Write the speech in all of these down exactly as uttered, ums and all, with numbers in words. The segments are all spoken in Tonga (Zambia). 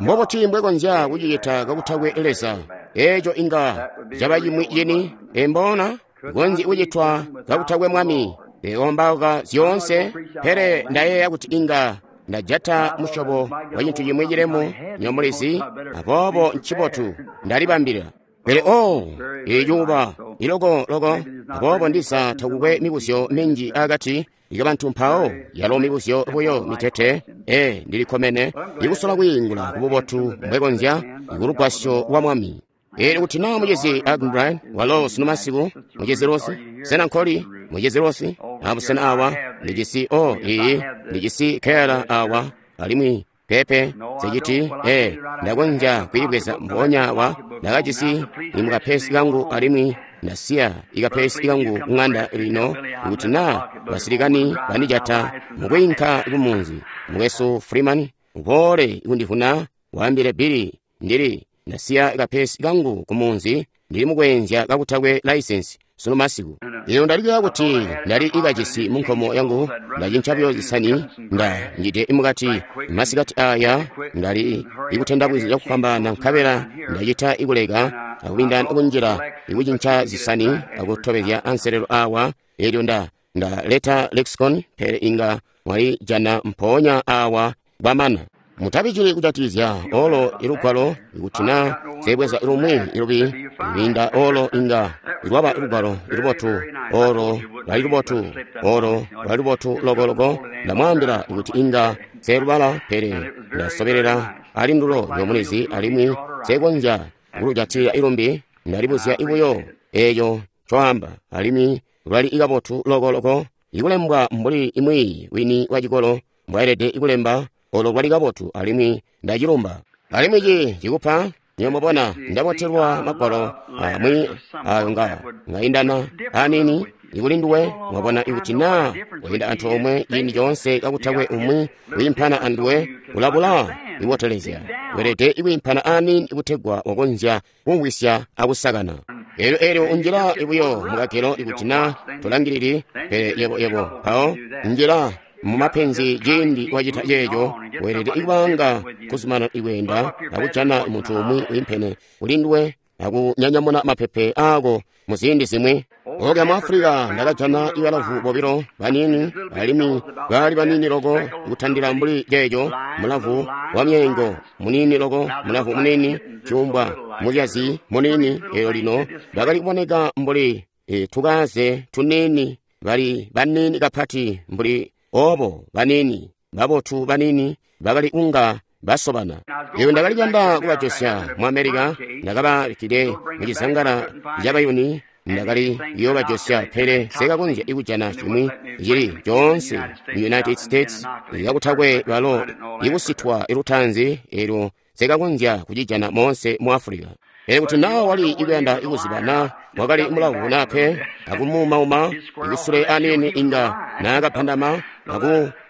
Mbobuti mbwekonzya kucicita kakutakwe Leza? Eeco inga caba cimwi cini, embona konzyi kucitwa kakutakwe Mwami. Eombauka zyoonse, pele ndayeeya kuti inga ndajata musyobo wa cintu cimwi cilemu, nyomulizi, aboobo ncibotu ndalibambila. Pele oh, icuuba iloko loko, aboobo ndiza takukwe mibuzyo minji akati ikabantu mpawo, yalo mibuzyo buyo mitete, ee, ndilikkomene ikusola kwiingula kububotu mbwekonzya kulugwasyo lwa Mwami. Eelyo kuti naa mucizi Arganbright walo sunu masiku, mucizi Rose, sena nkoli, mucizi Rose, abusena awa, ndijisi o iyi, ndijisi keyala awa, alimwi pepe siciti, ee, ndakonzya kwiibweza mpoonya awa, ndakajisi imukapesi kangu alimwi ndasiya ikapesi kangu kung'anda lino, kuti naa basilikani bandijata mukwiinka kumunzi. Mukwesu Freeman, uboole kundivuna, waambile Billy, ndili ndasiya kapesi kangu kumunzi, ndili mukweenzya kakutakwe laisensi sunu masiku. Lino ndalikila kuti ndali ikajisi munkomo yangu, ndacinca buyo zisani, nda njide mukati masikati aya, ndali ikutenda bwizi cakufwambaana nkabela ndacita ikuleka akubinda kunjila ikucinca zisani akutobezya anselelo awa. Eelyo nda ndaleta lexicon, pele inga mwalijana mpoonya awa bwamana. Mutabijili kujatizya olo ilugwalo, ikuti naa sebweza lumwi ilubi kwiinda olo inga lwaba lugwalo ilubotu, olo lwali lubotu, olo lwali lubotu logologo. Ndamwaambila kuti inga selubala, pele ndasobelela ali ndulo nyomulizi, alimwi sekonzya kulujatila ilumbi. Ndalibuzya ibuyo eeco ncoamba, alimwi lwali ikabotu logologo, ikulembwa mbuli imwiiyi wini wa cikolo mbwaelede ikulemba. Olo lwali kabotu, alimwi ndacilumba. Alimwi ci cikupa nyomubona ndabotelwa magwalo amwi ayo nga ngaindana anini ikuli nduwe. Mwabona ikuti naa wayinda antoomwe ciindi coonse kakutakwe umwi wiimpana anduwe, ulabula iwotelezya. Weelede ikwiimpana anini ikutegwa wakonzya kumvwisya akusakana. Eelyo eelyo unjila ibuyo mukagelo ikuti naa tolangilili, pele yebo yebo mpawo njila mumapenzi ciindi wacita ceeco. Weelede ikubanga kuzumana ikweenda akujana muntu umwi wiimpene kuli nduwe akunyanyamuna mapepe aako muziindi zimwi. Oka mu Afulika ndakajana ibalavu bobilo banini, alimwi baali banini loko kutandila mbuli ceeco, mulavu wa myeengo munini loko, mulavu munini cuumbwa muzyazi munini. Eelyo lino bakali kuboneka mbuli e, tukaze tunini, bali banini kapati mbuli obo banini babotu banini bakali kunga basobana. Eyo ndakali kuyanda kubajosya mu Amerika, ndakababikkide mucizangala cabayuni, ndakali kuyoobajosya, pele sekakonzya ikujana cimwi cili coonse mu United States kakutakwe balo ikusitwa ilutaanzi, eelyo sekakonzya kucijana moonse mu Afulika. Pele kuti naa wali ikuyanda ikuziba naa wakali mulavu naa pe, akumuumauma ikusule anini inga naakapandama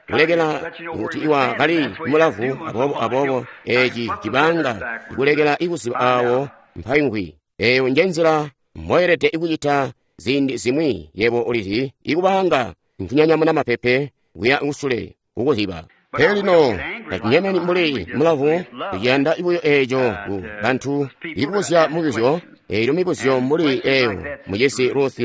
akulekela kuti iwa kali mulavu. Aboobo aboobo eeci cibanga ikulekela ikuziba aawo mpayungwi. Eeyo njenzila mboyelede ikucita ziindi zimwi, yebo ulizi, ikubanga nkunyanyamuna mapepe kuya kusule kukuziba. Pele lino tatunyemeni mbuli mulavu, tuciyanda buyo eeco ku bantu ikubuzya mibuzyo. Eelyo mibuzyo mbuli eeyo mucizi Ruth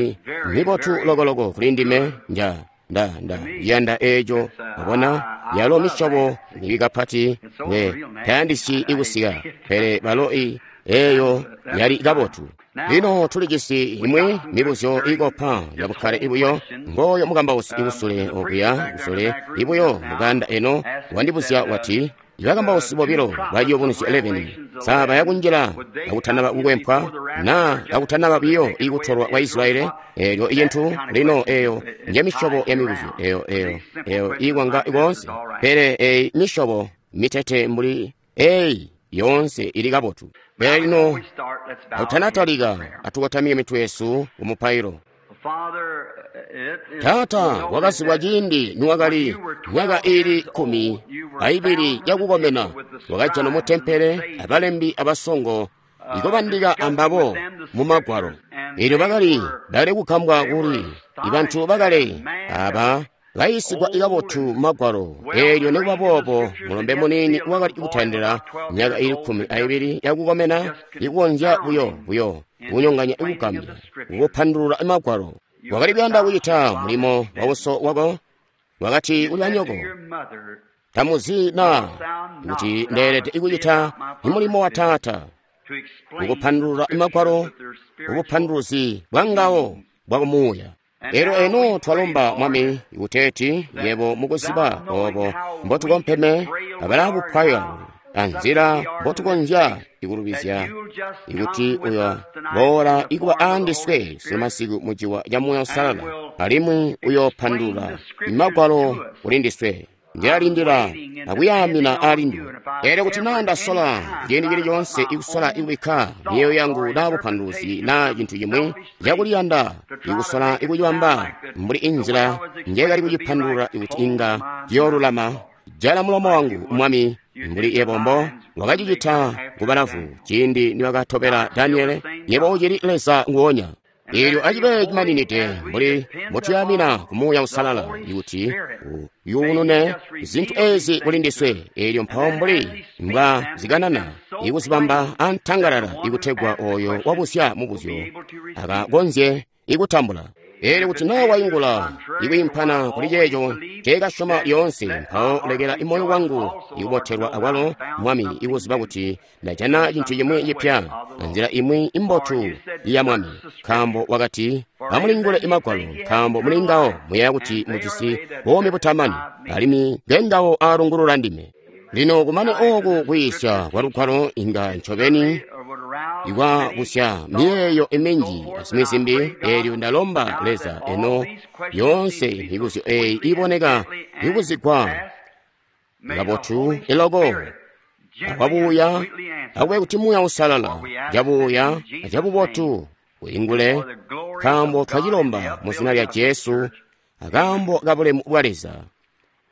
mibotu logologo kuli ndime, nja nda nda yanda eeco. Wabona, yalo misyobo mibi kapati we tayandisyi ikusika, pele balo i eeyo yali kabotu. Lino tulijisi imwi mibuzyo ikopa yabukkale ibuyo. Ngoyo mukambausi ikusule okuya kusule ibuyo muganda eno wandibuzya wati, ibakambausi bobilo baciyubunuzyo eleven saba yakunjila kakutanaba kukwempwa naa kakutanaba biyo ikutolwa kwa Israeli. Eelyo icintu lino eeyo nje misyobo ya mibuzyo eyo eyo eyo ikwanga koonse, pele eyi misyobo mitete mbuli eyi yoonse ili kabotu. Pele lino akutanatalika, atukotamike mitwe yesu kumupailo. Taata, wakazibwa ciindi niwakali myaka iili kkumi aibili yakukomena, wakajana mu tempele abalembi abasongo ikubandika ambabo mu magwalo. Eelyo bakali bakali kugambwa kuli ibantu bakale aba Kayiisigwa kabotu Magwalo, eelyo nikuba boobo mulombe muniini wakali kutandila myaka ili kkumi aibili yakukomena ikukonzya buyo buyo kunyonganya ikugambya kukupandulula Magwalo. Wakali kuyanda kucita mulimo wa uso wako. Wakati kuli banyoko, tamuzi na kuti ndeelede kucita mulimo wa taata, kukupandulula Magwalo, ubupanduluzi bwa ngawo bwakumuuya. Elyo eno twalomba Mwami kuteeti yebo mukuziba obo mbotukompeme abalabupwaya anzila mbotukonzya ikulubizya ikuti uyo boola ikuba aandiswe sumasiku muciwa ca Muuya Uusalala, alimwi uyoopandulula Magwalo kuli ndiswe. Ndilalindila akuyaamina aali nduwe. Elyo kuti naa ndasola ciindi cili coonse ikusola ikubikka miyeeyo yangu naa bupanduluzi naa cintu cimwi cakuliyanda ikusola ikucibamba mbuli inzila njekali kucipandulula ikuti inga ciyoolulama, jala mulomo wangu Mwami, mbuli yebo mbo wakacicita kubalavu ciindi nibakatobela Daniele. Yebo ucili Leza nguonya. Eelyo acibe cimaninide mbuli mbotuyamina ku Muuya Uusalala ikuti uyunune zintu ezi kuli ndiswe. Eelyo mpawo mbuli mbwa zikanana ikuzibamba antangalala ikutegwa oyo wabuzya mubuzyo akakonzye ikutambula. Eelyo kuti naa waingula ikwiimpana kuli ceeco nceekasyoma lyoonse, mpawo lekela moyo wangu ikubotelwa akwalo Mwami ikuziba kuti ndajana cintu cimwi cipya anzila imwi imbotu ya Mwami. Nkaambo wakati, amulingule Magwalo, nkaambo muli ngawo muyeeya kuti mujisi buumi butamani, alimwi ngengawo aalungulula ndime. Lino kumane ooku kwiisya kwa Lugwalo inga ncobeni ikwabusya miyeeyo iminji azimwi zimbi. Eelyo ndalomba Leza eno yoonse mibuzyo eeyi iboneka ikuzigwa kabotu eloko akwabuuya, akube kuti Muuya Uusalala cabuuya acabubotu uingule, nkaambo twacilomba mu zina lya Jesu, akaambo kabulemu bwa Leza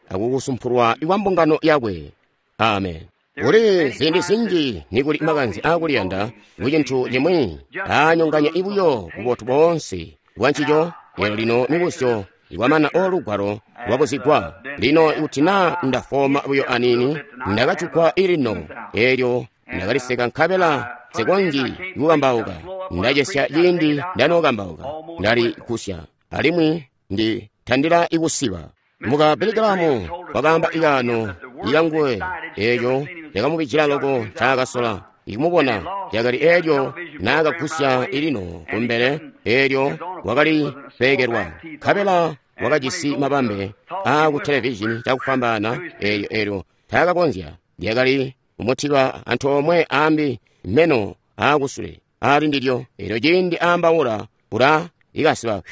akukusumpulwa kwa mbungano yakwe. Amen. Kuli ziindi zinji nikuli makanze aakuliyanda kucintu cimwi aanyonganya ibuyo bubotu boonse bwa ncico. Eelyo lino mibuzyo ikwamana olugwalo lwabuzigwa. Lino ikuti naa ndafoma buyo aniini, ndakacukwa ilino, eelyo ndakaliseka nkabela nsikonzyi kukambauka. Ndacesya ciindi ndanookambauka, ndali kusya alimwi nditandila ikusiba. Muka Billy Graham wakaamba ikaano ikanguwe eeco cakamubijila loko ncaakasola ikumubona lyakali eelyo naakagusya ilino kumbele, eelyo wakali peekelwa nkabela wakajisi mabambe aaku televizhini cakufwambaana. Eelyo eelyo taakakonzya, lyakali kumutiba antoomwe aambi meno aakusule aali ndilyo. Eelyo ciindi aambaula ula ikasiba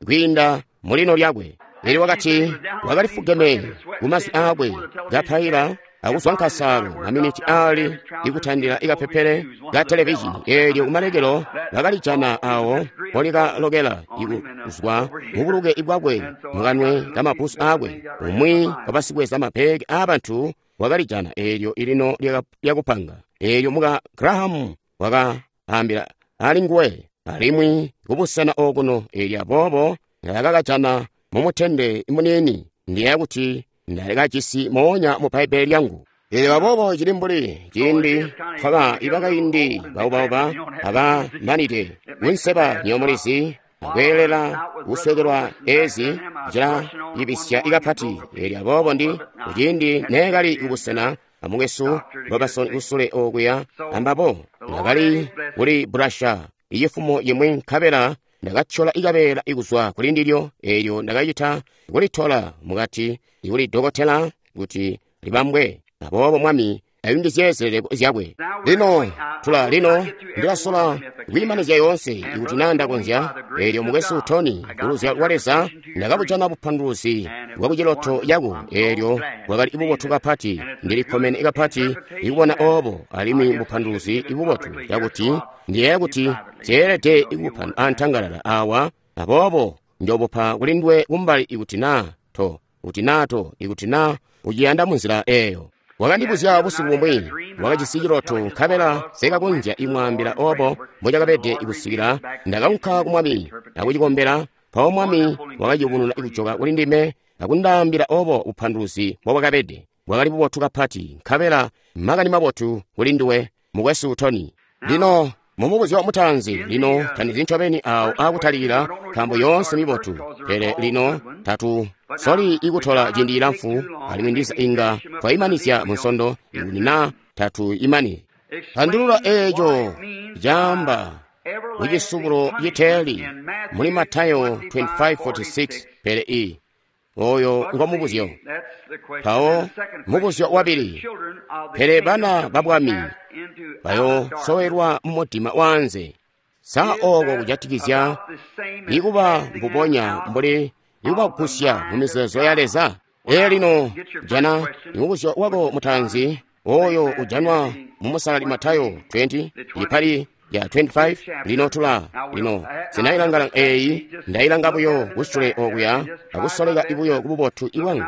kwiinda mulino lyakwe. Eelyo wakati wakali fugeme kumazwi aakwe kapaila akuzwa nkasaalo maminiti aali ikutandila ikapepele ka televizhini. Eelyo kumalekelo bakalijana awo mpolikalokela ikuzwa mubuluke bwakwe mukanwe kamabusu aakwe. Umwi wabasikweza mabegi aabantu wakalijana eelyo ilino lyakupanga. Eelyo muka Graham wakaambila ali nguwe alimwi kubusena okuno. Eelyo aboobo ndakakajana mumutende muniini, ndiyeeya kuti ndakajisi moonya mu Bbaibbele lyangu. Eelyo aboobo cili mbuli ciindi twaba ibakaindi baubauba abamanide kunseba nyomulizi akweelela kuswekelwa ezi cilayibisya ikapati. Eelyo aboobo ndi kuciindi neekali kubusena amukwesu Robertson kusule okuya ambabo, ndakali kuli burasha icifumo cimwi nkabela ndakatyola ikabeela ikuzwa kuli ndilyo. Eelyo ndakacita kulitola mukati kuli dokotela kuti libambwe. Aboobo Mwami ayungizye zileleko zyakwe. Lino tula lino ndilasola kwiimanizya yoonse ikuti naa ndakonzya. Eelyo mukwesu Tony kuluzya lwa Leza ndakabujana bupanduluzi bwa kuciloto cako. Eelyo bwakali bubotu kapati, ndilikkomene kapati ikubona oobo, alimwi bupanduluzi ibubotu cakuti ndiyeeya kuti zyeelede ikupa antangalala awa. Aboobo njobupa kuli nduwe kumbali ikuti naa to kuti naa to ikuti naa uciyanda munzila eeyo. Wakandibuzya busiku bumwi, wakajisi ciloto nkabela sekakonzya imwaambila obo mbocakabede ikusikila ndakaunka ku Mwami akucikombela. Mpawo Mwami wakaciyubununa ikujoka kuli ndime akundaambila obo bupanduluzi mbobwakabede. Bwakali bubotu kapati, nkabela makani mabotu kuli nduwe, mukwesu Tony. Lino mumubuzyo mutaanzi, lino tandizi ncobeni awo akutalikila, nkaambo yoonse mibotu, pele lino tatu soli ikutola ciindi cilamfu, alimwi ndiza inga twayimanizya mu nsondo ikuti na tatu imani. Pandulula eeco caamba mucisubulo citeeli muli Matayo twenty-five forty-six, pele i oyo ngo mubuzyo. Mpawo mubuzyo wabili, pele bana ba bwami bayosowelwa mumudima waanze. Sa ooko kujatikizya ikuba mbubonya mbuli ikubagusya mu mizeezo ya Leza? Ee lino jana mubuzyo wako mutaanzi oyo ujanwa mu musalali Matayo twenty ipali ya twenty-five. Lino tula lino sinailangala eyi, ndailanga buyo kusule okuya akusoleka ibuyo kububotu ibwangu,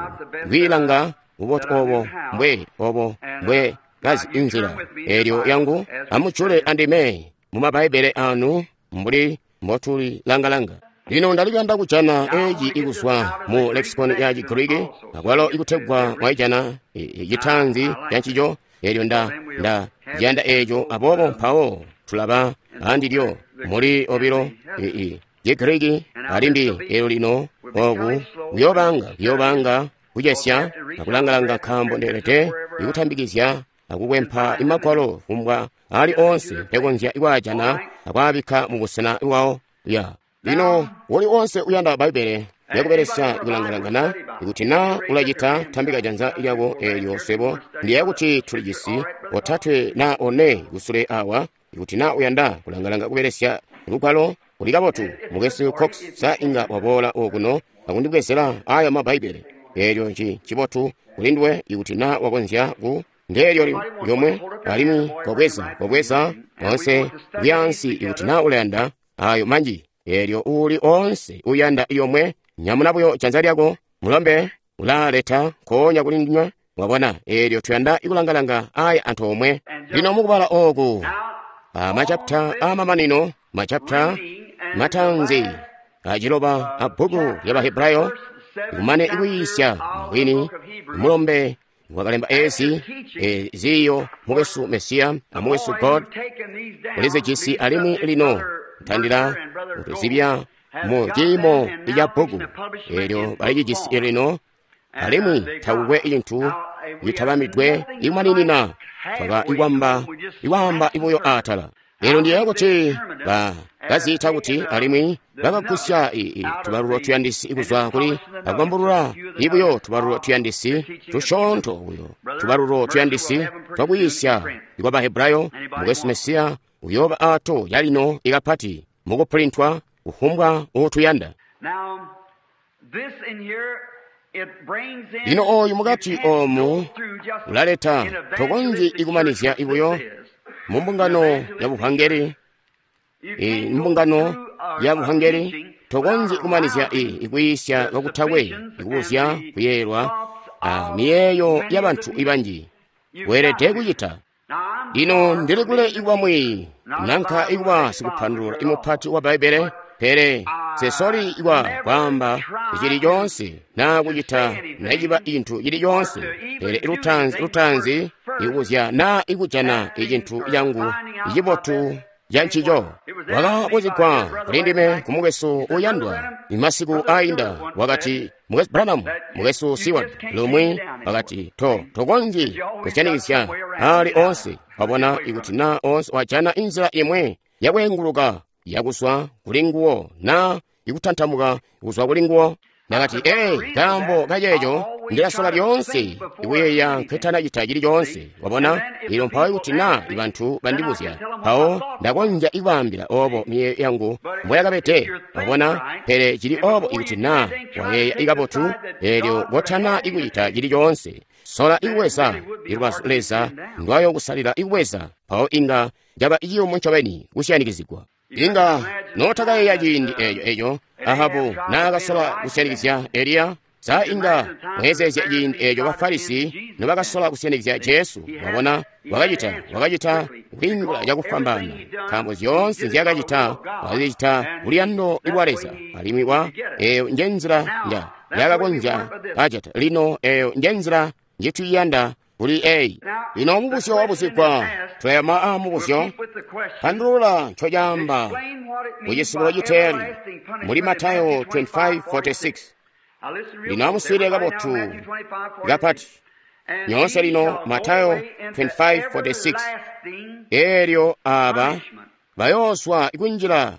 kwiilanga bubotu obo mbwe obo mbwe kazi inzila elyo yangu. Amucule andime mu mabaibele anu mbuli mbotulilangalanga. Lino ndalikuyanda kujana eeci ikuzwa mu lexicon ya Chigiriki, akwalo ikutegwa mwaijana citanzi cancico. Elyo nda nda janda eeco, aboobo mpawo tulaba andilyo muli obilo Chigiriki alimbi. Elyo lino oku kuyobanga kuyobanga kucesya akulangalanga, nkaambo ndeelede ikutambikizya akukwempa imagwalo kumbwa ali onse mpekonzya ikwaajana akwaabikka mu busena bwawo. Ya lino woli onse uyanda Baibele yakubelesya ikulangalangana, ikuti na ulacita, tambika janza lyako eelyo swebo ndiye kuti tulijisi otatwe na one kusule awa. Ikuti na uyanda kulangalanga kubelesya lugwalo, kuli kabotu. Mukwesu Cox sa inga waboola okuno akundibwezela aya ma Baibele. Eelyo nci cibotu kuli nduwe ikuti na wakonzya ku ndeelyo lyomwe, alimwi kobweza kobweza onse kuyaansi ikuti na ulayanda ayo manji. Eelyo uli onse uyanda yomwe, nyamuna buyo janza lyako, mulombe ulaleta nkoonya kuli ndinywe. Mwabona, eelyo tuyanda ikulangalanga aya antoomwe. Lino mukubala oku amachapita amamanino, machapita matanzi aciloba a bbuku lya Bahebrayo, ikumane ikuyiisya mbwini mulombe wakalemba ezi ziyo mukwesu Mesiya amukwesu God ulizijisi, alimwi lino ntandila kutuzibya mu ciimo ca bbuku eelyo balicijisi lino, alimwi takukwe cintu citabamidwe ikumaninina, twaka ikwamba ikwamba ibuyo atala. Lero ndiye kuti bakaziita kuti, alimwi bakagusya tubalulo tuyandisi ikuzwa kuli akubambulula ibuyo tubalulo tuyandisi tusyoonto buyo tubalulo tuyandisi twakuyisya ikwa Bahebrayo. Mukwesu Mesiya uyooba ato yalino ikapati mukupulintwa kufumbwa uutuyanda. Lino oyu mukati omu ulaleta tokonzyi ikumanizya ibuyo mu mbungano ya buhangeli, mbungano ya buhangeli tokonzyi kumanizya ikuyisya kakutakwe ikubuzya kuyeeyelwa a miyeeyo ya bantu ibanji. Weelede kucita. Lino ndili kule ikuba mwiiyi nanka ikuba sikupandulula imupati wa Baibele, pele sesoli ikwa kwaamba cili coonse na kucita naciba cintu cili coonse, pele lutanzi lutanzi ikubuzya na ikujana icintu cangu icibotu cancico. Wakabuzigwa kuli ndime kumukwesu uyandwa imasiku ainda, wakati, mukwesu Branham, mukwesu Seward lumwi wakati, to tokonzyi kusyanikizya ali onse. Wabona, ikuti na onse wajana inzila imwe yakweenguluka yakuzwa kuli nguwo na ikutantamuka kuzwa kuli nguwo. Nakati, ee, kaambo kaceeco ndilasola lyoonse ikuyeeya nkwetanacita cili coonse. Wabona, ilo mpawo ikuti na ibantu bandibuzya, mpawo ndakonzya ikwaambila obo miyeeyo yangu mboyakabede. Wabona, pele cili obo ikuti na wayeeya ikabotu, eelyo kotana ikucita cili coonse, sola ikuweza ilubazu Leza ndwayokusalila ikuweza, mpawo inga caba ciyumu ncobeni kusyanikizigwa. Inga notakayeeya ciindi eeco eco Ahabu naakasola kusyanikizya Eliya. Sa inga mweezeezya ciindi eeco Bafarisi nobakasola kusyanikizya Jesu. Wabona, wakacita wakacita kwiingula cakufwambaana, nkaambo zyoonse nzyaakacita wakazicita kuluyando lwa Leza, alimwi wa eeyo njenzila nja yakakonzya kajata. Lino eyo njenzila njituyanda kuli eyi. Lino mubuzyo wabuzigwa, tulayama a mubuzyo, pandulula ncocaamba mucisubulo citeeli muli Matayo twenty-five forty-six. Lino amuswiilile kabotu kapati nyoonse. Lino Matayo twenty-five forty-six. Eelyo aba bayooswa kunjila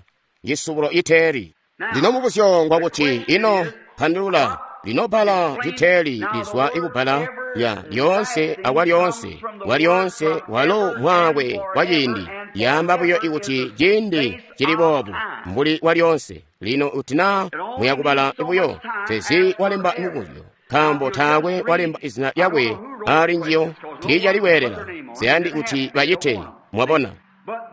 cisubulo citeeli. Lino mubuzyo ngwakuti ino pandulula. Lino bbala citeeli lizwa ikubbala lya lyoonse akwa lyoonse wa lyoonse walo mwaakwe wa ciindi. Yaamba buyo ikuti ciindi cili boobu mbuli wa lyoonse. Lino kuti naa muyakubala buyo tezi walemba mubuzyo, nkaambo taakwe walemba izina lyakwe ali njiyo, tiicali kweelela ziyandi kuti bacite. Mwabona?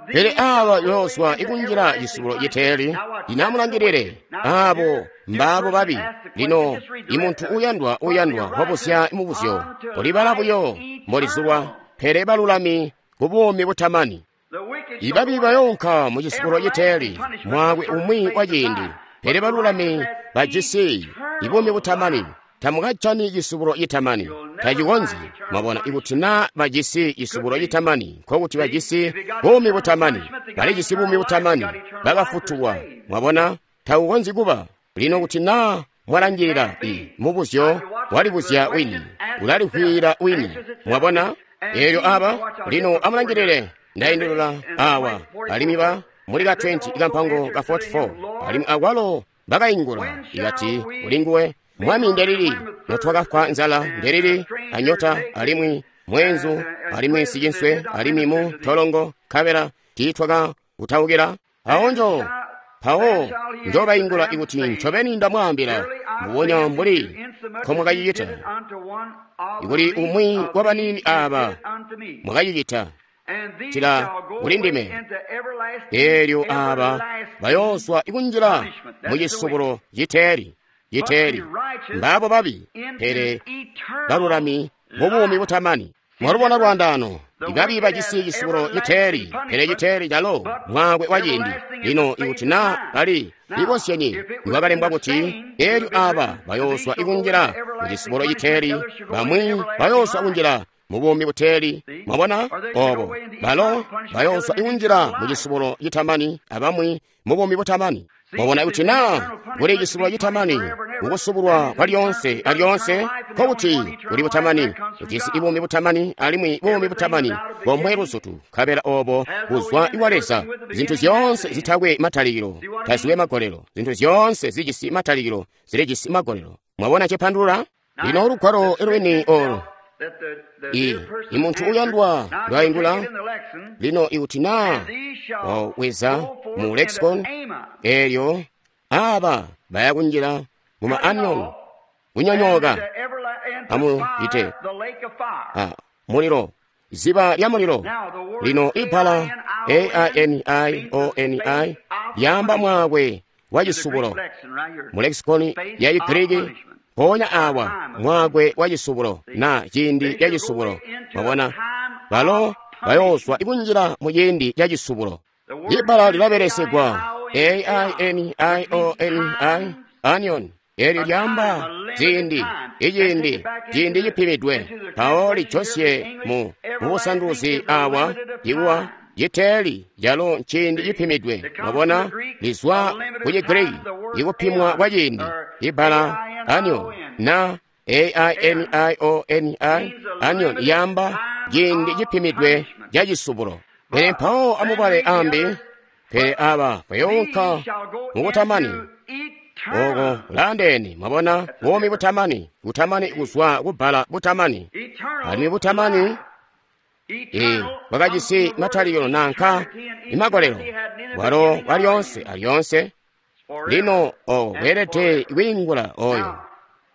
Pele aba yooswa ikunjila cisubulo citeeli. Lino amulangilile, abo mbaabo babi. Lino imuntu uyandwa uyandwa wabuzya mubuzyo, ulibala buyo mbolizulwa, pele balulami ku buumi butamani. Ibabi bayoonka mu cisubulo citeeli mwaakwe umwi wa ciindi, pele balulami bajisi ibuumi butamani. Tamukajani cisubulo citamani, tacikonzyi. Mwabona, ikuti naa bajisi cisubulo citamani, nkokuti bajisi buumi butamani. Balijisi buumi butamani, bakafutulwa. Mwabona, takukonzyi kuba. Lino kuti naa mwalangilila i mubuzyo walibuzya wini, ulalihwila wini. Mwabona, eelyo aba lino amulangilile, ndaindulula awa alimwi ba muli ka twenty ikampango ka forty-four alimwi akwalo bakaingula ikati kulinguwe, Mwami, ndelili notwakafwa nzala, ndelili anyota, alimwi mwenzu, alimwi sicinswe, alimwi mu tolongo, nkabela tiitwakakutaukila. Awo njo mpawo njobaingula ikuti ncobeni ndamwaambila, mbubonya mbuli nkomwakacicita ikuli umwi wa baniini aba mwakacicita tila kuli ndime. Eelyo aba bayooswa ikunjila mu cisubulo citeeli. Citeeli mbaabo babi, pele balulami mubuumi butamani. Mwalubona lwandaano, ibabi bajisi cisubulo citeeli, pele citeeli calo mwaakwe wa ciindi. Lino ikuti naa bali likozyenye niwakalembwa kuti eelyo aba bayooswa ikunjila mu cisubulo citeeli, bamwi bayooswa kunjila mubuumi buteeli. Mwabona obo balo bayooswa ikunjila mu cisubulo citamani, abamwi mubuumi butamani. Mwabona kuti naa kuli cisubulo citamani kukusubulwa kwa lyoonse alyoonse, nkokuti kuli butamani, ujisi ibuumi butamani, alimwi buumi butamani bomwe luzutu, nkabela obo buzwa iwa Leza. Zintu zyoonse zitakwe matalikilo taziwe magolelo, zintu zyoonse zijisi matalikilo zilijisi magolelo. Mwabona cipandulula? Lino lugwalo lweni olu i imuntu uyandwa lwaingula. Lino ikuti naa waweza mu lexicon, eelyo aba baya kunjila mu ma anion, kunyonyooka amuite a mulilo, ziba lya mulilo. Lino ibbala A I N I O N I lyaamba mwaakwe wa cisubulo mu lexicon ya Chigiriki. Mpoonya awa mwaakwe wa cisubulo na ciindi ca cisubulo. Mwabona, balo bayooswa ikunjila mu ciindi ca cisubulo. Ibbala lilabelesegwa A I N I O N I anion, eelyo lyaamba ziindi, iciindi, ciindi cipimidwe. Mpawo lijosye mu mubusanduzi awa ikuwa citeeli calo nciindi cipimidwe. Mwabona, lizwa ku Chigiriki ikupimwa kwa ciindi. Ibbala anion na A I N I O N I anion yamba ciindi cipimidwe ca cisubulo. Pele mpawo amubale ambi, pele aba bayoonka mukutamani oko landeni. Mwabona, buumi butamani, butamani kuzwa kubbala butamani, alimwi butamani e bwakajisi matalikilo nanka imagolelo, bwalo bwa lyoonse alyoonse. Lino oko bweelede kwiingula oyo.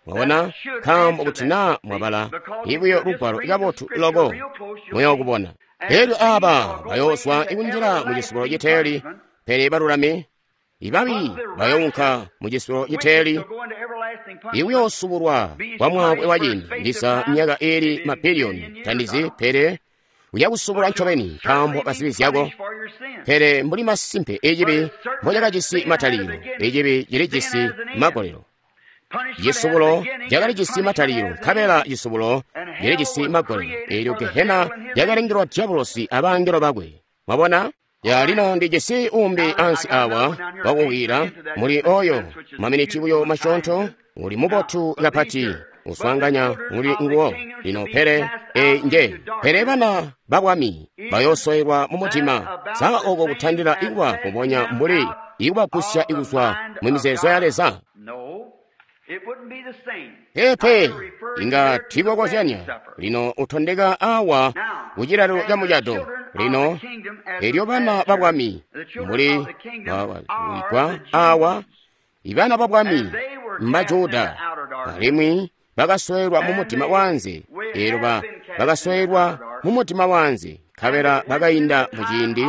Mwabona, nkaambo kuti naa mwabala ibuyo lugwalo kabotu loko muyookubona. Eelyo aba bayooswa ikunjila mu cisubulo citeeli, pele balulami ibabi bayounka mu cisubulo citeeli, ikuyoosubulwa kwa mwaakwe wa ciindi ndiza myaka iili mabiliyoni tandizi, pele uyakusubulwa ncobeni nkaambo kazibi zyako. Pele mbuli masimpe icibi mbocakajisi matalikilo, icibi cilijisi magolelo. Cisubulo cakali jisi matalikilo, nkabela cisubulo cili magolelo. Eelyo gehena yakalengelwa dyabulosi abangelo bakwe. Mwabona? Ya lino ndijisi umbi ansi awa wakuwira muli oyo maminiti buyo masyoonto, uli mubotu kapati uswanganya muli nguwo. Lino pele e nje pele bana babwami bayoosowelwa mu mudima. Sa oko kutandila ikuba kubonya mbuli ikubagusya ikuzwa mu mizeezo ya Leza? Pepe inga tikokozyanya. Lino utondeka awa kucilalo ca mucado. Lino elyo bana babwami mbuli wigwa awa ibana babwami mbajuda alimwi bakasowelwa mu mudima wanze. Eelyo bakasowelwa mu mudima wanze nkabela bakainda mu ciindi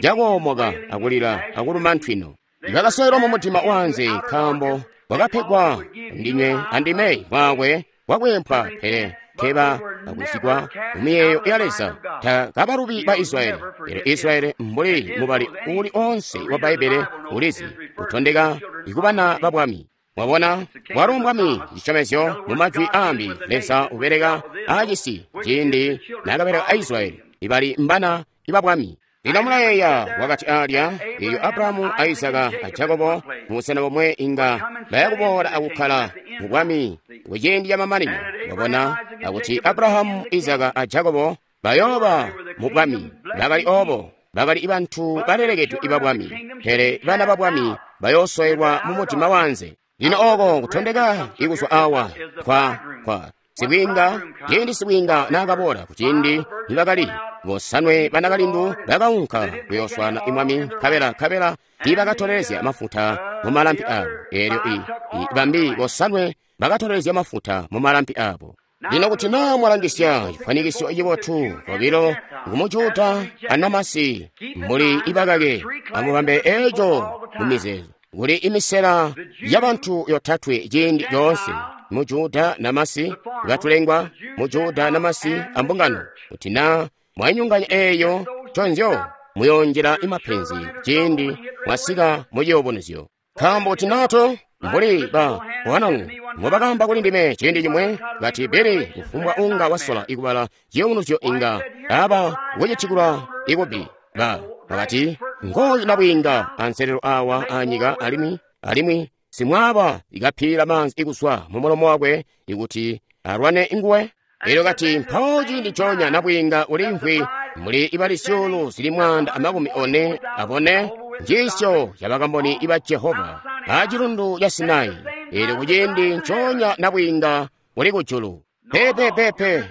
cakoomoka akulila akuluma ntwino. Bakasowelwa mu mudima wanze nkaambo wakapegwa ndinywe andime mwakwe wakwempwa, pele teba akwisigwa mu miyeeyo ya Leza. Takabalubi ba Israyeli. Elyo Israyeli mbuli mubali uli onse wa Bbaibbele ulizi utondeka ikubana babwami. Mwabona, walo mbwami cisyomezyo mu majwi ambi Leza ubeleka acisi ciindi nakabeleka a Israyeli ibali mbana ibabwami. Lino mulayeeya wakati alya eyo Abrahamu a Isaka a Jakobo mubusena bomwe inga bayakuboola akukkala mu bwami kuciindi ca mamanino. Mwabona akuti Abrahamu, Isaka a Jakobo bayooba mu bwami. Bakali obo, bakali bantu balelekedwe ibabwami, pele bana babwami bayoosowelwa mu mudima wanze. Lino oko kutondeka ikuzwa awa kwa kwa sibwiinga, ciindi sibwiinga naakaboola kuciindi nibakali bosanwe banakalindu bakaunka kuyooswana imwami, nkabela nkabela tiibakatolelezya mafuta mu malampi abo. Eelyo i, i bambi bosanwe bakatolelezya mafuta mu malampi abo. Lino kuti naa mwalangisya chifanikisyo cibotu bobilo ngumujuda anamasi mbuli ibakake, amubambe eco mu mizeezo. Kuli imisela yabantu yotatwe ciindi coonse, mujuda namasi batulengwa, mujuda namasi ambungano. Kuti naa mwainyunganya eeyo conzyo muyonjela imapenzi ciindi mwasika muciyubunuzyo. Nkaambo kuti nato mbuli ba bwanangu mubakamba kuli ndime ciindi cimwe kati Bili kufumbwa unga wasola ikubala ciyubunuzyo inga aba kucitikula ikubi. Ba bakati ngoyi nabwiinga anselelo awa anyika alimwi alimwi simwaba ikaphila manzi ikuswa mu mulomo wakwe ikuti alwane inguwe. Elyo kati mpawo ciindi conya nabwiinga ulimvwi muli ibali zyuulu zili mwanda amakumi one abone njiisyo ya bakamboni iba Jehova a cilundu ca Sinai. Elyo kuciindi nconya nabwiinga uli kujulu. Pepe pepe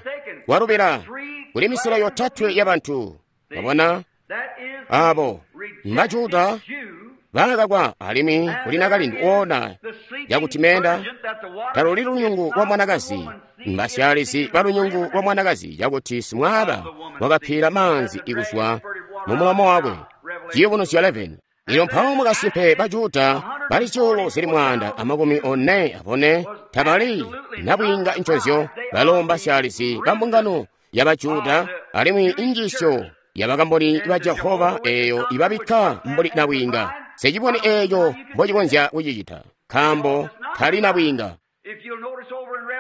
walubila kuli misela yotatwe ya bantu. Wabona abo Majuda bakakwa alimwi kuli nakalindu ona yakuti menda taluli lunyungu lwa mwanakazi mbasyalizi ba lunyungu lwa mwanakazi yakuti simwaba wakaphila manzi ikuzwa mu mulomo wakwe. Ciyubunuzyo eleven. Ilyo mpawo mukasimpe Bajuda bali zyuulu zili mwanda amakumi one abone tabali nabwiinga nconzyo balo mbasyalizi ba mbungano ya Bajuda alimwi injiisyo ya bakamboni ba Jehova eeyo ibabikka mbuli nabwiinga. Secibone eeyo mbocikonzya kucicita nkaambo tali nabwiinga.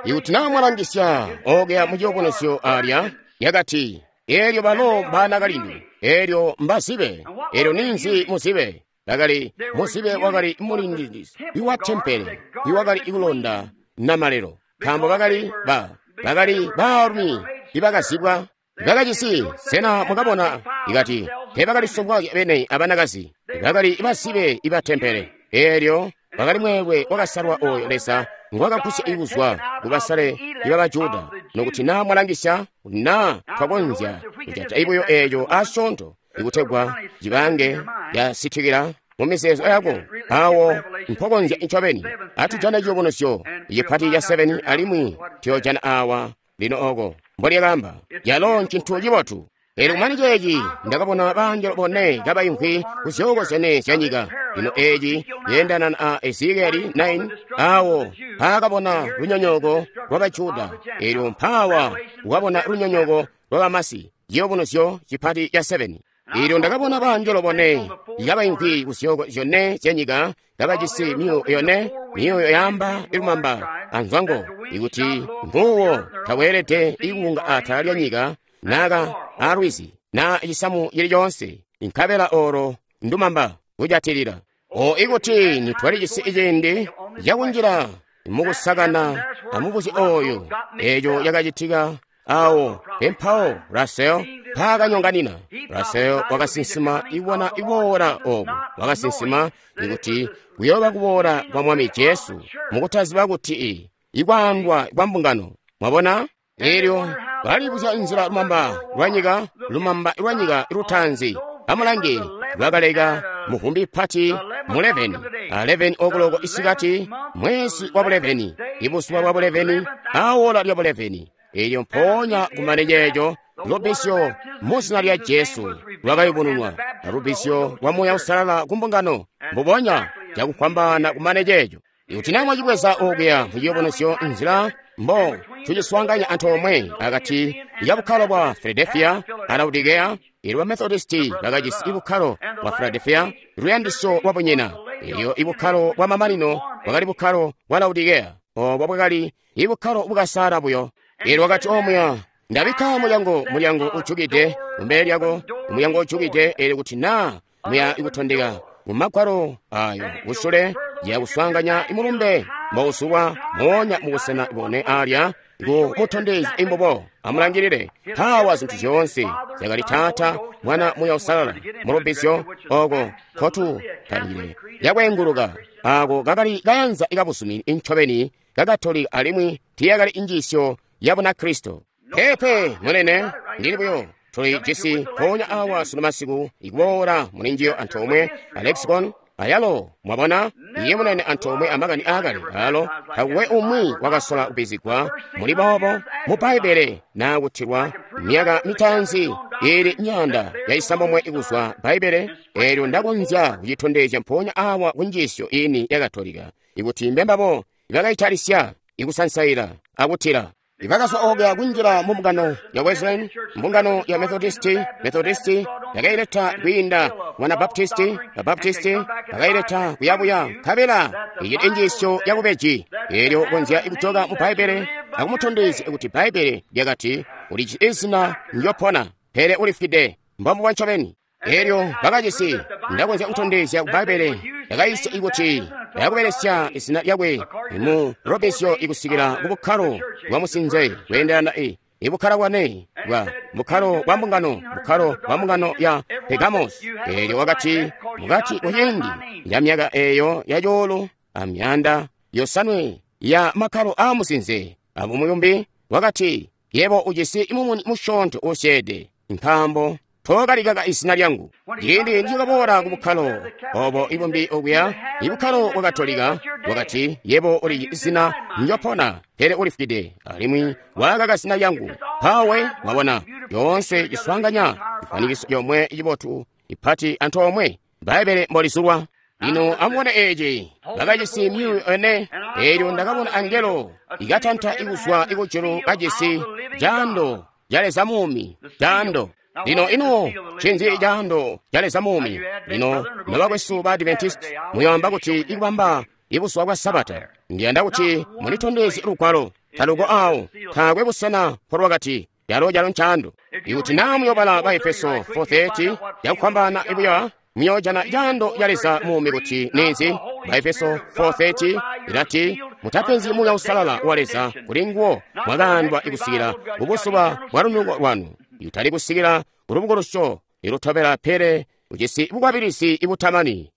Ikuti naa mwalangisya okuya mu ciyubunuzyo alya yakati eelyo balo mbanakalindu, eelyo mbazibe, eelyo ninzi muzibe. Bakali muzibe wakali mulindizi iwa tempele iwakali ikulonda namalelo, nkaambo bakali ba bakali baalumi ibakazibwa bakajisi. Sena mwakabona ikati teebakalisongwa bene abanakazi, bakali bazibe iba tempele. Eelyo bakali mweelwe wakasalwa oyo Leza ngwakagusya ikuzwa kubasale iba Bajuda. Nokuti naa mwalangisya naa twakonzya kujata ibuyo eeyo asyoonto ikutegwa cibange yasitikila mu mizeezo yako awo mpokonzya ncobeni. Atujane ciyubunuzyo cipati ca seven alimwi tuyojana awa lino oko mbolyakamba yalo ncintu cibotu. Eelyo kumane ceeci ndakabona bangelo bone kabaimvwi ku zyooko zyone zya nyika. Lino eeci yeendana a Ezekieli nine awo mpaakabona lunyonyooko lwa Bajuda. Eelyo mpaawa wakabona lunyonyooko lwa Bamasi. Ciyubunuzyo cipati ca seven. Eelyo ndakabona bangelo bone kabaimvwi kuzyooko zyone zyanyika kabajisi myuuyo yone, myuuyo yaamba ilumamba anzwango, ikuti nguwo taweelede ikuunga atala lyanyika naka alwizi na cisamu cili coonse, nkabela olo ndumamba kujatilila. O ikuti nitwalijisi ciindi cakunjila mukusakana amubuzyo oyo, eeco cakacitika awo pempawo Russell mpaakanyonganina. Russell wakasinsima ibona iboola obu, wakasinsima ikuti kuyooba kuboola kwa Mwami Jesu mukutaziba kuti ikwaandwa kwa mbungano. Mwabona? Eelyo balibuzya nzila lumamba lwanyika, lumamba lwanyika lutaanzi. Amulange, lwakaleka muvumbi pati mu eleveni, eleveni okuloko isikati, mwezi wa eleveni, ibuzuba bwa eleveni, awola lya eleveni. Eelyo mpoonya kumane ceeco lubisyo muzina lya Jesu lwakayubununwa, lubisyo lwa Muuya Uusalala ku mbungano, mbubonya cakufwambaana kumane ceeco. Ikuti naa mwacibweza okuya muciyubunuzyo nzila mbo tuciswaanganya antoomwe akati ya bukkalo bwa Philadelphia a Laodicea, eelyo ba Methodisti bakajisi ibukkalo bwa Philadelphia, luyandisyo lwa bunyina. Eelyo ibukkalo bwa mamanino bwakali bukkalo bwa Laodicea, obo bwakali ibukkalo bukasaala buyo. Eelyo wakati omuya, ndabikka mulyango, mulyango ujukide kumbele lyako, mulyango ujukide. Eelyo kuti naa muya ikutondeka mu magwalo ayo kusule yakuswaanganya imulumbe mbouzulwa moonya mubusena bone alya ku mutondezi imbobo. Amulangilile mpawa zintu zyoonse zyakali Taata, Mwana, Muuya Uusalala mulubizyo oko nkotu talile yakweenguluka. Ako kakali kayanza ikabuzumini incobeni kakatolika alimwi tiyakali injiisyo ya Bunakristo. Peepe munene, ndili buyo tuli jisi mpoonya awa sunu masiku ikuboola mulinjiyo antoomwe a lexicon ayalo. Mwabona, iye munene antoomwe amakani aakale alo takuwe umwi wakasola kubizigwa muli boobo mu Bbaibbele naa kutilwa myaka mitaanzi ili myaanda ya isambomwe ikuzwa Bbaibbele. Eelyo ndakonzya kucitondezya mpoonya awa kunjiisyo ini ya Katolika ikuti mbembabo ibakaitalisya ikusansaila akutila. Ibakazwa okuya kunjila mu mbungano ya Wesleyan, mbungano ya Methodisti, Methodisti yakaileta kwiinda mwana Baptisti, Baptisti bakaileta kuyabuya, nkabela iyi injiisyo ya bubeji. Eelyo konzya ikutoka mu Bbaibbele akumutondezya kuti Bbaibbele lyakati ulijisi izina ndyopona pele ulifwide, mbombubo ncobeni. Eelyo bakajisi, ndakonzya kutondezya ku Bbaibbele yakayisya ikuti yakubelesya izina lyakwe mu lubisyo ikusikila ku bukkalo bwa musinze kweendelana i ibukkalo bwane bwa bukkalo bwa mbungano, bukkalo bwa mbungano ya Pergamos. Eelyo wakati mukati kuciindi ya myaka eeyo ya cuulu amyanda yosanwe ya makkalo aa musinze abumuyumbi, wakati yebo ujisi mumuni musyoonto usyeede nkaambo tookalikaka izina lyangu. Ciindi ndikaboola ku bukkalo obo ibumbi okuya, ibukkalo bwa Katolika, wakati yebo uli izina ndyopona pele ulifwide alimwi wakaka zina lyangu. Mpawe mwabona yoonse ciswaanganya cifwanikiso yomwe cibotu ipati antoomwe Bbaibbele mbolizulwa. Lino amubone eeci, bakajisi myuuyo ene. Eelyo ndakabona angelo ikatanta ikuzwa ikujulu kajisi caando ca Leza muumi, caando. Lino ino ncinzi caando ca Leza muumi? Lino nobakwesu ba Adventist muyoamba kuti ikubamba ibuzuba bwa Sabata. Ndiyanda kuti mulitondezye lugwalo taluko awo, taakwe busena mpolwakati calo calo ncaando. Ikuti naa muyobala ba Efeso four thirty yakufwambaana ibuya, muyoojana caando ca Leza muumi kuti ninzi. Ba Efeso four thirty ilati mutapenzyi Muuya Uusalala wa Leza kuli nguwo mwakaandwa ikusikila kubuzuba bwa lunuko lwanu, itali kusikila kulubukulusyo ilutobela pele ujisi bukwabilizi ibutamani.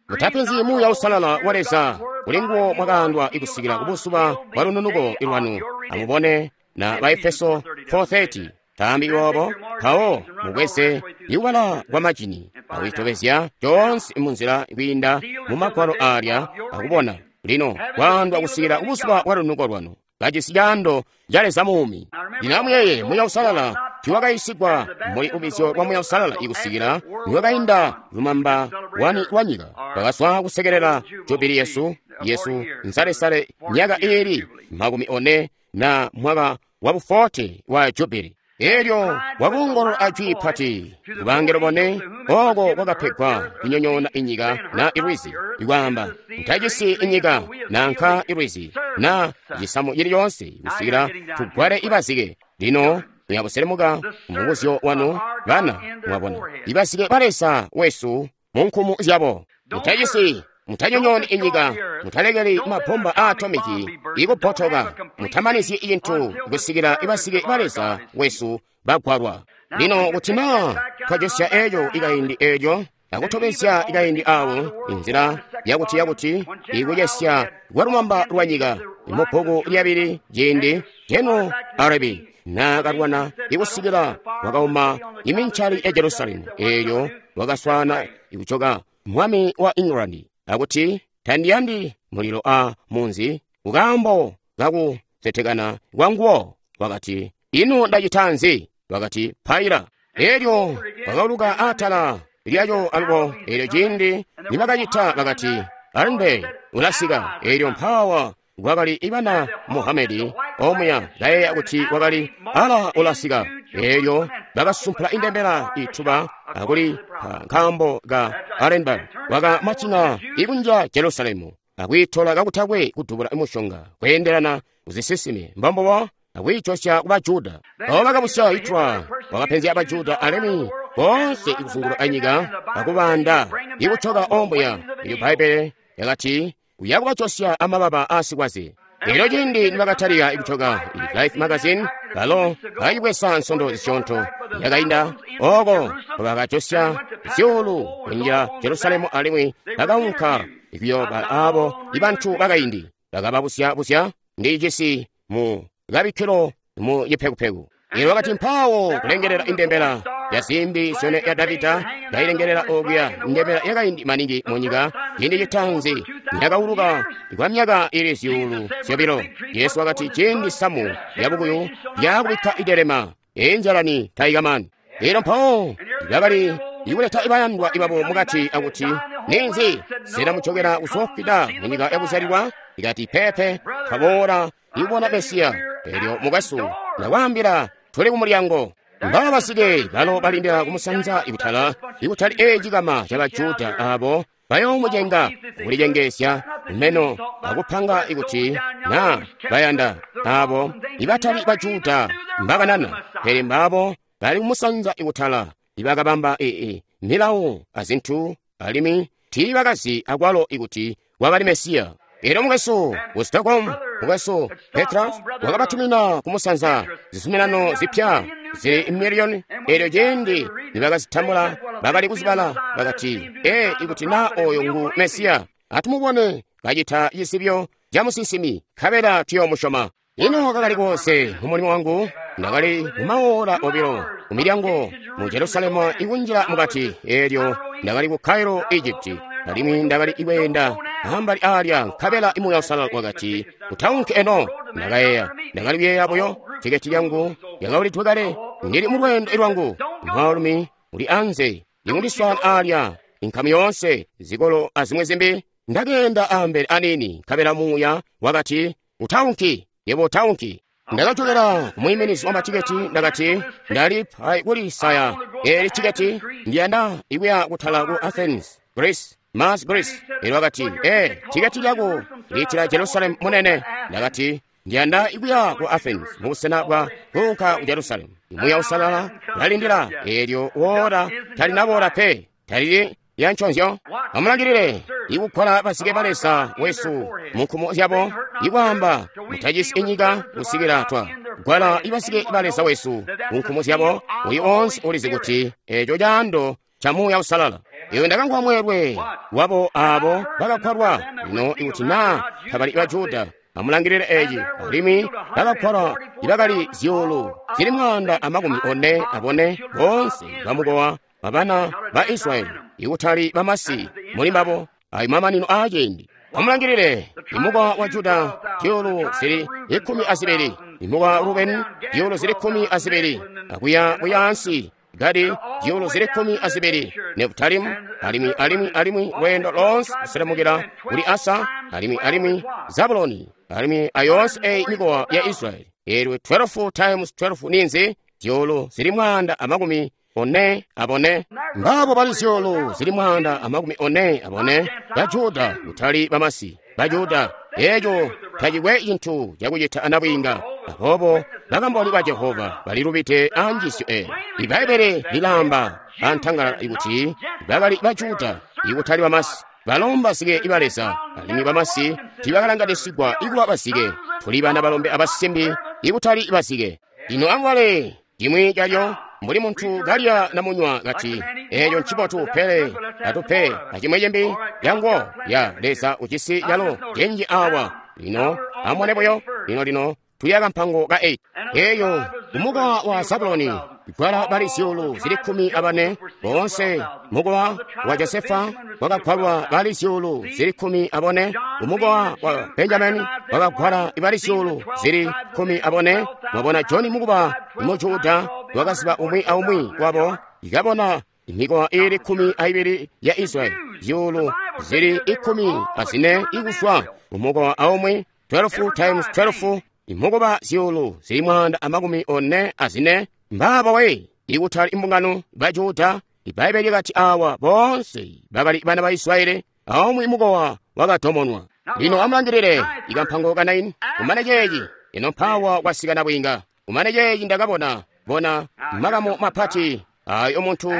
Mutapenzyi Muuya Uusalala wa Leza kuli nguwo mwakaandwa ikusikila kubuzuba bwa lununuko lwanu. Amubone na ba Efeso four thirty taambi boobo, mpawo mubweze ikubala kwa majini akuitobezya coonse munzila kwiinda mu magwalo aalya akubona lino kwaandwa kusikila kubuzuba bwa lunuko lwanu kajisi caando ca Leza muumi. Lino amuyeye Muuya Uusalala tiwakayisigwa muli lubizyo lwa Muuya Uusalala ikusikila niwakainda lumamba wani lwa nyika. Bakazwa kusekelela jubili yesu yesu nsalesale myaka iili makumi one na mwaka wa buforte wa jubili. Elyo wakoongolola ajwi pati kubangelo bone oko kwakapegwa kunyonyoona inyika na ilwizi, ikwaamba mutacisi inyika nanka ilwizi na cisamu cili coonse kusikila tugwale ibazike. Lino muyabuselemuka mubuzyo wanu bana, mwabona ibazike ba Leza wesu mu nkumu zyabo. Mutacisi, mutanyonyooni inyika, mutalekeli mabomba a atomiki ikupotoka, mutamanizyi cintu kusikila ibazike ba Leza wesu bagwalwa. Lino kuti naa twajosya eeco ikaindi eeco akutobezya ikaindi awo inzila yakuti yakuti ikucesya kwa lumamba lwa nyika mubbuku lyabili ciindi General Arabi naakalwana ikusikila wakauma imincali ya Jerusalemu, eelyo wakaswaana ikucoka mwami wa England akuti tandiyandi mulilo a munzi kukaambo kakusetekana kwanguwo. Wakati ino ndacita nzi? Wakati paila. Eelyo wakauluka atala lyaco alubo. Eelyo ciindi nibakacita bakati Alimbe ulasika. Eelyo mpawa kwakali ibana Muhamedi omuya kayeeya kuti wakali ala ulasika. Eelyo bakasumpula indembela ituba akuli nkaambo ka Arenberg wakamacina ikunja Jerusalemu akwiitola kakutakwe kudubula mushonga kweendelana kuzisisime mbambobo akwiicosya kuba Juda. Abo bakabusya Hitler wakapenzya aba Juda alimwi boonse ikuzunguluka anyika akubanda ikucoka omuya. Ilyo Bbaibele yakati uyakubacosya amababa aasikwaze. Elyo ciindi nibakatalika ikucoka Life magazine balo bakacibwesa nsondo zisyoonto yakainda oko bakacosya zyuulu kunjila Jerusalemu alimwi bakaunka ikuyoba abo ibantu bakaindi bakababusya-busya ndi cisi mu kabikkilo mu cipekupeku. Elyo wakati mpawo kulengelela indembela ya zimbi zyone ya Davida kailengelela okuya indembela yakaindi maningi mu nyika ciindi citanzi yakauluka kwa myaka ili zyuulu zyobilo. Yesu wakati ciindi samu yabukuyu yakubikka idelema injalani taikamani. Elyo mpawo bakali ikuleta ibayandwa ibabo mukati akuti ninzi sena mucokera kuzofida mu nyika yakuzyalilwa? Ikati pepe twaboola ikubona Mesiya. Elyo mukwesu ndakwaambila tuli kumulyango. Mbaba basike balo balindila kumusanza ikutala ikutali ecikama ca Bajuda abo bayoomucenga kulicengeesya meno akupanga ikuti na bayanda abo ibatali Bajuda mbakanana, pele mbabo bali kumusanza ikutala ibakabamba ee milawo azintu alimwi tiibakazi akwalo ikuti wakali Mesiya. Elyo mukwesu ku Stockholm, mukwesu Petras wakabatumina kumusanza zizuminano zipya zili miliyoni. Elyo ciindi nibakazitambula bakali kuzibala bakati ee ikuti na oyo ngu Mesiya atumubone kacita cisibyo ca musinsimi nkabela tuyoomusyoma. Ino kakali koonse mumulimo wangu ndakali mumaola obilo ku milyango mu Jerusalemu ikunjila mukati. Elyo ndakali ku Cairo, Egypt, alimwi ndakali ikweenda ambali alya nkabela Muuya Uusalala wakati utaunke eno. Ndakayeeya, ndakali kuyeeya buyo tiketi lyangu lyakaulidwe kale, ndili mu lweendo lwangu. Mwaalumi uli anze ikundiswaana alya inkamu yoonse zikolo azimwe zimbi. Ndakeenda ambele anini nkabela Muuya wakati utaunki, yebo utaunki. Ndakachokera kumuyiminizi wa matiketi ndakati ndali pai kulisaya eli tiketi ndiyanda ikuya kutala ku Athens, Greece, Mars Greece. Elyo wakati ee tiketi lyako liitila Jerusalemu munene. Ndakati ndiyanda ikuya ku Athens mubusena bwa kuunka ku Jerusalemu. Muuya Uusalala lalindila elyo woola talinaboola pe talili yanconzyo. Amulangilile ikukola basike ba Leza wesu mu nkumu zyabo ikwaamba mutacisi inyika kusikila twa gwala ibasike ba Leza wesu mu nkumu zyabo. Uyu onse ulizi kuti eco caando ca Muuya Uusalala. Iwe ndakamvwa mweelwe wabo abo bakakwalwa. Lino ikuti naa tabali ba Juda, amulangilile eci alimwi bakakwalwa ibakali zyuulu zili mwaanda amakumi one abone boonse bamukowa babana ba Israyeli ikutali bamasi muli mbabo ayo mamanino aaciindi. Amulangilile imukowa wa Juda zyuulu zili ikumi azibili, imukowa wa Rubeni zyuulu zili kumi azibili, akuya kuyaansi Gadi zyuulu zili kumi azibili, Nefutalimu alimwi alimwi alimwi lweendo lonse kuselemukila kuli Asa alimwi alimwi Zabuloni alimwi ayoonse eyi mikowa ya Israyeli. Eelyo twelve times twelve ninzi? zyuulu zili mwaanda amakumi one abone. Ngabo bali zyuulu zili mwaanda amakumi one abone ba Juda, kutali bamasi, ba Juda. Eeco tacikwe cintu cakucita anabwiinga. Aboobo bakamboni ba Jehova balilubide anjiisyo eyi. Ibbaibbele lilaamba antangalala kuti bakali ba Juda ikutali bamasi. Balo mbazike ba Leza, alimwi bamasi tiibakalanganisigwa ikuba bazike. Tuli bana balombe abasimbi ikutali bazike. Lino amubale cimwi calyo mbuli muntu kalya namunywa kati, eeco ncibotu, pele atupe acimwi cimbi cango ya Leza ujisi calo cinji awa. Lino amubone buyo, lino lino tuya kampango ka eight. Eeyo kumukowa wa Zabuloni gwala bali zyuulu zili kkumi abane. Boonse mukowa wa Josefa wakagwalwa bali zyuulu zili kkumi abone. Umukowa wa Benjamini wakagwala bali zyuulu zili kkumi abone. Mwabona Joni mukuba mu Juda wakaziba umwi aumwi wabo, ikabona mikowa ili kkumi aibili ya Israeli, zyuulu zili ikkumi azine ikuzwa umukowa aumwi, twelve times twelve, imukoba zyuulu zili mwaanda amakumi one azine. Mbabo we ikutali imbungano ba Juda. Ibbaibbele lyakati awa boonse bakali bana ba Israeli, aumwi mukowa wakatomonwa. Lino amulangilile ikampango ka nine. Kumane ceeci ino mpawa kwasika nabwiinga. Kumane ceeci ndakabona bona makamu mapati ayo muntu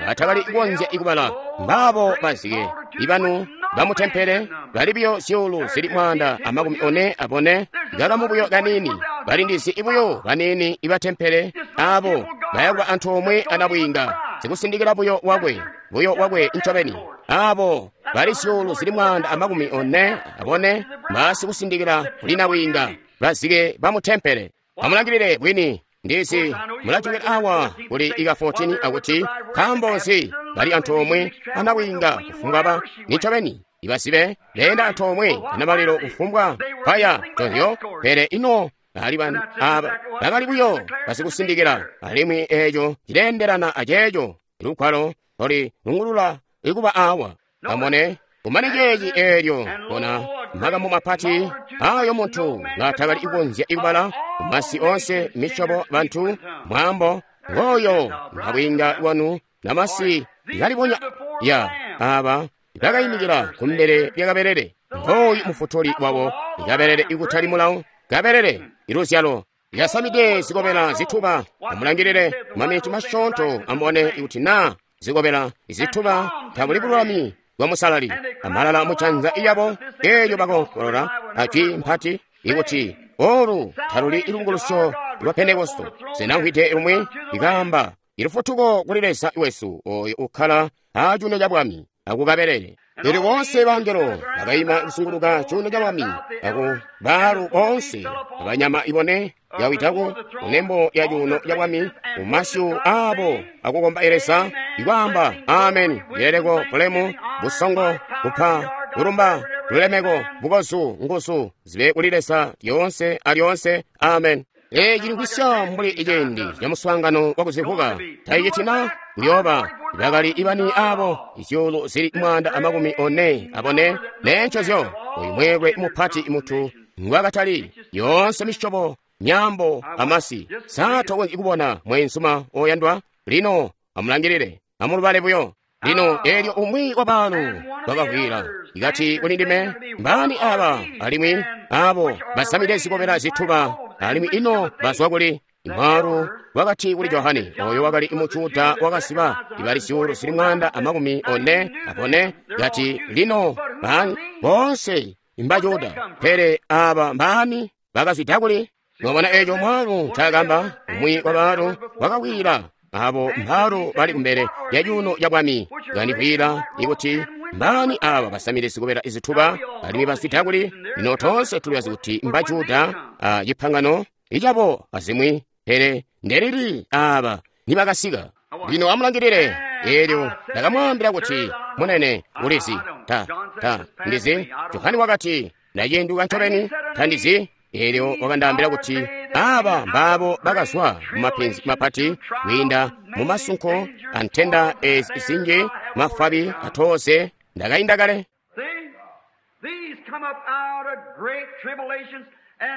atakali kukonzya ikubala. Mbabo bazike ibanu bamutempele bali buyo zyuulu zili mwaanda amakumi one abone, kakamu buyo kanini, balindizi ibuyo banini ibatempele abo bayakuba antoomwe anabwiinga, zikusindikila buyo wakwe buyo wakwe ncobeni. Abo bali zyuulu zili mwaanda amakumi one abone basikusindikila kuli nabwiinga, bazike bamutempele. Amulangilile bwini ndizi mulajukila awa kuli ika fourteen akuti nkaambo nzi bali antoomwe anabwiinga kufumbwa ba nincobeni ibasibe leenda antoomwe anamalilo kufumbwa paya tonzyo. Pele ino ali aba bakali buyo basikusindikila, alimwi eeco cileendelana aceeco lugwalo loli lungulula ikuba awa. Amone kumane ceeci eelyo bona makamu mapati ayo muntu ngatakali kukonzya ikubala, masi onse, misyobo, bantu, mwaambo. Ngoyo nabwiinga wanu namasi ikalibonya ya aba bakayimikila kumbele lya kabelele. Ngoyu mufutuli wabo, ikabelele ikutali mulawo, kabelele iluzyalo lyasamide zikobela zituba. Amulangilile maminiti masyoonto amubone ikuti naa zikobela zituba tabuli bululami bwa musalali. Amalala mucanza iyabo eelyo bakonkolola ajwi mpati ikuti olu taluli ilungulusyo lwa Pentekosto. Sinamvwide lumwi ikaamba ilufutuko kuli Leza wesu oyo ukkala acuuno ca bwami akukabelele. Elyo boonse bangelo bakayima kusunguluka cuuno ca bwami aku baalu boonse abanyama ibone yawitako kunembo ya cuuno ca bwami kumasyu aabo akukomba Leza ikwaamba amen, yeleko, bulemu, busongo, kupa, kulumba, lulemeko, bukozu, nguzu zibe kuli Leza lyoonse alyoonse. Amen. Eeci cilikwisya mbuli iciindi ca muswaangano wakuzivuka taicitina kuyooba bakali ibani abo izyuulu zili mwaanda amakumi one abone nencozyo. Oyu mweelwe mupati mutu ngwakatali yoonse misyobo, myaambo, amasi. Sa tokonzyi kubona mweenzuma oyandwa? Lino amulangilile, amulubale buyo. Lino eelyo umwi wa baalu wakavwiila ikati kuli ndime, mbaani aba alimwi abo basamide zikobela zituba, alimwi ino bazwa kuli? Imwaalu wakati kuli Johane, oyo wakali mu Juda wakasiba ibali zyuulu zili mwaanda amakumi one abone, kati lino baani boonse mba Juda, pele aba mbaani bakazwida kuli? Mwabona eeco mwaalu ncaakamba? Umwi wa baalu wakawila abo mbaalu bali kumbele ya cuuno ca bwami kandivwiila ikuti mbaani aba basamide zikobela izituba alimwi bazwida kuli? Lino toonse tulibazi kuti mba Juda a cipangano icabo azimwi, pele ndelili aba nibakasika. Lino amulangilile. Eelyo ndakamwaambila kuti, munene, ulizi ta ta ndizi. Johane wakati, ndacenduka ncobeni tandizi. Eelyo wakandaambila kuti aba mbaabo bakazwa mumapenzi mapati kwiinda mumasunko antenda ezi zinji, mafabi atooze ndakainda kale.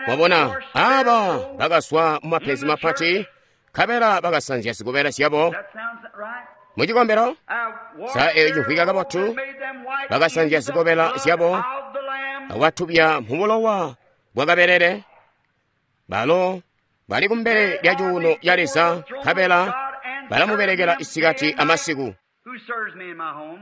Mwabona, aba bakazwa mumapenzi mapati Nkabela bakasanzya zikobela zyabo mu cikombelo. Sa eyo cimvwika kabotu? Bakasanzya zikobela zyabo akubwatubya mu bulowa bwa kabelele. Balo bali kumbele lya cuuno ya Leza, nkabela balamubelekela isikati amasiku.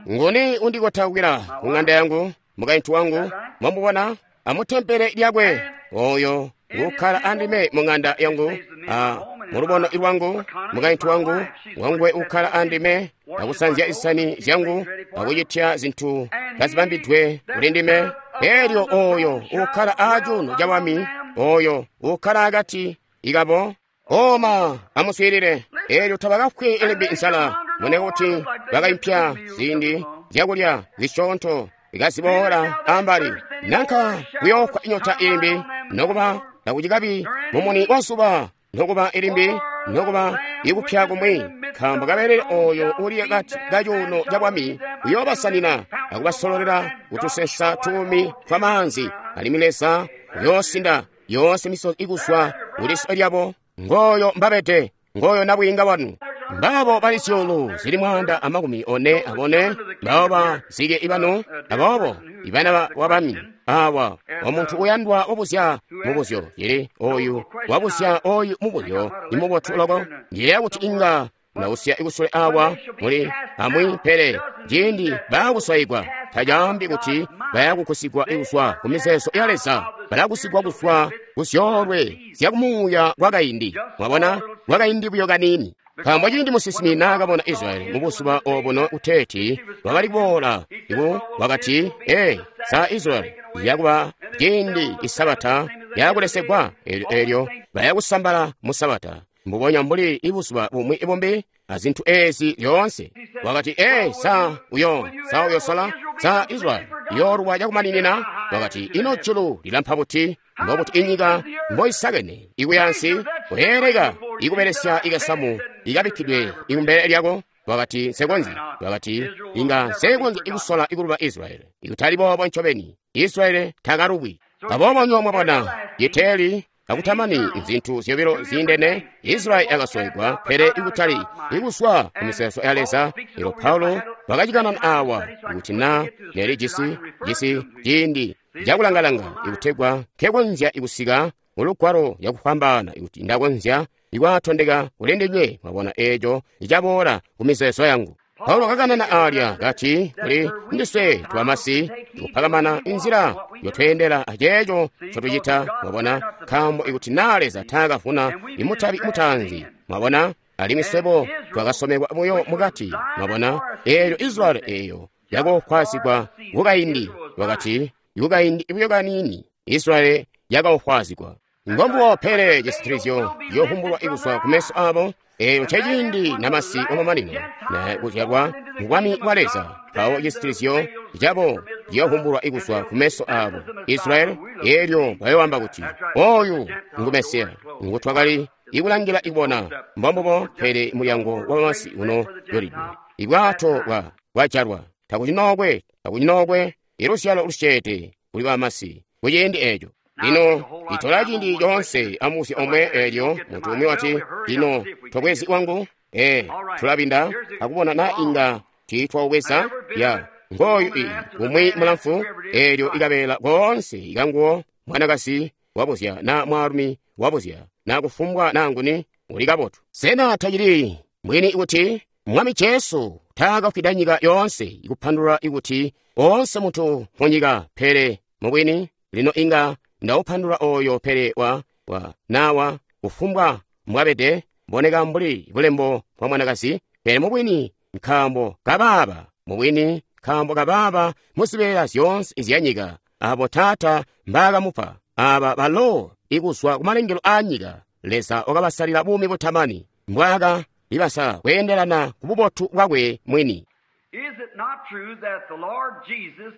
Nguni undikotaukila ku ŋanda yangu, mukaintu wangu, mwamubona, amutempele lyakwe, oyo ngukkala andime mu ŋanda yangu, a mulubono lwangu, mukaintu wangu, wanguwe ukkala andime, akusanzya isani zyangu, akucitya zintu kazibambidwe kuli ndime. Elyo oyo ukkala aacuuno ca bwami, oyo ukkala akati ikabo, oma amuswiilile. Elyo tabakafwi limbi nzala, mune kuti bakaimpya ziindi zyakulya zisyoonto ikaziboola ambali, nanka kuyoofwa inyota ilimbi, nokuba takucikabi mumuni wa zuba, nokuba ilimbi, nokuba ikupya kumwi, nkaambo kabelele oyo uli akati ka cuuno ca bwami uyoobasanina akubasololela kutusensa tuumi twa maanzi, alimwi Leza uyoosinda yoonse misozi ikuzwa kuliso lyabo. Ngooyo mbabede, ngooyo nabwiinga wanu. Mbabo bali zyuulu zili mwaanda amakumi one abone, mbabo bazike ibanu, aboobo ibana wabami awa. Omuntu uyandwa wabuzya mubuzyo yili oyu wabuzya oyu mubuzyo ni mubotu loko. Ndiyeeya kuti inga ndawusya ikusule awa muli amwi, pele ciindi baakuswayigwa tacaambi kuti bayakukusigwa kuzwa ku mizeezo ya Leza. Balakusigwa kuzwa ku zyoolwe zyakumuuya kwakaindi, mwabona, kwakaindi buyo kaniini. Nkaambo ciindi musinsimi naakabona Israyeli mubuzuba obuno kuteeti lwakali kuboola, iku wakati, ee, sa Israyeli yakuba ciindi isabata yakulesegwa, elyo elyo bayakusambala mu sabata mbubonya mbuli ibuzuba bumwi bumbi azintu ezi zyoonse. Wakati, ee, sa uyo, sa uyosola, sa Israyeli iyoolwa cakumaninina. Wakati, ino julu lilampa buti, mbobuti inyika mboisakene ikuyansi, kuleeleka ikubelesya ikasamu ikabikkidwe ikumbele lyako. Wakati, nsekonzyi. Wakati, inga nsekonzyi ikusola ikuluba Israyeli. Ikutali boobo ncobeni, Israyeli takalubwi. Aboobo nyo mwabona, yeteli akutamani nzintu zyobilo ziindene. Israyeli yakasowegwa, pele ikutali ikuzwa ku mizeezo ya Leza. Elyo Paulo wakacikanana awa kuti na neli jisi jisi ciindi cakulangalanga ikutegwa nkekonzya ikusika mulugwalo yakufwambaana, ikuti ndakonzya ikwaatondeka kuli ndinywe, mwabona, eeco icaboola ku mizeezo yangu. Paulo kakanana alya kati kuli ndiswe twamasi ikupakamana inzila yotweendela aceeco ncotucita, mwabona, nkaambo ikuti na Leza taakavuna imutabi mutaanzi, mwabona, alimwi swebo twakasomekwa buyo mukati, mwabona, eelyo Israyeli eeyo yakoofwazigwa kukaindi, wakati ikukaindi buyo kaniini Israyeli yakaofwazigwa. Ngombuwo, pele cisitilizyo ciyovumbulwa ikuzwa kumeso abo. Eyo nceciindi namasi wamamanino na kuzyalwa mu bwami bwa Leza, mpawo cisitilizyo cabo ciyovumbulwa ikuzwa kumeso abo Israyeli. Elyo bayoamba kuti, oyu ngu Mesiya ngutwakali ikulangila ikubona. Mbombubo, pele mulyango wamasi uno yolidwe, ibwato bwa bwajalwa, takucinookwe takucinookwe iluzyalo lusyeede kuli bamasi kuciindi eco. Lino itola ciindi coonse amubuzyo omwe. Elyo muntu umwi wati, lino tobwezi wangu, ee, tulabinda akubona na inga tiitwaubweza. Ya ngooyu i umwi mulamfu, elyo ikabeela koonse ikanguwo. Mwanakazi wabuzya na mwaalumi wabuzya na kufumbwa na nguni uli kabotu. Sena tacili mwini kuti Mwami Jesu taakafwida nyika yoonse, ikupandulula ikuti oonse muntu munyika, pele mubwini lino inga ndaupandulula oyo, pele wa wa nawa kufumbwa mbwabede, mboneka mbuli bulembo bwa mwanakazi, pele mubwini nkaambo kabaaba, mubwini nkaambo kabaaba muzibeela zyoonse zyanyika abo Taata mbaakamupa, aba balo ikuzwa kumalengelo aanyika Leza wakabasalila buumi butamani, mbwaaka libasala kweendelana ku bubotu bwakwe mwini. Is it not true that the Lord Jesus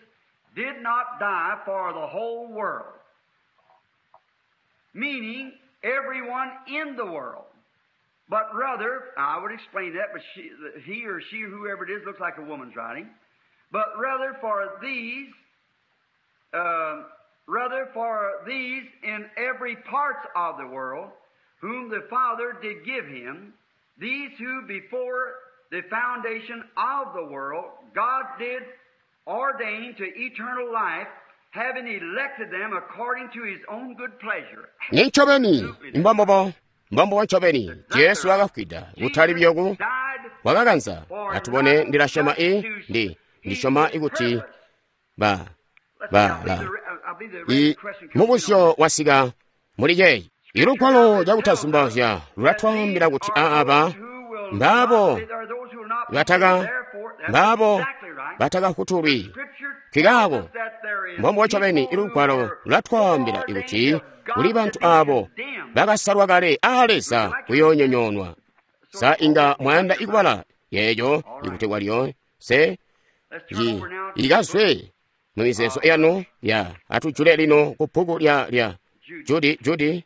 did not die for the whole world, meaning everyone in the world, but rather, I would explain that, but she, he or she, whoever it is, looks like a woman's writing, but rather for these, uh, rather for these in every part of the world whom the Father did give him, these who before the foundation of the world God did ordain to eternal life, having elected them according to his own good pleasure. Ni ncobeni mbombobo mbombobo ncobeni Jesu wakafwida kutali biyoku Died wakakanza atubone ndilasyoma i ndi ndisyoma ikuti ba ba la i mubuzyo wasika muli yeyi ilugwalo cakutazumbauzya lulatwaambila kuti aaba mbaabo bataka mbaabo batakafutulwi nkikaako mbombo ncobeni ilugwalo lulatwaambila ikuti kuli bantu aabo bakasalwa kale aa Leza kuyoonyonyoonwa. Sa inga mwayanda ikubala yeeyo ikutegwa lyoonse yi ikazwe mu mizeezo yanu ya atujule lino ku bbuku lya lya Judi Judi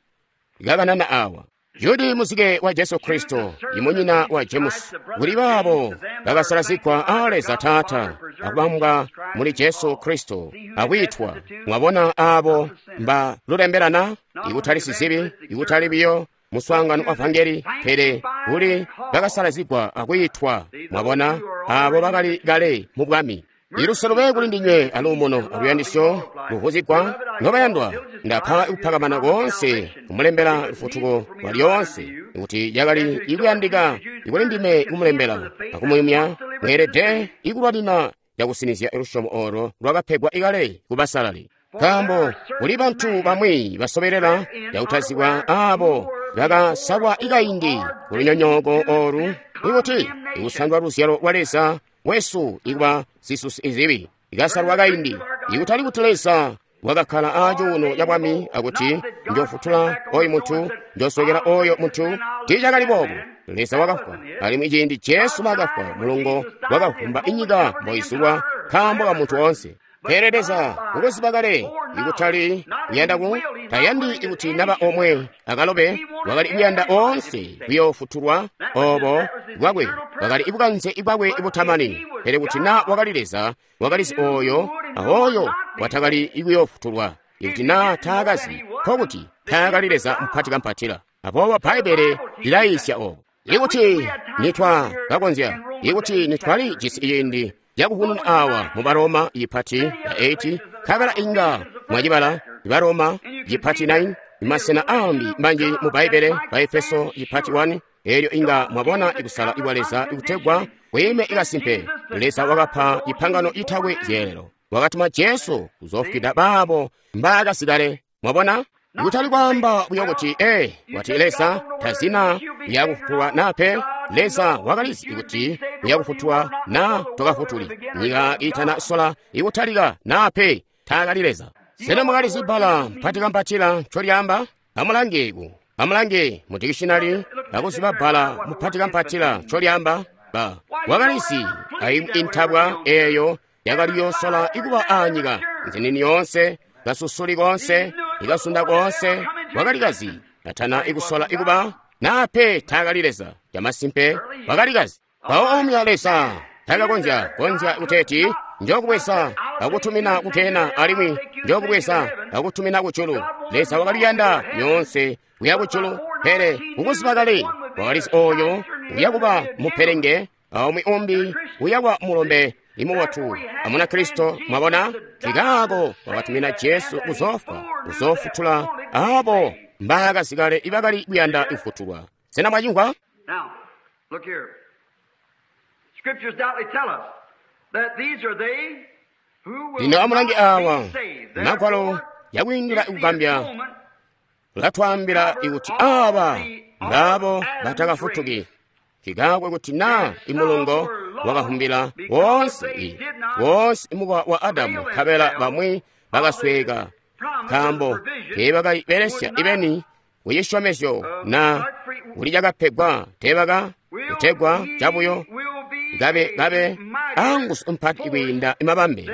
ikakanana awa Judi muzike wa Jesu Kristo imunyina wa James kuli baabo bakasalazigwa aa Leza Taata akubambwa muli Jesu Kristo akwitwa mwabona aabo mba lulembelana ikutali sizibi ikutali biyo muswaangano wa vangeli pele kuli bakasalazigwa akwitwa mwabona aabo bakali kale mu bwami. Iluse lube kuli ndinywe aluumuno aluyandisyo luvuzigwa nobayandwa ndapha ikupakamana konse kumulembela lufutuko lwa lyonse kuti yakali ikuyandika ikuli ndime ikumulembela akumuyumya mweelede ikulwanina yakusinizya lusyomo olo lwakapegwa ikale kubasalali. Nkaambo kuli bantu bamwi basobelela yakutazibwa aabo bakasalwa ikaindi kulunyonyooko olu ikuti ikusandwa luzyalo lwa Leza wesu ikuba zisusi izibi ikasalwa kaindi ikutali kuti Leza wakakhala acuuno ca bwami akuti njofutula oyu muntu njoswekela oyo muntu tiicakali boobo. Leza wakafwa alimwi ciindi Jesu naakafwa mulungo wakavumba inyika mboizulwa nkaambo ka muntu woonse. Pele Leza ukuziba kale ikutali kuyanda ku tayandi ikuti naba omwe akalobe wakali kuyanda oonse kuyoofutulwa obo bwakwe wakali ibukanze ibwakwe ibutamani. Pele kuti na wakali Leza wakalizi oyo aoyo watakali ikuyoofutulwa ikuti na taakazi nkokuti taakali Leza mupati kampatila. Aboobo Bbaibbele lilayiisya obo ikuti nitwa kakonzya ikuti nitwali jisi ciindi cakuhununa awa mu Baroma ipati ya eight nkabela inga mwacibala Baroma ipati nine masena ambi manji mu Bbaibbele ba Efeso ipati one elyo inga mwabona ikusala ikwa Leza ikutegwa kwiime ikasimpe. Leza wakapa ipangano itakwe zyeelelo wakatuma Jesu kuzofwida baabo mbaakasikale. Mwabona ikutali kwaamba buyo kuti ee wati Leza tazina yakufutulwa nape. Leza wakalizi ikuti uyakufutulwa na tokafutuli nyika itana sola ikutalika nape taakali Leza. Sena mwakalizi bbala mpati kampatila ncolyaamba? Amulange ku amulange mu dictionary akuziba bbala mupati kampatila ncolyaamba. Ba wakalizi aimwi intabwa eeyo yakali yosola ikuba aanyika nzinini yoonse kasusuli koonse ikasunda koonse wakalikazi atana ikusola ikuba nape taakali Leza. Camasimpe wakalikazi. Mpawo omya Leza takakonzya konzya kuteeti njokubweza akutumina kutena alimwi njokubweza akutumina kujulu. Leza wakaliyanda nyoonse kuya kujulu pele kukuziba kale wakalizi oyo uyakuba mupelenge aumwi umbi uyakuba mulombe imubotu amuna Kristo. Mwabona nkikaako wakatumina Jesu kuzofwa kuzofutula aabo mbaakazikale ibakali kuyanda kufutulwa. Sena mwacimvwa? Now, look here. Scriptures doubtly tell us that these are they who will Lino amulange not awa be saved. magwalo Therefore, yakwiindila if the ikugambya atonement latwaambila ikuti aaba mbaabo batakafutuki. Nkikaakwe kuti na imulungo wakahumbila wonse i wonse imukowa wa Adamu nkabela bamwi bakasweka nkaambo teebakabelesya ibeni kucisyomezyo na kuli cakapegwa teebaka kutegwa cabuyo kabe kabe anguzu mpati kwiinda imabambe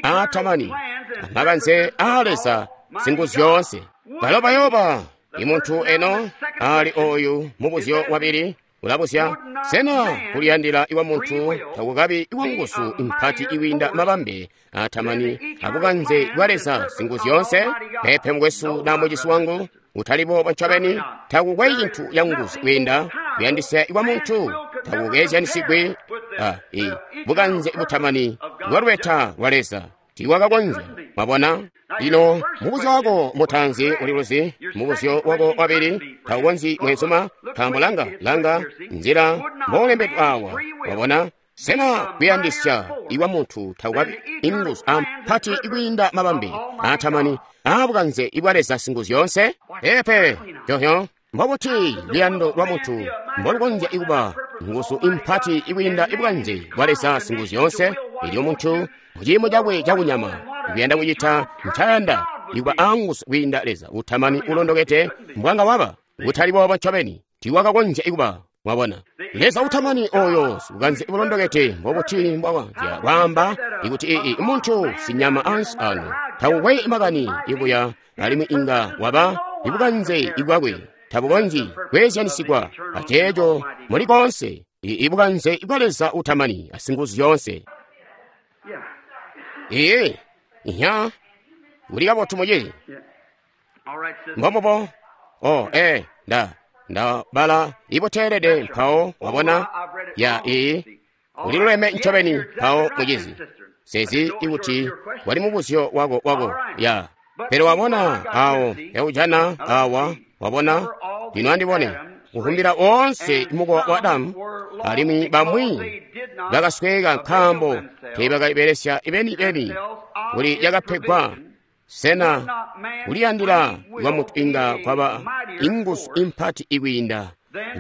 aatamani amakanze aa Leza singuzu yoonse. Balo bayoba imuntu eno ali oyu mubuzyo wabili ulabuzya sena kuliyandila iwa muntu takukabi iwa nguzu mpati iwinda mabambe atamani abukanze bwa Leza singuzu yoonse? Pepe mukwesu na mucisi wangu Utali boobo ncobeni, takukwe cintu canguzu kwiinda kuyandisya kwa muntu, takukezyanisigwi a i bukanze butamani bwa lubeta lwa Leza. Tiiwakakonzya. Mwabona? Lino mubuzyo wako mutaanzi uliluzi, mubuzyo wako wabili taukonzyi mwenzuma, nkaambo langa langa nzila mboolembedwe awa. Wabona? Sena kuyandisya iwa muntu takukabi inguzu ampati ikwiinda mabambe aatamani aabukanze ibwa Leza Singuzyoonse? Peepe, yohyo mbobuti luyando lwa muntu mbolukonzya ikuba nguzu impati ikwiinda ibukanze bwa Leza Singuzyoonse? Elyo muntu muciimo cakwe cakunyama ikuyanda kucita ncayanda ikuba aanguzu kwiinda Leza utamani ulondokede mbwanga waba. Kutali boobo ncobeni, tiiwakakonzya ikuba. Mwabona, Leza utamani oyo bukanze bulondokede mbobuti mbwakonzya kwaamba ikuti ii muntu sinyama ansi ano takukwe makani ibuya alimwi inga waba ibukanze ibwakwe tabukonzyi kweezyanisigwa aceeco muli koonse ibukanze ibwa Leza utamani asinguzu yoonse. Ee, inya uli kabotu mucizi. Mbombubo. Oh, eh, nda nda bala ibuteelede mpawo wabona ya ii uliluleme ncobeni mpawo mucizi sezi ikuti wali mubuzyo wako wako ya pele wabona awo yaujana awa wabona lino andibone kuhumbila woonse mukowa wa Adamu alimwi bamwi bakasweka nkaambo teebakayibelesya ibeni-beni kuli yakapegwa. Sena kuliyandila kwa muntu inga kwaba inguzu impati ikwiinda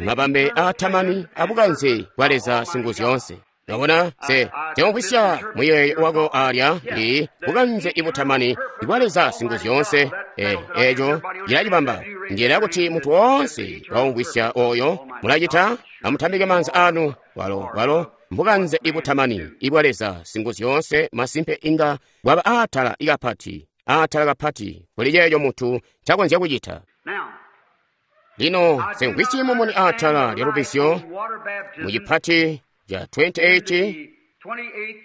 mabambe aatamani abukanze bwa Leza Singuzyoonse? Wabona, se temvwisya muyeeyo wako alya ii bukanze ibutamani bwa Leza Singuzyoonse. E, eco cilacibamba njela kuti muntu woonse waumvwisya oyo mulacita. Amutambike maanza anu walo walo mbukanze ibutamani ibwa Leza Singuzyoonse masimpe inga bwaba aatala ikapati aatala kapati kuli ceeco muntu ncakonzya kucita. Lino semvwisyi mumuni aatala lya lubbizyo mu cipati ca twenty-eight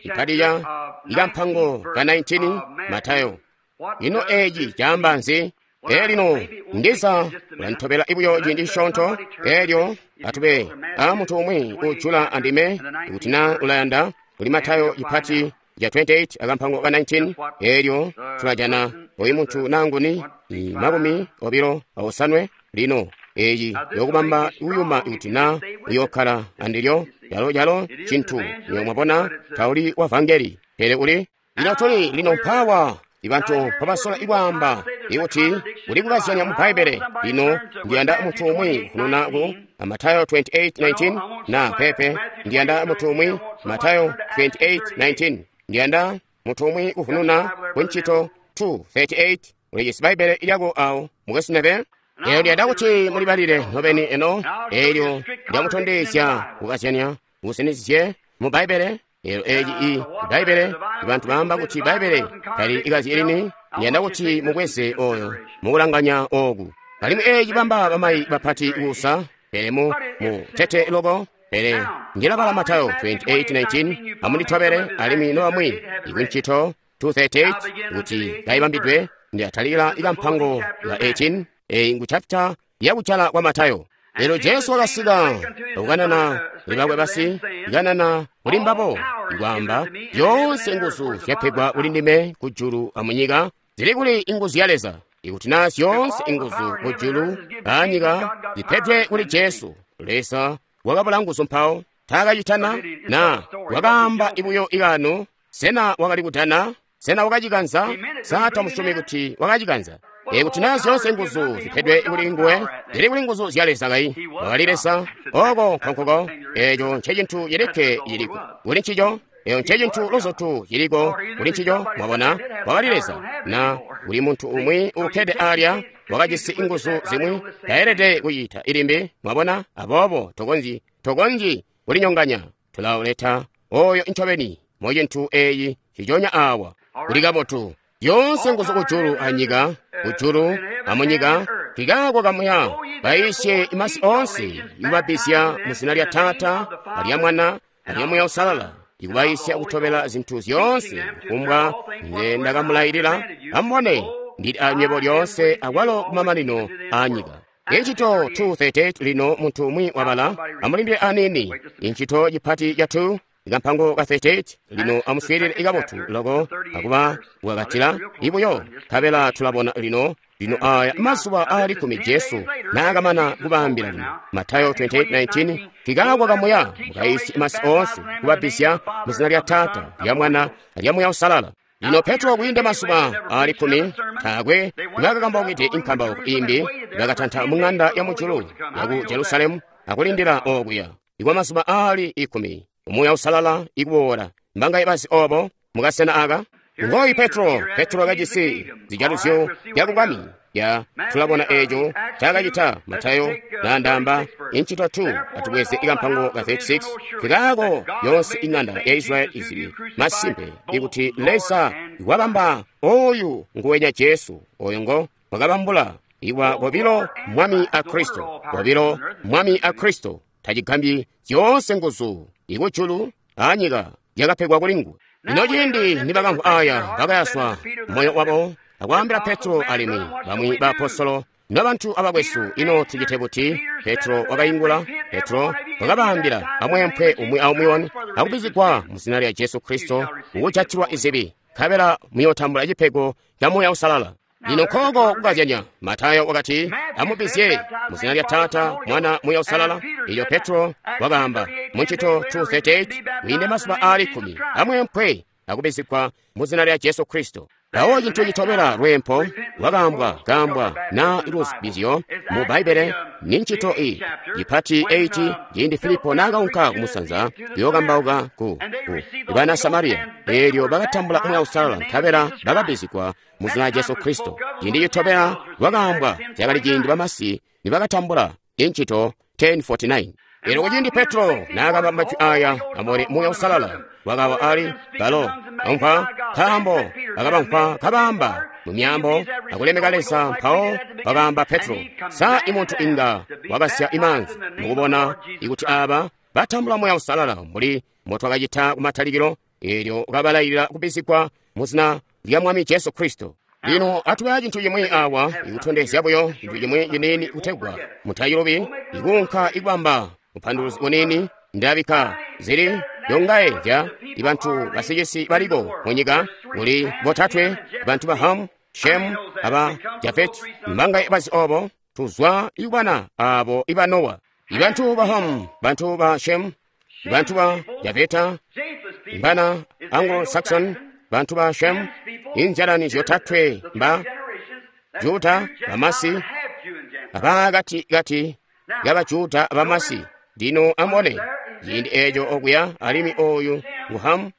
cipati ca ikampango ka nineteen Matayo. Ino eeci caamba nzi? Ee, lino ndiza ulantobela ibuyo ciindi cisyoonto. Eelyo atube a muntu umwi ujula andime ikuti na ulayanda kuli Matayo cipati ca twenty-eight akampango ka nineteen. Eelyo tulajana oyu muntu nanguni i makumi obilo aosanwe. Lino eeci yokubamba uyuma ikuti na uyokkala andilyo yalo yalo cintu niyo mwabona tauli wa vangeli pele uli lino tuli lino mpawa ibantu mpabasola ikwaamba ikuti uli kukazyanya mu Bbaibbele. Lino ndiyanda muntu umwi kunona ku Matayo twenty-eight nineteen na pepe ndiyanda muntu umwi Matayo twenty-eight nineteen ndiyanda muntu umwi kufununa ku ntchito two thirty-eight. Ulijisi Bbaibbele ilyako awo mukesinebe. Eyo ndiyanda kuti mulibalile nobeni eno. Elyo ndiyamutondezya kukazyanya musinizye mu Bbaibbele. Elo eeci i Bbaibbele ibantu baamba kuti Bbaibbele tali ikazyi lini. Ndiyanda kuti mubweze oyo mukulanganya oku. Alimwi eeci bamba bamayi bapati kusa pele mu mu tete loko. Pele ndilabala Matayo twenty-eight nineteen amunditobele alimwi nobamwi ikuntchito two thirty-eight kuti kayibambidwe. Ndiyatalika ikampango ya eighteen eyi ngu chapter yakuchala kwa Matayo. Lero Jesu wakasika kukanana kuli bakwe basi ikanana kuli mbabo ikwaamba yonse nguzu zyapegwa kuli ndime kujulu amunyika. Zili kuli inguzu ya Leza ikuti na zyonse inguzu kujulu anyika zipedwe kuli Jesu. Leza wakabula nguzu mpawo taakacitana na wakaamba ibuyo ikano. Sena wakali kudana? Sena wakacikanza? Sa tamusyomi kuti wakacikanza? Ikuti na zyonse nguzu zipedwe kuli nguwe, zili kuli nguzu zya Leza kayi. Wakali Leza oko nkonkuko. Eco ncecintu cilikke ciliko kuli ncico. Eco ncecintu luzotu ciliko kuli ncico. Mwabona, wakali Leza na kuli muntu umwi ukkede alya wakajisi inguzu zimwi taelede kucita ilimbi. Mwabona, aboobo tokonzyi tokonzyi kulinyonganya. Tulauleta oyo ncobeni mucintu eyi ciconya awa. Kuli kabotu yonse nguzu kujulu anyika, kujulu amunyika, kikaako kamuya baisye imasi onse ikubabbizya mu zina lya Taata alya Mwana alya Muya Usalala, ikubaisya kutobela zinthu zyoonse kufumbwa nze ndakamulayilira. Amubone, Ndili anywebo lyoonse akwalo kumamanino a nyika. Inchito two thirty-eight lino muntu umwi wabala amulindile anini. Inchito chipati cha two ikampango ka thirty-eight lino amuswilile ikabotu loko akuba wakatila ibuyo kabela tulabona lino lino aya mazuba ali kumi Jesu naakamana kubaambila lino. Matayo twenty-eight nineteen kikakwa kamuya mukaisi masi onse kubabisya muzina lya Tata lya Mwana lya Muya Usalala. Lino Petro kwiinda mazuba ali kumi taakwe bakakambawukide inkambauko imbi bakatanta mu ng'anda ya mujulu ya ku Jerusalemu akulindila okuya ikwa mazuba ali ikumi Umuya Usalala ikubola mbangaye bazi obo mukasena aka. Ngoyi Petro, Petro kajisi zijaluzyo byakubwami ya tulabona ejo chakachita Matayo nandamba inchito two atubweze ikampango ka thirty-six kikako yonse ing'anda ya Israeli izibi masimpe ikuti Leza wabamba oyu nguwenya Jesu oyo ngo wakabambula iwa bobilo mwami a Kristo bobilo mwami a Kristo tachigambi zyonse nguzu ikujulu anyika yakapegwa kulingu. Lino ciindi nibakamvwa aya bakayaswa moyo wabo akwaambila Petro alimwi bamwi baapostolo nabantu abakwesu ino tucite buti. Petro wakaingula. Petro wakabaambila amwempwe umwi aumwi wanu akubizigwa mu zina lya Jesu Kristo ukujatilwa izibi nkabela muyotambula cipego ca Muya Usalala. Lino nkoko kukazyanya. Matayo wakati amubizye mu zina lya Tata Mwana Muya Usalala. Iyo Petro wakaamba mu ntchito two thirty-eight kwiinde mazuba ali kumi amwempwe akubizigwa mu zina lya Jesu Kristo. Awo cinthu chitobera lwempho lwakambwa kambwa na luzibizyo mu Bbaibele ni ntchito iyi chipati eight ciindi Filipo naakaunka kumusanza kuyokambauka ku, ku bana Samariya eelyo bakatambula Muya Usalala nkabela bakabizigwa mu zina lya Jesu Kristo. Ciindi chitobera lwakambwa cakali ciindi bamasi nibakatambula intchito ten forty-nine. Elo kuciindi Petro naakamba majwi aya amone Muya Usalala wakawa ali balo ampa nkaambo bakabampa kabamba mu myambo akulemeka Leza mpawo bakamba Petro sa imuntu inga wakasya imanzi mukubona ikuti aba batambula Muya Usalala mbuli motwakacita kumatalikilo eelyo kabalayilira kubizigwa mu zina lya Mwami Jesu Kristo. Lino atubaya cinthu chimwe awa ikutondezya buyo cinthu chimwe chinini kutegwa mutayilobi ikunka ikubamba upanduluzi unini ndabika zili yongaye ja ibantu basicisi baliko munyika kuli botatwe bantu ba Hamu, Shemu aba Jafeti mbangaye bazi obo tuzwa ikubana abo iba Nowa. Ibantu ba Hamu, bantu ba Shemu, bantu ba Jafeta mbana Anglo-Saxon, bantu ba Shemu injalani zyotatwe mba Juda bamasi abakati-kati y'abajuda abamasi. Lino amone ciindi eeco okuya alimwi oyu ngu Hamu,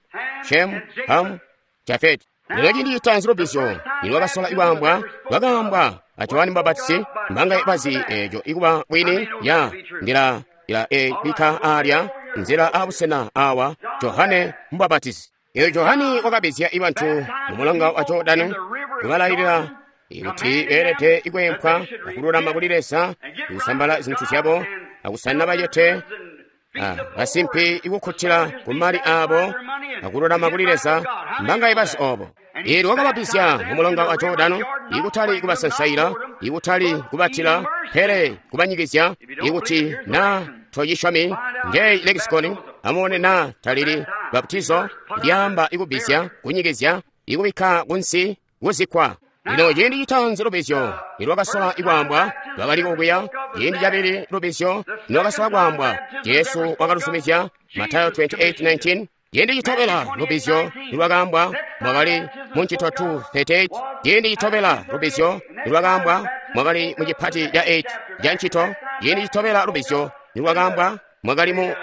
Shemu, Hamu, Jafeti. Lino ciindi citanzi lubizyo nilwakasola ikwambwa lwakaambwa a Johani Mubapatisi mbangaye bazi eeco ikuba bwini ya ndila ila ebika alya nzila abusena awa Johane Mubapatisi. Eyo Johani wakabizya ibantu mu mulonga wa Jordani kubalayilira ikuti beelede ikwempwa akululama kuli Leza ikusambala zinthu zyabo akusanina bacete basimpi ikukkutila ku mali abo akululama kuli Leza mbangaye bazi obo. Eelyo wakababizya mu mulonga wa Jordano ikutali kubasansaila ikutali kubatila pele kubanyikizya ikuti na tocisyomi ngeyi lekisikoni amone na talili baputizo lyamba ikubizya kunyikizya ikubikka kunsi kuzikkwa. Lino ciindi citanzi lubizyo nilwakasola ikwambwa lwakali okuya. Ciindi cabili lubizyo nilwakasola kwambwa Jesu wakalusumizya Matayo twenty-eight nineteen. Ciindi citobela lubizyo nilwakaambwa mwakali mu ntchito two thirty-eight. Ciindi citobela lubizyo nilwakaambwa mwakali mu chipati cha eight cha ntchito. Ciindi citobela lubizyo nilwakaambwa mwakali mu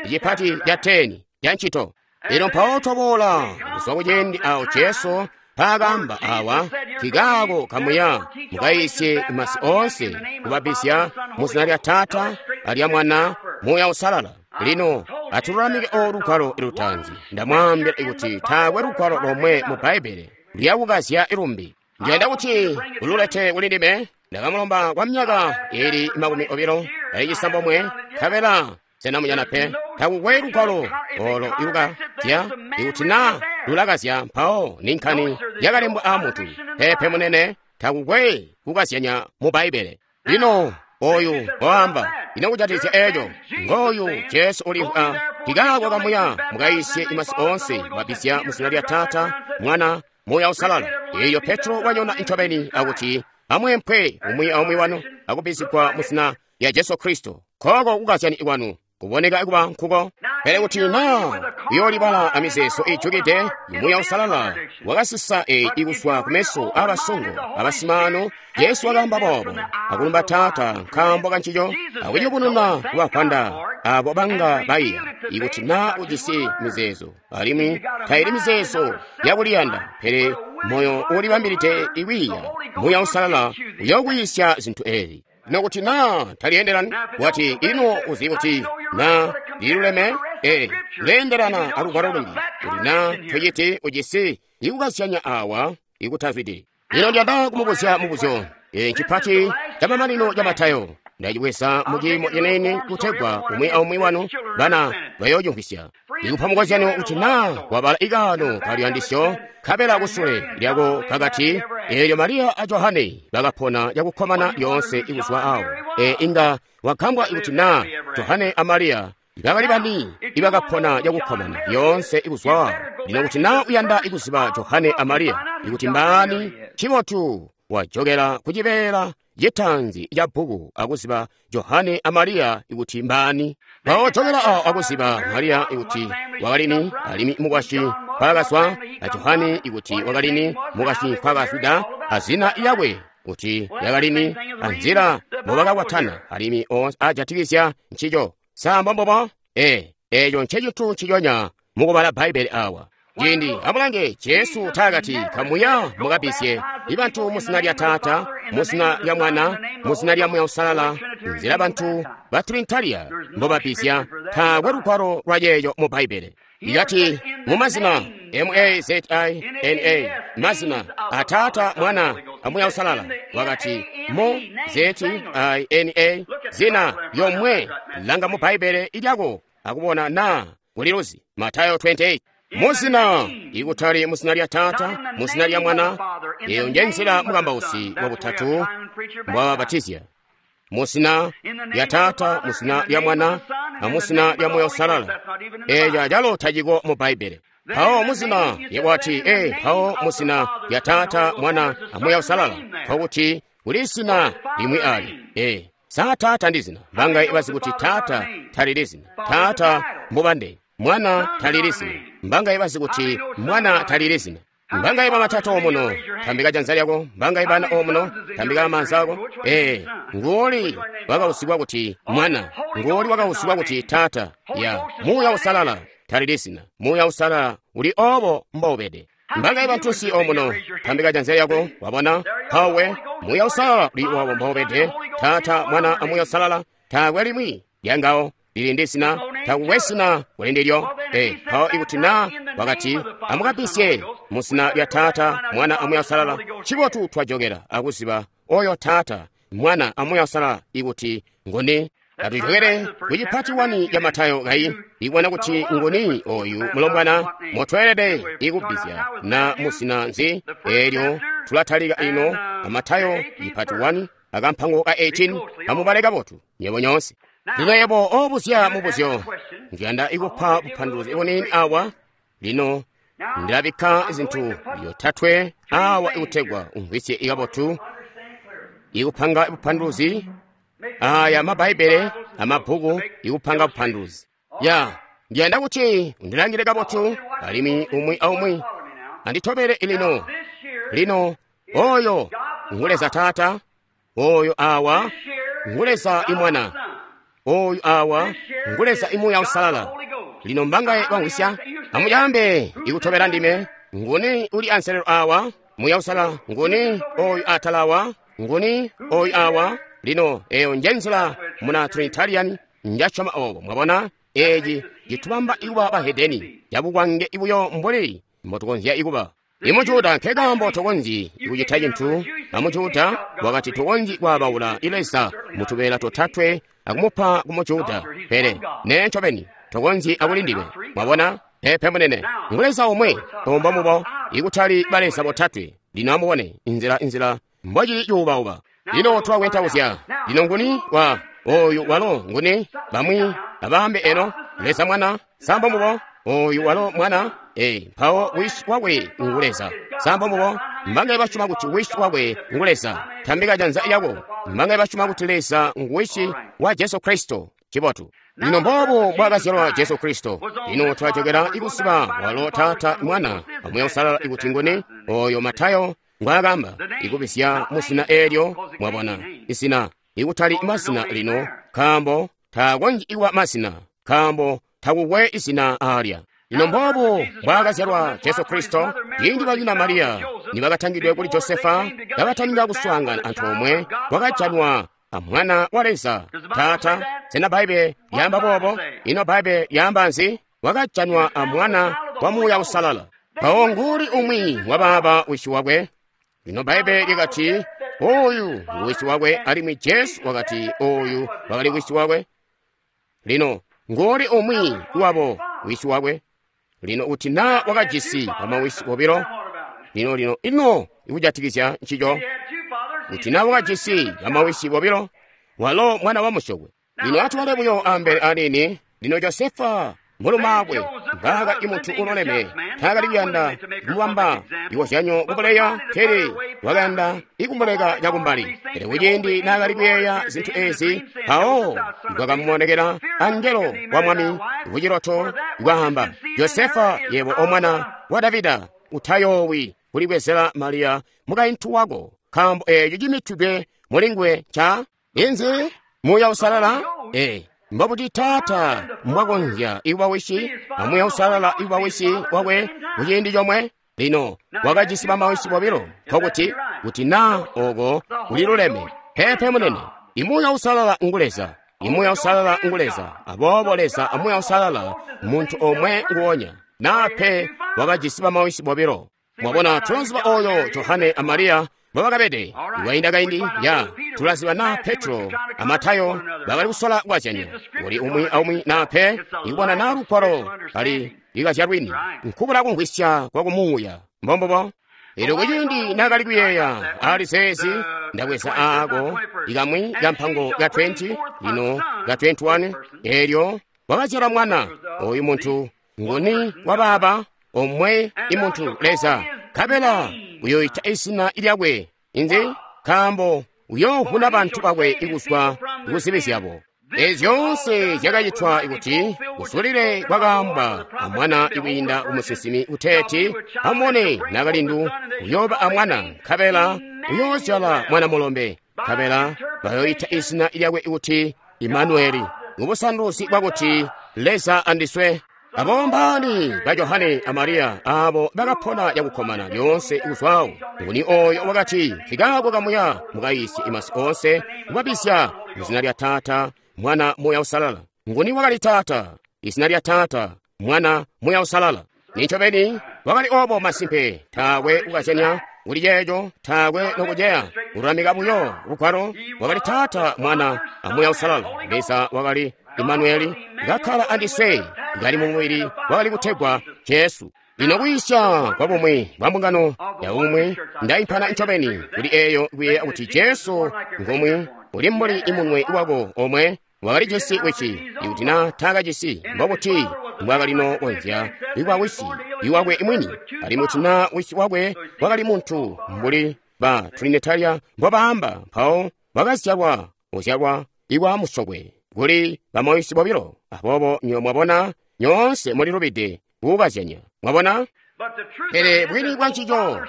chipati cha ten cha ntchito. Lino mpawo twaboola kuzwa kuciindi awo Jesu paakamba awa kikako kamuya mukayisye masi onse kubabisya mu zina lya Tata alya Mwana Muya Usalala. Lino atululamike olugwalo lutanzi. Ndamwambira ikuti taakwe lugwalo lomwe mu Bbaibele lyakukazya ilumbi. Ndiyanda kuti ululete kuli ndime. Ndakamulomba kwa myaka ili makumi obilo ali cisambomwe nkabela senamunyana pe. Takukwe lugwalo olo ilukazya ikuti na lulakazya mpawo ni nkhani yakalembwa a mutu. Pepe munene, takukwe kukazyanya mu Bbaibbele. Lino oyu waamba, ino kujatikizya eco, ngooyu Jesu ulimvwa, nkikaako kamuya mukayisye imasi onse, mwabbizya mu zina lya Taata, Mwana, Muuya Uusalala. Eyo Petro wanyona ncobeni akuti amwempwe umwi aumwi wanu akubbizigwa mu zina lya Jesu Kristo. Koko kukazyani kwanu kuboneka kuba nkuko. Pele kuti na uyoolibala amizeezo ijukide, Muuya Uusalala wakasisa eyi ikuzwa kumeso abasongo abasimaano. Jesu wakaamba boobo, akulumba Taata nkaambo kancico, akuyubununa kubavwanda abo banga baiya. Ikuti na ujisi mizeezo, alimwi taili mizeezo yakuliyanda, pele moyo uulibambilide ikwiiya, Muuya Uusalala uyokwiisya zinthu ezi. Nokuti na taliyeendelani, wati ino uzi kuti na liluleme, e leendelana alugwalo lumbi, kuti na tochiti ujisi ikukazyanya awa ikutazwidi. Lino ndiyanda kumubuzya mubuzyo e chipati cha mamanino cha Matayo. Ndachibweza muchimo chenene kutegwa umwi aumwi wanu bana bayochumvisya. Ndikupa mukozyano kuti na wabala ikano kaliyandisyo nkabela kusule lyako kakati eelyo Mariya a Johane bakapona yakukkomana yonse ikuzwa awo. E inga wakambwa ikuti na Johane a Mariya bakali bani ibakapona yakukkomana yonse ikuzwa awo. Lino kuti na uyanda ikuziba Johane a Mariya ikuti mbaani, chibotu wajokera kuchibeela chitanzi cha bhuku akuziba Johane a Mariya ikuti mbaani. Mpawo jokera awo akuziba Mariya ikuti wakalini alimi mukwasyi nkwakazwa, a Johane ikuti wakalini mukwasyi nkwakazwida, a zina lyakwe kuti lyakalini, a nzila mbobakakwatana alimi onse ajatikizya ncico. Samba mbobo? E, eco ncecintu nciconya mukubala Bbaibbele awa. Ciindi amulange Jesu taakati kamuya mukabisye ibantu mu zina lya Taata, mu zina lya Mwana, mu zina lya Muuya Uusalala, nzila bantu ba Trinitaria mbobabisya, taakwe lugwalo lwa yeeyo mu Bbaibbele. Ikati mu mazina M A Z I N A, mazina a Taata, Mwana, a Muuya Uusalala, wakati mu Z I N A, zina yomwe langa mu Bbaibbele ilyako akubona na kuliluzi. Matayo twenty-eight. Muzina ikutali muzina lya Taata, muzina lya Mwana, eyo nje nzila mukambausi wa butatu mbwababatizya. Muzina lya Taata, muzina lya Mwana, na muzina lya Muuya Uusalala. Eyo calo taciko mu Bbaibbele. Mpawo muzina yekwati e mpawo muzina lya Taata, Mwana, a Muuya Uusalala, nkokuti kuli zina limwi ali. E sa Taata ndi zina, mbanga ibazi kuti Taata talili zina. Taata mbubande, Mwana talili zina, mbanga ibazi kuti Mwana talili zina. Mbanga iba matata omuno, tambika janza lyako, mbanga ibana omuno, tambika manza ako. E, ngoli wakausigwa kuti Mwana, ngoli wakausigwa kuti Taata. Ya, Muuya Uusalala talili zina, Muuya Uusalala uli obo mbobede. Mbanga iba ntusi omuno, tambika janza lyako, wabona, pawe, Muuya Uusalala uli obo mbobede. Taata, Mwana, a Muuya Uusalala, taakwe limwi lyangawo lili ndi zina, takukwe zina kuli ndilyo. E, mpawo ikuti na wakati amukabisye mu zina lya Taata, Mwana, a Muuya Uusalala, chibotu twajokera akuziba oyo Taata, Mwana, a Muuya Uusalala ikuti ngoni. Atujokere kuchipati wani ya Matayo kayi ikuona kuti ngoni oyu mulombwana motwelede ikubbizya na muzina nzi. Elyo tulatalika ino a Matayo ipati wani akampango ka eighteen. Amubale kabotu nyebo nyonse. Lino yebo obuzya mubuzyo, ndiyanda ikupa bupanduluzi ibunini awa. Lino ndilabikka zinthu yotatwe awa ikutegwa umvwisye ikabotu ikupanga bupanduluzi. Aya mabhaibhele amabhuku ikupanga bupanduluzi. Ya, ndiyanda kuti undilangire kabotu alimwi umwi aumwi anditobere lino. Lino oyo nguleza Taata, oyo awa nguleza imwana, oyu awa nguleza imuya Uusalala. Lino mbangaye wangwisya, amuyambe ikutobera ndime. Nguni uli anselelo awa Muya Uusalala, nguni oyu atalawa, nguni oyu awa. Lino eyo nje nzila muna Trinitarian njachoma obo. Mwabona eji jitubamba ikuba bahedeni yabukwange ibuyo mbuli mbotukonzya ikuba. Imujuda nkekambo tokonzyi ikucita cinthu. Amujuda wakati tokonzyi kwabaula ileza mutubeela totatwe akumupa kumujuda, pele ne ncobeni tokonzyi akulindime. Mwabona? Peepe munene, ngu Leza omwe, ombo mubo, ikutali baleza botatwe. Lino amubone inzila inzila mbocili cuubauba. Lino twakwentauzya. Lino nguni wa oyu walo nguni bamwi abaambe eno Leza Mwana sambo mubo oyu walo Mwana e mpawo wisi wakwe ngu Leza sambo mubo mbangaye basyoma kuti wisi wakwe ngu Leza tambika janza lyako mbangaye basyoma kuti Leza ngu wisi wa Jesu Kristo cibotu. Lino mboobu mbwaakazyalwa Jesu Kristo. Lino twajokera ikusiba walo Taata Mwana amuya Usalala ikuti nguni oyo Matayo ngwaakamba ikubisya muzina eelyo mwabona izina ikutali mazina lino nkaambo taakonzyi ikuba mazina nkaambo takukwe izina aalya. Lino mboobu mbwaakazyalwa Jesu Kristo ciindi banyina Mariya nibakatangidwe kuli Josefa kabataninga kuswaangana antoomwe kwakajanwa a Mwana wa Leza Taata. Sena Bbaibbele lyaamba boobo? Ino Bbaibbele lyaamba nzi? Wakajanwa a Mwana wa Muuya Usalala. Mpawo nguli umwi wabaaba wisi wakwe. Lino Bbaibbele lyakati oyu ngu wisi wakwe, alimwi Jesu wakati oyu wakali wisi wakwe. Lino nguli umwi wabo wisi wakwe. Lino kuti naa wakajisi bamawisi bobilo. Lino lino ino ikujatikizya ncico kuti naa wakajisi bamawisi bobilo walo mwana wa musyokwe. Lino atwale buyo ambele anini. Lino Josefa mulumaakwe mbaaka imuntu uloleme taakali kuyanda kumubamba ikozyanyo kubuleya pele wakayanda ikumuleka cakumbali. Pele kuciindi naakali kuyeeya zintu ezi mpawo kwakamuonekera angelo wa Mwami kuciloto kwaamba, Josefa yebo omwana wa Davida utayoowi kulibwezela Mariya mukaintu wako nkaambo eeco cimitidwe mulinguwe nca inzi Muuya Usalala. E mbobuti Taata mbwakonzya ikuba wisi a Muuya Usalala ikuba wisi wakwe kuciindi comwe? Lino wakajisi bamawisi bobilo nkokuti kuti naa oko kuliluleme. Peepe munene, imuuya Usalala ngu Leza, imuuya Usalala ngu Leza. Aboobo Leza a Muuya Usalala muntu omwe nguonya. Naa pe wakajisi bamawisi bobilo. Mwabona tulaziba oyo Johane a Mariya mbobakabede iwainda kaindi ya tulaziba naa Petro a Matayo bakali kusola kwazyanya uli umwi aumwi naa pe ikubona naa lugwalo kali likazya lwini nkubula kumvwisya kwa kumuuya mbombubo. Elyo kuciindi naakali kuyeeya ali zeezi ndabweza aako ikamwi kampango ka twenty lino ka twenty-one elyo wakazyala mwana oyu muntu nguni wabaaba omwe imuntu Leza nkabela uyoyita izina lyakwe inzi nkaambo uyoovuna bantu bakwe ikuzwa kuzibi zyabo. Ezi zyoonse zyakacitwa ikuti kusulile kwakaambwa amwana ikwiinda kumusinsimi kuteeti amubone nakalindu uyooba amwana nkabela uyoozyala mwana mulombe nkabela bayoyita izina lyakwe ikuti Imanueli mubusanduzi bwakuti Leza andiswe. Abo mbaani ba Johane a Mariya abo bakapona yakukkomana lyoonse ikuzwawo. Nguni oyo wakati nkikaako kamuya mukayisye imasi onse kubabisya muzina lya Taata Mwana Muuya Usalala. Nguni wakali Taata? Izina lya Taata Mwana Muuya Usalala. Nincobeni wakali obo masimpe taakwe kukazyanya kuli ceeco taakwe nokuceya kululamika buyo lugwalo wakali Taata Mwana a Muuya Usalala. Leza wakali Imanueli kakkala andiswe kali mumubili wakali kutegwa Jesu. Lino kuyisya kwa bumwi bwa mbungano ya umwi ndaimpana ncobeni kuli eeyo kuyeeya kuti Jesu ngomwe uli mbuli imunwe wako omwe wakalijisi wisi ikuti naa taakajisi mbobuti mbwakalino konzya ikwa wisi iwakwe imwini alimwi kuti naa wisi wakwe wakali muntu mbuli ba Trinitaria mbobaamba mpawo wakazyalwa uzyalwa iwa musokwe kuli bamawisi bobilo. Aboobo nyo mwabona nyoonse mulilubide kukazyanya mwabona. Pele bwini bwa ncico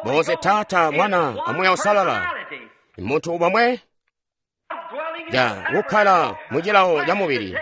bonse Taata Mwana a Muuya Usalala muntu bomwe ja kukkala mu cilawo ca mubili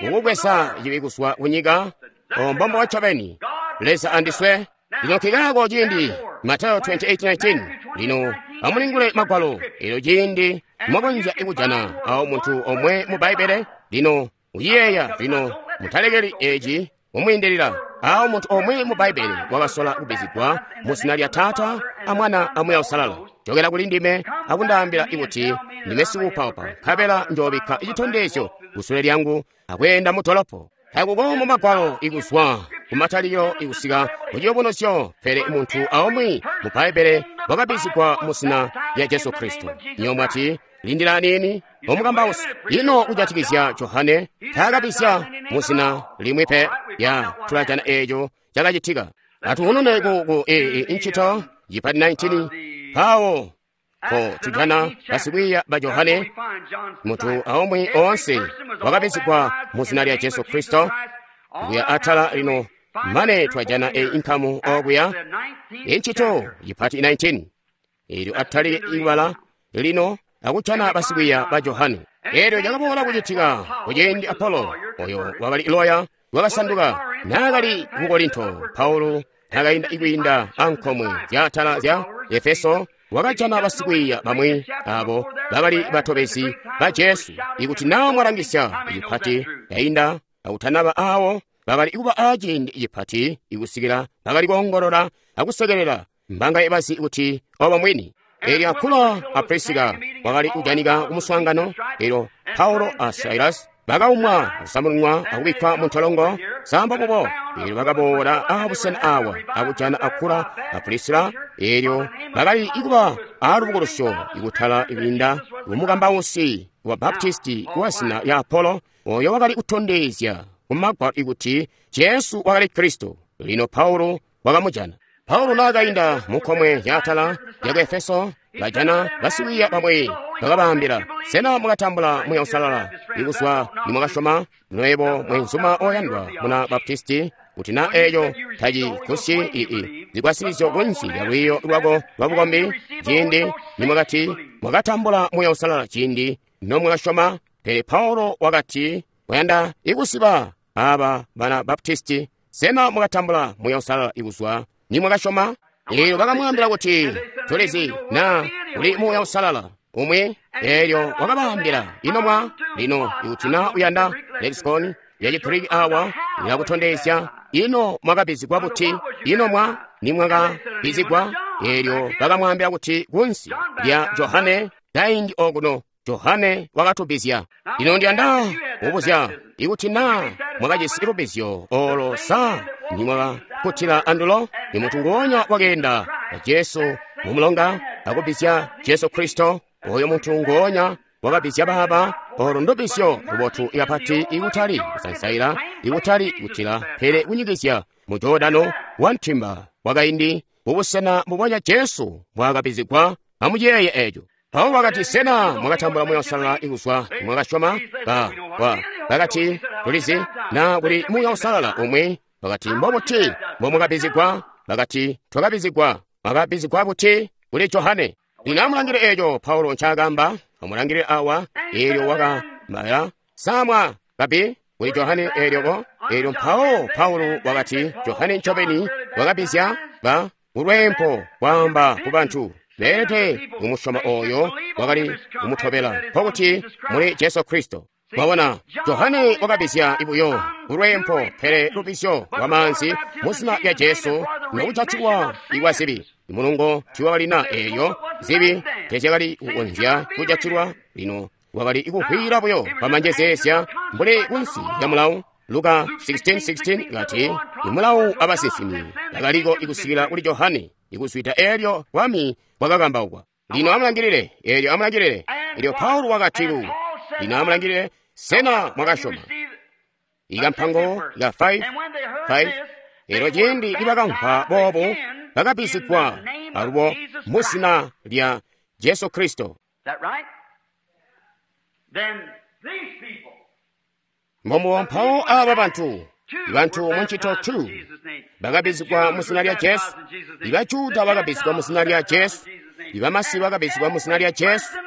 ukubweza cibi kuzwa kunyika ombombo ncobeni Leza andiswe. Lino nkikaako ciindi Matayo twenty-eight nineteen lino amulingule magwalo elyo ciindi mwakonzya ikujana awo muntu omwe mu Bbaibbele. Lino uyiyeeya lino mutalekeli eci mumwiindilila awo muntu omwe mu Bbaibbele wakasola kubizigwa mu zina lya Taata a Mwana a Muuya Usalala. Jokela kuli ndime akundaambila ikuti ndime sikuupaupa nkabela njoobikka citondezyo kusule lyangu akweenda mu dolopo. Takuko mu magwalo ikuzwa kumatalikilo ikusika ku Ciyubunuzyo, pele muntu aumwi mu Bbaibbele wakabbizigwa mu zina lya Jesu Kristo. Nyo mwati, lindila aniini, omukambausi, ino kujatikizya Johane taakabizya mu zina limwi pe. Ya tulajana eeco cakacitika. Atuhunune ku, ku e, e, ncito yipati nineteen pawo ko tujana basikwiiya ba Johane, muntu aumwi oonse wakabizigwa mu zina lya Jesu Kristo. Kuya atala lino mane twajana e inkamu okuya incito yipati nineteen eelyo atalike ibala lino akujana basikwiiya ba Johane. Eelyo cakaboola kucitika kuciindi Apolo oyo wakali loya wakasanduka naakali ku Korinto. Paulo naakainda ikwiinda ankomwe zyaatala zya Efeso wakajana basikwiiya bamwi abo bakali batobezi ba Jesu. Ikuti naa mwalangisya icipati yainda akutanaba awo bakali kuba aciindi icipati ikusikila bakali koongolola akusekelela mbanga bazi kuti obo mwini. Eelyo Akula a Prisika wakali kujanika kumuswaangano. Eelyo Paulo a Silas bakaumwa akusamununwa akubikkwa mu ntolongo samba bubo. Eelyo bakaboola abusena awa akujana Akula a Prisila. Eelyo bakali ikuba alubukulusyo ikutala ikwiinda kumukambausi wa Baptisti wa zina lya Apolo, oyo wakali kutondezya kumagwalo ikuti Jesu wakali Kristo. Lino Paulo wakamujana. Paulo naakainda munkomwe yaatala yaku Efeso, bajana basikwiiya bamwi bakabaambila, sena mwakatambula Muuya Uusalala ikuzwa nimwakasyoma? Nwebo mwenzuma oyandwa muna Baptisti, kuti na eeyo tacigusyi ii zigwasilizyo kunsi lya lwiiyo lwako lwa bukombi ciindi nimwakati mwakatambula Muuya Uusalala ciindi nomwakasyoma. Pele Paulo wakati wayanda ikusiba aba bana Baptisti, sena mwakatambula Muuya Uusalala ikuzwa nimwakasyoma? Eelyo bakamwaambila kuti tulizi na kuli Muuya Uusalala umwi. Eelyo wakabaambila, ino mwa lino ikuti na uyanda lexicon ya Chigriki awa ilakutondezya ino mwakabizigwa buti, ino mwa nimwakabizigwa. Eelyo bakamwaambila kuti kunsi lya Johane kaindi okuno Johane wakatubizya. Lino ndiyanda kubuzya ikuti na mwakajisi lubizyo olo sa nimwakakutila andulo. Ni muntu nguonya wakeenda na Jesu mumulonga akubizya Jesu Kristo. Oyo muntu nguonya wakabizya baba. Olo ndubizyo lubotu ikapati ikutali kusansaila, ikutali kutila, pele kunyikizya mu Jordano wa ntimba wakaindi mubusena mbubonya Jesu mbwaakabizigwa. Amuyeeye eeco. Paulo wakati, sena mwakatambula Muuya Uusalala ikuzwa mwakasyoma? Ba wa bakati tulizi na kuli Muuya Uusalala umwi. Bakati mbobuti mbomwakabizigwa? Bakati twakabizigwa. Mwakabizigwa buti? Kuli Johane. Lino amulangile eeco Paulo ncaakamba. Amulangile awa. Eelyo wakamaya samwa kabi kuli Johane. Eelyo eelyo mpawo Paulo wakati Johane ncobeni wakabizya ba ulwempo kwaamba ku bantu beelede kumusyoma oyo wakali kumutobela, nkokuti muli Jesu Kristo. Mwabona, Johane wakabizya ibuyo ulwempo, pele lubizyo lwa maanzi mu zina lya Jesu nokujatilwa ikwa zibi. Mulungo tiwakalina eeyo zibi tezyakali kukonzya kujatilwa. Lino wakali ikuhwira buyo pamanjezeezya mbuli kunsi lya mulawu. Luka sixteen sixteen kati imulawu abasinsimi bakaliko ikusikila kuli Johane, ikuzwida eelyo bwami bwakakambaukwa. Lino amulangilile, eelyo amulangilile. Eelyo Paulo wakati lu, lino amulangilile, sena mwakasyoma? Ikampango ka five five. Eelyo ciindi nibakamvwa boobu bakabizigwa alubo mu zina lya Jesu Kristo. Mbomuwo mpawo aba bantu, bantu muncito two bakabizigwa mu zina lya Jesu, ibajuda bakabizigwa mu zina lya Jesu, ibamasi bakabizigwa mu zina lya Jesu.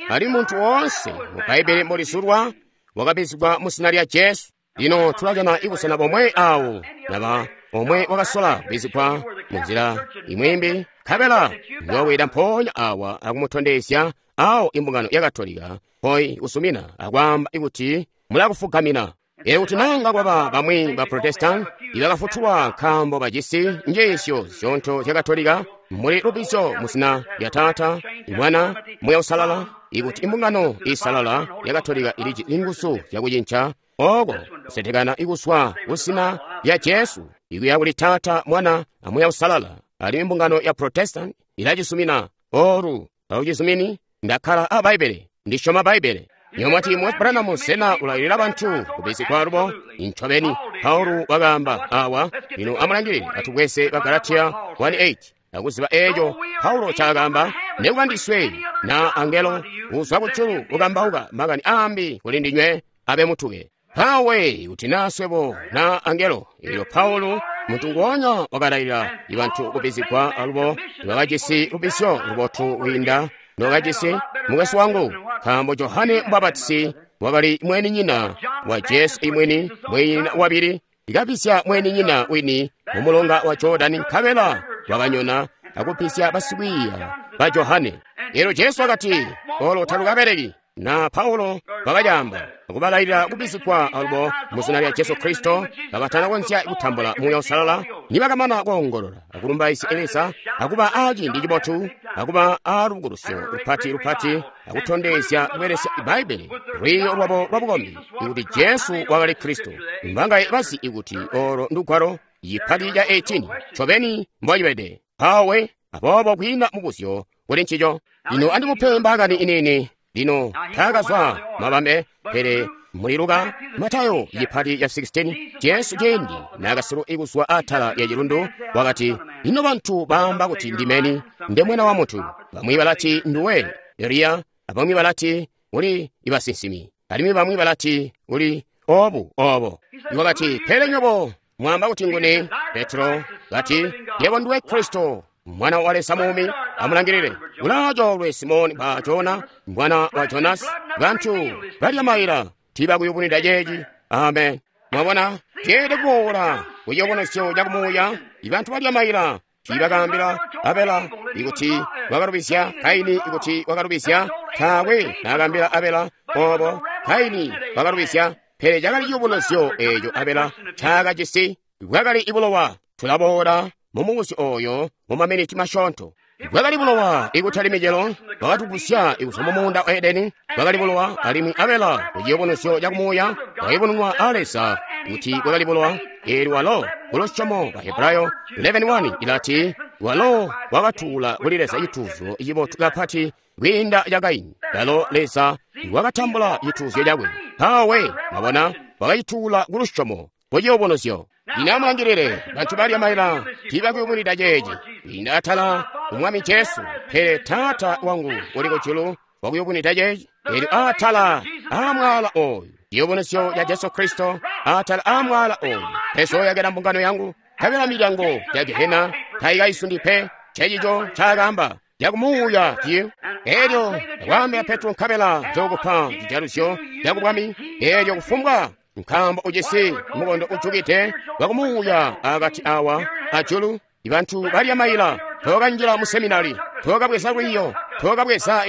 Ali muntu woonse mu Bbaibbele mbolizulwa wakabizigwa mu zina lya Jesu. Lino tulajana ibusena bomwe awo naba omwe wakasola kubizigwa mu nzila imwimbi, nkabela ndiwaweda mpoonya awa akumutondezya awo imbungano ya Katolika poi kusumina akwaamba ikuti mulakufugamina. Eelyo kuti nanga kwaba bamwi ba Protestant ibakafutulwa nkaambo bajisi njiisyo zyoonto zya Katolika muli lubizyo mu zina lya Taata, Mwana, Muuya Uusalala, ikuti imbungano isalala ya Katolika iliji nguzu zyakucinca oko kusetekana ikuswa ku zina lya Jesu Ikuya kuli Taata, Mwana, a Muuya Uusalala. Alimwi mbungano ya Protestant ilacisumina. Oru, taucizumini? Ndakkala a Bbaibbele. Ndisyoma Bbaibbele. Nyomwati Moses Branham sena ulailila bantu kubizigwa alubo? Incobeni, Paulo wakaamba awa. Lino amulangilile atubweze ba Galatia one eight. Akuziba eeco Paulo caakaamba, nekuba ndiswe na angelo uzwa kujulu ukambauka makani aambi kuli ndinywe abe mutuke. Pawe kuti na swebo na angelo. Elyo Paulo muntu nguonya wakalailila bantu kubizigwa alubo bakajisi lubizyo lubotu kwiinda nokajisi mukwesu wangu, nkaambo Johane Mubapatizi wakali mweninyina wa Jesu imwini, mweninyina wabili, ikabisya mweninyina wini mu mulonga wa Jordani, nkabela wakanyona akubisya basikwiiya ba Johane. Elyo Jesu wakati, olo talukabeleki. Na Paulo wakacaamba akubalailila kubizigwa alubo mu zina lya Jesu Kristo, kabatanakonzya kutambula Muuya Uusalala, nibakamana koongolola akulumbaizya Leza, akuba aaciindi cibotu, akuba aalubukulusyo lupati lupati, akutondezya kubelesya Bbaibbele lwiiyo lwabo lwabukombi ikuti Jesu wakali Kristo. Mbangaye bazi ikuti olo ndugwalo yipati ya eighteen ncobeni mbocibede. Pawe aboobo kwiina mubuzyo kuli ncico. Lino andimupe mbaakani inini. Lino taakazwa mabambe, pele muli Luka, Matayo yipati ya sixteen, Jesu ciindi naakasilu ikuzwa atala ya cilundu wakati, ino bantu baamba kuti ndimeni, nde mwana wa muntu. Bamwi balati nduwe Eliya, abamwi balati uli ibasinsimi, alimwi bamwi balati uli obu obo. Wakati, pele nywebo mwamba kuti nguni? Petro kati, yebo nduwe Kristo, mwana wa Leza muumi. Amulangilile, ulaacoolwe Simoni ba Jona, mwana wa Jonasi. Bantu balya maila tiibakuyubunwida ceeci. Amen. Mwabona, ceelede kuboola kuciyobonozyo cakumuuya. Ibantu balya maila tiibakaambila Abela ikuti wakalubizya, Kaini ikuti wakalubizya. Taakwe naakaambila Abela obo, Kaini wakalubizya. Pele cakali ciyubunuzyo eeco Abela ncaakajisi, bwakali ibulowa. Tulaboola mumubuzyo oyo mu maminiti masyoonto. Bwakali bulowa ikutali micelo, bwakatugusya ikuzwa mu muunda wa Edeni. Bwakali bulowa, alimwi Abela kuciyubunuzyo cakumuuya bwakayubununwa a Leza kuti bwakali bulowa. Eelyo walo kulusyomo ba Hebrayo eleven one ilati, walo wakatuula kuli Leza cituuzyo cibotu kapati kwiinda ca Kaini. Lalo Leza wakatambula cituuzyo cakwe. Pawe mwabona, wakacituula kulusyomo kuciyubunuzyo. Lino amulangilile, bantu balya maila tiibakuyubunwida ceeci. Kwiinda atala ku Mwami Jesu, pele Taata wangu uli kujulu wakuyubunwida ceeci. Eelyo atala aamwaala oyu, ciyubunuzyo ca Jesu Kristo, atala aamwaala oyu, pezoyakela mbungano yangu, nkabela milyango ya Gehena taikaisundi pe. Ncencico ncaakaamba cakumuuya ciyo. Eelyo ndakwaambila Petro, nkabela nzookupa cijaluzyo cakubwami. Eelyo kufumbwa nkaambo ujisi mukondo ujukide wakumuuya akati awa ajulu. Ibantu balya maila tookanjila mu seminari, tookabweza lwiiyo, tookabweza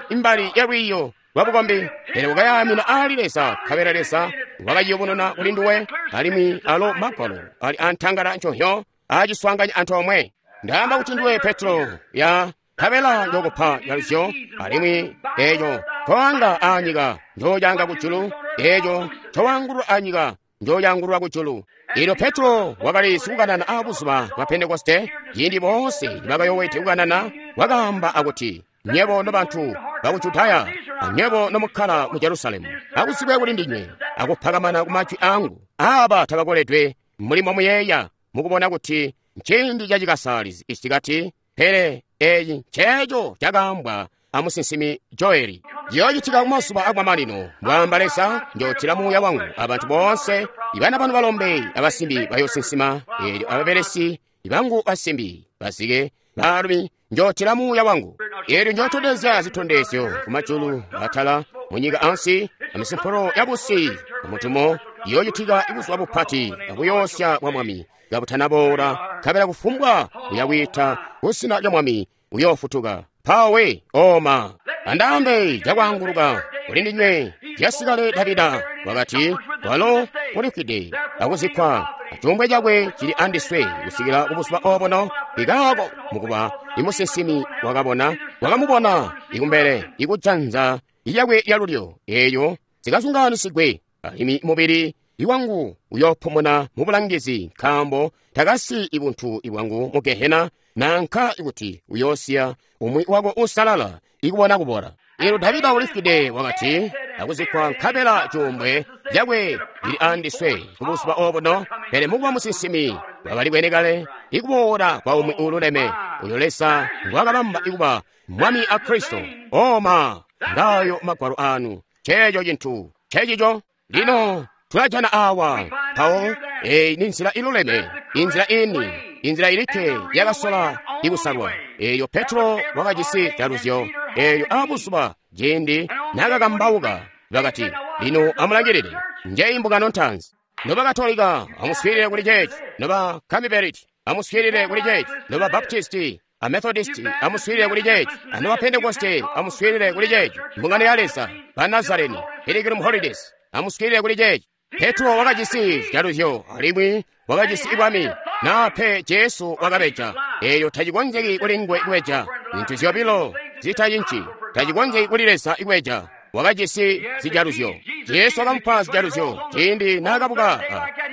imbali ya lwiiyo lwabukombi, pele wakayaamina aali Leza, nkabela Leza wakaciyubununa kuli nduwe. Alimwi alo magwalo ali antangala nconhyo aciswaanganya antoomwe. Ndaamba kuti nduwe Petro ya nkabela njokupa jaluzyo, alimwi eeco ncowaanga aanyika njoocanga kujulu, eeco ncowaangulula aanyika njoocangulula kujulu. Eelyo Petro wakali sikukanana aabuzuba bwa Pentekoste, ciindi boonse nibakayowede kukanana, wakaamba akuti, nywebo nobantu baku Judaya, anywebo nomukkala mu Jerusalemu, akuzibwe kuli ndinywe akupakamana ku majwi angu. Aaba tabakoledwe mulimo muyeeya mukubona kuti nciindi cacikasalizi isikati, pele eeci nceeco cakaambwa amusinsimi Joeli. Ciyoocitika kumazuba akumamanino, mbwaamba Leza, njootila Muuya wangu abantu boonse. Ibana banu balombe abasimbi bayoosinsima, eelyo ababelesi bangu basimbi bazike baalumi njootila Muuya wangu. Eelyo njootondezya zitondezyo kumajulu atala, munyika ansi, amisimpolo yabusi amutumo. Iyoocitika buzuba bupati akuyoosya bwa Mwami kabutanaboola, nkabela kufumbwa uyakwiita kuzina lya Mwami uyoofutuka. Pawe oma andaambe cakwaanguluka kuli ndinywe. Jasikale Davida wakati, walo ulifwide akuzikkwa, acuumbwe cakwe cili andiswe kusikila kubuzuba obuno. Ikaako mukuba imusinsimi wakabona, wakamubona ikumbele ikujanza lyakwe lyalulyo, eeyo zikazungaanisigwe, alimwi mubili iwangu uyoopumuna mu bulangizi, nkaambo takasiyi ibuntu ibwangu mu gehena, nanka kuti uyoosiya umwi wako uusalala ikubona kubola. Eelyo Davida ulifwide wakati akuzikkwa, nkabela cuumbwe cakwe lili andiswe kubuzuba obuno. Pele mukuba musinsimi wakali bwene kale ikuboola kwa umwi uululeme, uyo Leza ngwakabamba ikuba Mwami a Kristo. Oma ngayo magwalo anu, ceeco cintu cecico. Lino tulajana awa mpawo eyi ni nzila iluleme, inzila ini, inzila ilikke yakasola ikusalwa. Eyo Petro wakajisi jaluzyo eyo abuzuba ciindi nakakambauka, bakati, lino amulangilile, njeyi mbungano ntaanzi. Noba Katolika, amuswiilile kuli ceeci. Noba Kamiberiti, amuswiilile kuli ceeci. Noba Baptisti a Methodisti, amuswiilile kuli ceeci. Anoba Pentekoste, amuswiilile kuli ceeci. Mbungano ya Leza, ba Nazareni, Pilgrim Holidays, amuswiilile kuli ceeci. Petro wakajisi jaluzyo alimwi wakajisi ibwami, na pe Jesu wakabeja. Eyo tacikonzeki kuli nguwe kubeja. Zintu zyobilo zitacinci, tacikonzeki kuli Leza kubeja. Wakajisi zijaluzyo. Jesu wakamupa zijaluzyo ciindi naakabuka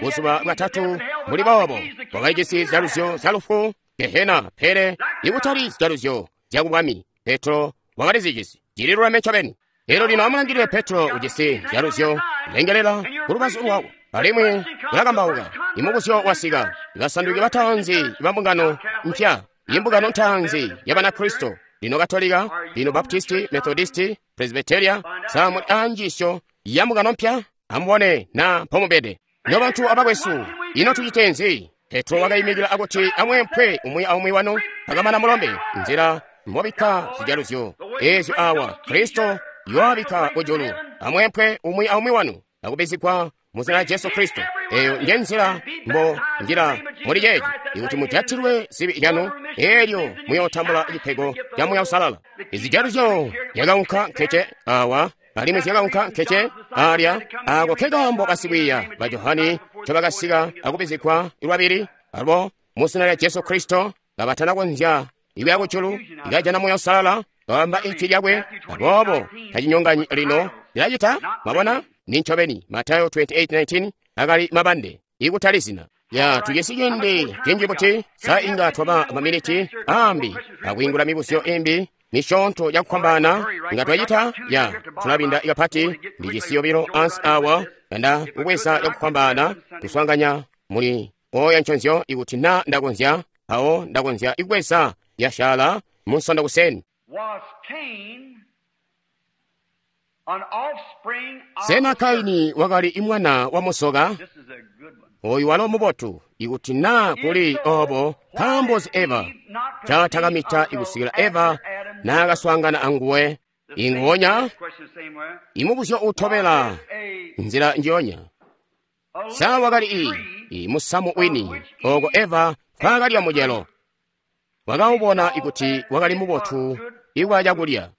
buzuba bwatatu muli boobo. Wakajisi zijaluzyo zya lufu, gehena, pele ikutali zijaluzyo zya kubwami. Petro wakalizijisi. Cililuleme ncobeni. Elyo lino amulangilile Petro ujisi zijaluzyo, lengelela kulubazu lwako, alimwi ulakambauka. Imubuzyo wasika, basanduki bataanzi ba mbungano mpya, imbungano ntaanzi ya Banakristo, lino Katolika, lino Baptisti, Methodisti, Presbyteria, samuli anjiisyo ya mbungano mpya. Amubone na mpomubede. Nobantu abakwesu, ino tucite nzi? Petro wakayimikila akuti amwempwe umwi aumwi wanu, akamana mulombe nzila mobikka zijaluzyo ezyo awa Kristo yoabikka kujulu. Amwempwe umwi aumwi wanu akubizigwa mu zina lya Jesu Kristo. Eyo nje nzila mbo njila muli ceeci, ikuti mujatilwe zibi lyanu, elyo muyootambula cipego ca Muuya Uusalala. Izijaluzyo zyakaunka nkece awa, alimwi zyakaunka nkece alya. Ako ke kaambo basikwiiya ba Johani ncobakasika akubizigwa lwabili alo mu zina lya Jesu Kristo, kabatana konzya ikuya kujulu ikajana Muuya Uusalala, kaamba ijwi lyakwe. Aboobo tacinyonganyi lino lilacita. Mwabona? Ni ncobeni. Matayo twenty-eight nineteen akali mabande ikutali zina. Ya tujisi ciindi cinji buti sa inga twaba maminiti ambi akwiingula mibuzyo imbi misyoonto yakukwambana inga twacita. Ya tulabinda ikapati ndijisi yobilo ansi awa kanda kubweza yakukwambana tuswanganya muli oya nconzyo ikuti na ndakonzya awo ndakonzya ikubweza yashala munsondo kuseni. Sena Kaini wakali imwana wa musoka? Oyu walo mubotu ikuti na kuli obo nkaambozi Eva catakamita ikusikila Eva naakaswaangana anguwe. Ingonya imubuzyo utobela nzila njonya. Sa wakali i imusamu wini oko Eva nkaakalya mucelo. Wakawubona ikuti wakali mubotu ikwa cakulya.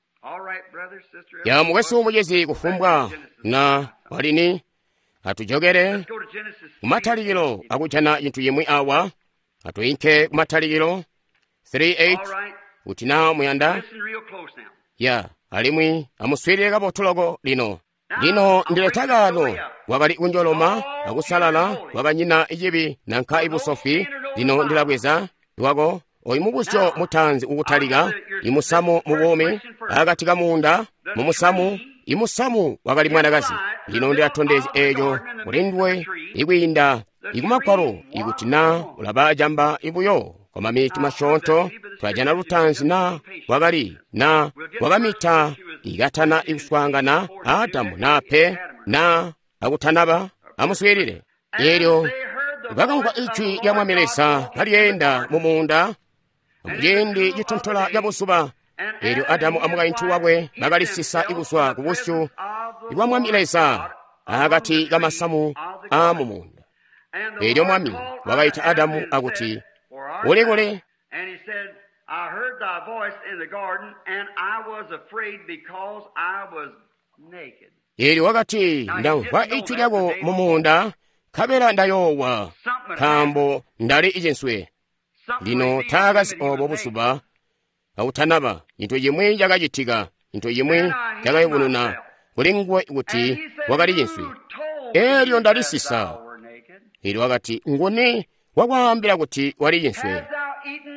Ya mukwesu mucezi kufumbwa na walini atujokere kumatalikilo akujana cintu yimwi awa. Atuyinke kumatalikilo three eight kuti na muyanda. Ya alimwi amuswiilile kabotu loko lino. Lino ndileta kano wakali kunjoloma akusalala wakanyina icibi nanka ibusofi. Lino ndilabweza lwako oyu mubuzyo mutaanzi ukutalika imusamu mubuumi akati kamuunda mumusamu imusamu wakali mwanakazi. Lino ndilatondezya eeco kuli nduwe ikwiinda ikumagwalo ikuti na ulaba camba ibuyo kwa mamiti masyoonto twajana lutaanzi na wakali na wakamita ikatana ikuswaangana Adamu na pe na akutanaba. Amuswiilile. Eelyo bakamvwa ijwi lya Mwami Leza kalyeenda mu muunda muciindi citontola ca buzuba. Eelyo Adamu amukaintu wakwe bakalisisa ikuzwa ku busyu bwa Mwami Leza akati kamasamu aa mu muunda. Eelyo Mwami wakaita Adamu akuti, uli kuli? Eelyo wakati, ndamvwa ijwi lyako mu muunda, nkabela ndayoowa, nkaambo ndali icinswe. Lino taakazi obo buzuba akutanaba. Cintu cimwi cakacitika, cintu cimwi cakayubununa kuli nguwe kuti wakali cinswe. Eelyo ndalisisa. Elyo wakati, nguni wakwaambila kuti wali cinswe?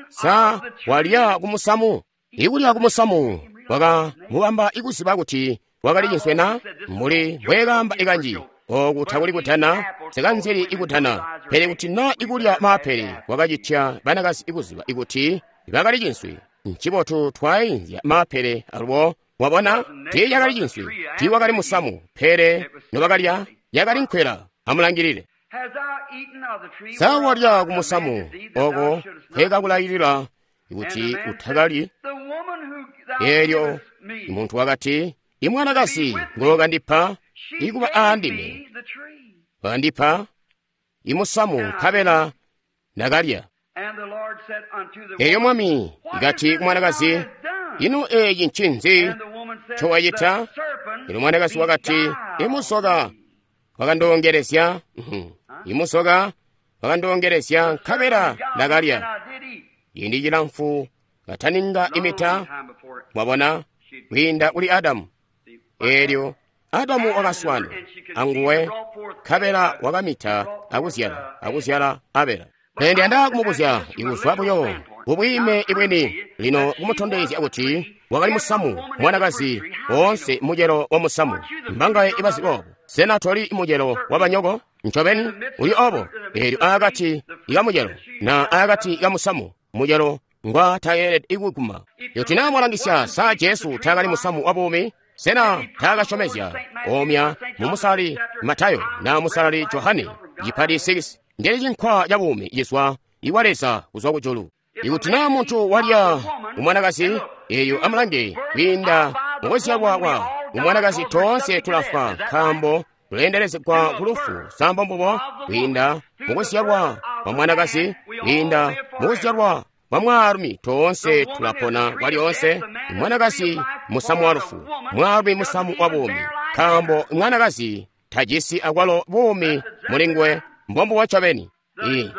Sa walya kumusamu? Ikulya kumusamu wakamubamba ikuziba kuti wakali cinswe na? Mbuli mbwekaamba ikanji, oku takuli kutana, sekanzili ikutana. Pele kuti na ikulya maapele kwakacitya banakazi ikuziba ikuti bakali cinswe. Ncibotu twainzya maapele alubo. Wabona, tiiyakali cinswe, tiiwakali musamu, pele nobakalya yakali nkwela. Amulangilile. Sa walya kumusamu oko kwekakulayilila kuti utakalyi? Eelyo muntu wakati, imwanakazi ngokandipa ikuba aandime, wakandipa imusamu nkabela ndakalya. Elyo Mwami ikati kumwanakazi, ino eeci ncinzi ncowacita? Elyo mwanakazi wakati, imusoka wakandongelezya, imusoka wakandongelezya nkabela ndakalya. Ciindi cilamfu kataninga imita, mwabona, kwiinda kuli Adamu. Eelyo Adamu wakaswana anguwe nkabela wakamita akuzyala akuzyala Abela. Pele ndiyanda kumubuzya ikuzwa buyo kubwiime ibwini lino kumutondezya kuti wakali musamu mwanakazi woonse mucelo wa musamu. Mbangaye ibazi obo? Sena toli mucelo wabanyoko? Ncobeni uli obo. Eelyo aakati ikamucelo na aakati ikamusamu mucelo ngwa tayelede ikuguma. Kuti naa mwalangisya, sa Jesu taakali musamu wa buumi? Sena taakasyomezya omya mumusalali Matayo na musalali Johane cipati six ndeli cinkwa ca buumi cizwa iwa Leza kuzwa kujulu. Ikuti naa muntu walya umwanakazi, eyo amulange kwiinda mukuzyalwa kwa umwanakazi toonse tulafwa nkaambo tuleendelezegwa ku lufu. Sambo mbubo kwiinda mukuzyalwa kwa mwanakazi, kwiinda mukuzyalwa kwa mwaalumi toonse tulapona kwalyoonse. Mwanakazi musamu wa lufu, mwaalumi musamu wa buumi, nkaambo mwanakazi tajisi akwalo buumi mulinguwe. Mbombubo ncobeni.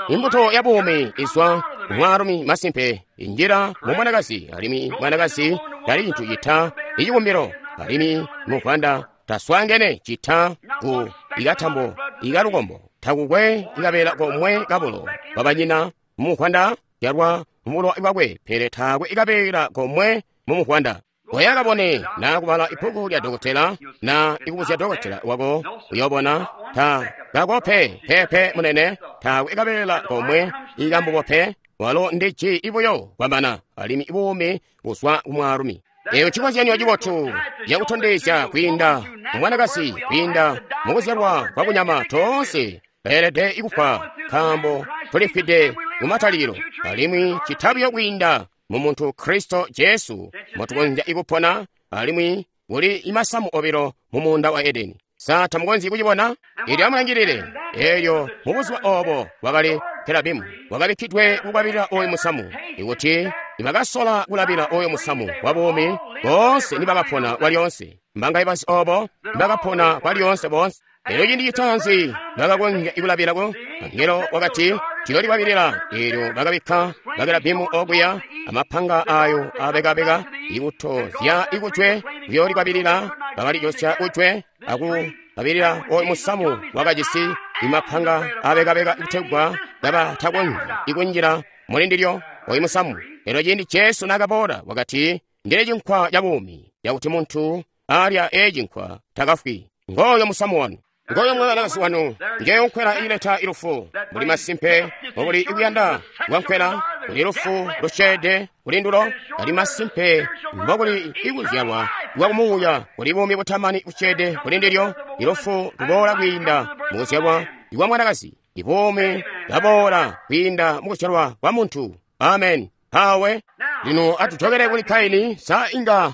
Imbuto ya buumi izwa mwaalumi masimpe injila mu mwanakazi, alimwi mwanakazi tali cintu cita icikumbilo, alimwi muvwanda taswaangene cita ku ikatambo ikalukombo, takukwe ikabeela komwe kabulo babanyina muvwanda zyalwa mubulowa bwakwe, pele taakwe ikabeela komwe mu muvwanda. Oya kabone na kubala ibbuku lya dokotela na ikubuzya dokotela wako, uyobona ta kakope pepe munene, taakwe ikabeela komwe ikambubo pe, walo ndi ji ibuyo kwambana, alimwi buumi buzwa ku mwaalumi. Eyo cikozyanyo cibotu cakutondezya kwiinda mwanakazi, kwiinda mukuzyalwa kwa kunyama toonse beelede ikufwa nkaambo tulifwide kumatalikilo, alimwi citabiyo kwiinda mu muntu Kristo Jesu motukonzya ikupona, alimwi kuli imasamu obilo mu muunda wa Edeni. Sa tamukonzyi kucibona? Elyo amulangilile. Elyo mu buzuba obo wakali Kerabimu wakabikkidwe kukwabilila oyu musamu. Ikuti nibakasola kulabila oyu musamu wa buumi, boonse nibakapona kwalyoonse. Mbangaye bazi obo? Nibakapona kwalyoonse boonse. Elyo ciindi citaanzi bakakonzya ikulabilako, angelo wakati tiyolikwabilila. Elyo bakabikka bakerabimu okuya amapanga ayo abekabeka ikutozya ikujwe kuyolikwabilila. Bakalijosya kujwe akukwabilila oyu musamu wakajisi imapanga abekabeka kutegwa kabatakonzyi ikunjila mulindilyo oyu musamu. Elyo ciindi Jesu naakaboola wakati, ndili cinkwa ca buumi, cakuti muntu alya ecinkwa takafwi. Ngoyo musamu wanu, ngoyo mwanakazi wanu, ngeyo nkwela ileta ilufu. Muli masimpe mubuli ikuyanda kwa nkwela, kuli lufu lusyeede kuli ndulo, ali masimpe mbokuli ikuzyalwa kwa kumuuya, kuli buumi butamani busyeede kuli ndilyo. Ilufu luboola kwiinda mukuzyalwa kwa mwanakazi, ibuumi bwaboola kwiinda mukuzyalwa kwa muntu. Amen. Hawe lino atujokele kuli Kaini. Sa inga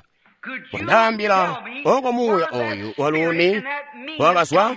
wandaambila oko muuya oyu waluuni wakazwa?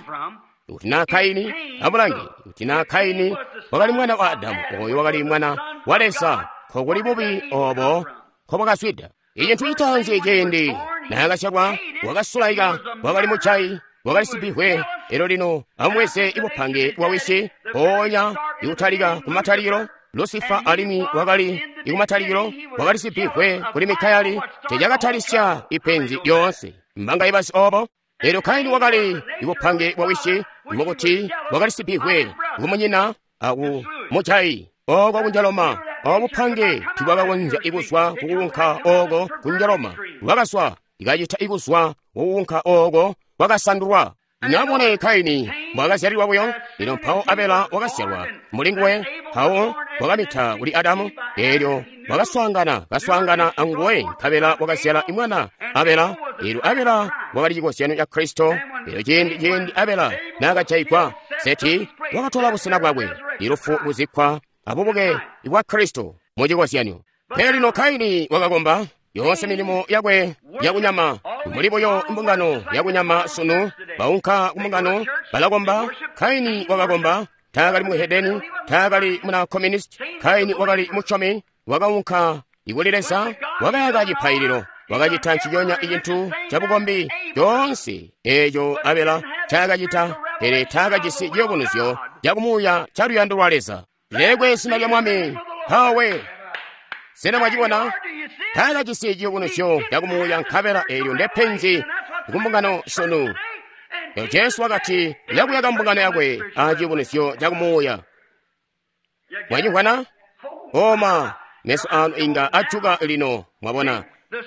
Kuti naa Kaini, amulange, kuti naa Kaini wakali mwana wa Adamu, oyo wakali mwana wa Leza, nkokuli bubi obo nkobwakazwida. Icintu citaanzi ciindi naakazyalwa wakasulaika, wakali mujayi, wakali sibihwe. Elyo lino amubweze ibupange bwa wisi, mpoonya ikutalika kumatalikilo Lusifa alimwi wakali ikumatalikilo wakali sibihwe kuli Mikayeli, cecakatalisya ipenzi lyoonse. Mbangaye bazi obo? Elyo Kaini wakali ibupange bwa wisi, Mukuti wakali sibihwe kumunyina aku mujayi oko kunjaloma. Obupange tibwakakonzya ikuzwa kukunka oko kunjaloma. Bwakazwa ikacita ikuzwa kukunka oko kwakasandulwa. Namone Kaini mwakazyalilwa buyo. Lino mpawo Abela wakazyalwa mulinguwe, mpawo wakamita kuli Adamu. Eelyo wakaswaangana kaswaangana anguwe, nkabela wakazyala imwana Abela. Eelyo Abela wakali cikozyanyo ca Kristo. Eelyo ciindi ciindi Abela naakajayigwa, Seti wakatola busena bwakwe, ilufu kuzikkwa abubuke bwa Kristo mucikozyanyo. Pele lino Kaini wakakomba yoonse milimo yakwe yakunyama, mbuli buyo mbungano yakunyama sunu. Baunka kumbungano balakomba. Kaini wakakomba, taakali muhedeni, taakali muna communist. Kaini wakali musyomi, wakaunka ikuli Leza, wakayaka cipaililo, wakacita nciconya icintu cabukombi coonse eeco Abela ncaakacita, pele taakajisi ciyubunuzyo cakumuuya ca luyando lwa Leza. Lilekwe zina lya Mwami. Mpawe sena mwacibona? Taakajisi ciyubunuzyo cakumuuya, nkabela eelyo ndepenzi kumbungano sunu. Lino Jesu wakati yakuyaka mbungano yakwe a ciyubunuzyo cakumuuya. Mwacimvwana? Oma meso anu inga ajuka lino, mwabona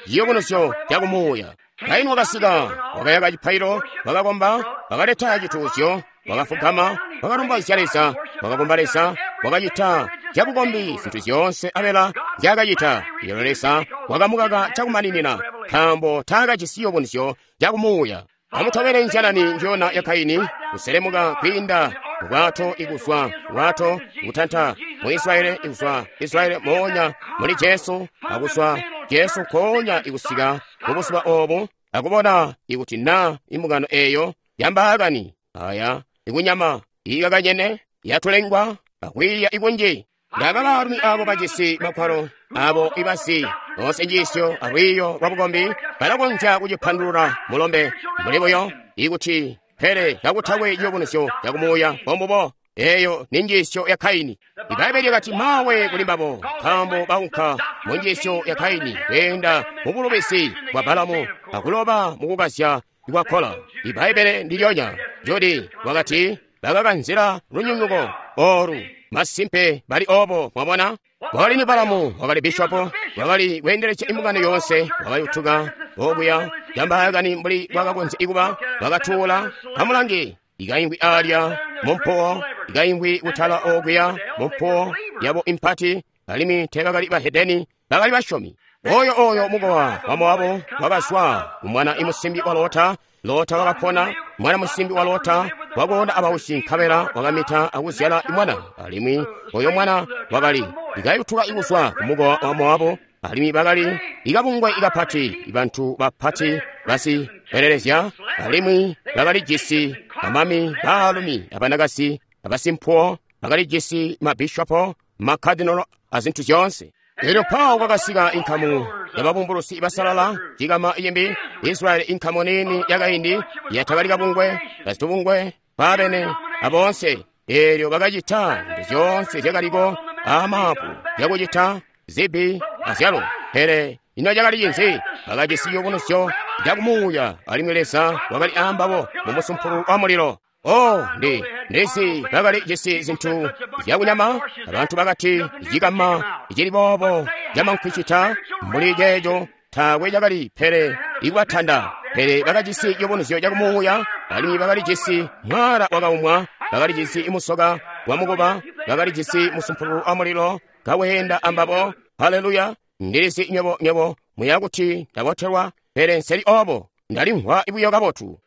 ciyubunuzyo cakumuuya. Kaini wakasika, wakayaka cipaililo, wakakomba, wakaleta cituuzyo, wakafugama, wakalumbaizya Leza, wakakomba Leza, wakacita zyabukombi zintu zyoonse Abela nzyaakacita. Eelyo Leza wakamukaka cakumaninina, nkaambo taakajisi ciyubunuzyo cakumuuya. Amutobele nzyanani njona ya Kaini, kuselemuka kwiinda bwato ikuzwa bwato kutanta mu Israeli, ikuzwa Israeli moonya muli Jesu, akuzwa Jesu nkoonya ikusika mubuzuba obu, akubona ikuti na imbungano eyo yambaakani aya ikunyama ikakanyene yatulengwa akwiiya ikunji. Ndaba baalumi abo bajisi makwalo abo ibasi boonse njiisyo alwiiyo lwa bukombi balakonzya kucipandulula mulombe mbuli buyo ikuti, pele kakutakwe ciyubunuzyo cakumuuya. Bombubo eyo ni njiisyo ya Kaini. Ibaibbele lyakati mawe kuli mbabo, nkaambo baunka mu njiisyo ya Kaini, kweenda mu bulubisi bwa Balamu akuloba mukukazya kwa Kola. Ibaibbele ndilyonya Jodi wakati bakakanzila lunyunguko oru. Masimpe bali obo, mwabona. Wakali ni Balamu, wakali bishopo, wakali kweendelezya imbungano yoonse, wakayutuka okuya yambaakani mbuli bwakakonzya ikuba, wakatuula amulangi ikaingwi alya mumpuwo, ikaingwi kutala okuya mumpuwo yabo impati, alimwi teebakali bahedeni, bakali basyomi. Oyo oyo mukowa wa Moabu wakazwa kumwana imusimbi wa Lota. Lota wakapona, mwana musimbi wa Lota wakoona abausi, nkabela wakamita akuzyala imwana, alimwi oyo mwana wakali ikayutuka ikuzwa kumukowa wa Moabu, alimwi bakali ikabungwe ikapati, ibantu bapati basipelelezya, alimwi bakalijisi bamami baalumi abanakasi abasimpuwo, bakalijisi mabishopo, makadinolo azintu zyoonse. Eelyo mpawo kwakasika inkamu yababumbulusi basalala, cikama imbi Israeli, inkamu niini yakaindi yatakali kabungwe, basitubungwe baabene aboonse. Eelyo bakacita zintu zyoonse zyakaliko aamaapu zyakucita zibi azyalo. Pele ino cakali cinzi? Bakajisi ciyubunuzyo cakumuuya, alimwi Leza wakali aambabo mu musumpulu wa mulilo. Oh, ndi ndizi bakali jisi zintu zyakunyama. Abantu bakati cikama icili boobo camankwicita mbuli ceeco taakwe cakali pele ikubatanda. Pele bakajisi ciyubunuzyo cakumuuya, alimwi bakali jisi mwaala wakaumwa, bakali jisi musoka wa mukuba, bakali jisi musumpulu wa mulilo kaweenda ambabo. Haleluya! Ndilizi nywebo nywebo muya kuti ndabotelwa, pele nseli obo, ndalimvwa buyo kabotu.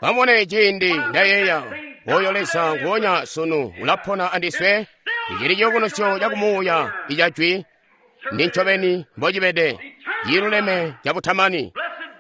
Amubone ciindi ndayeeya oyo Leza nguonya sunu ulapona andiswe. Icili ciyubunuzyo cakumuuya ica jwi ndi ncobeni mbocibede, ciluleme cabutamani.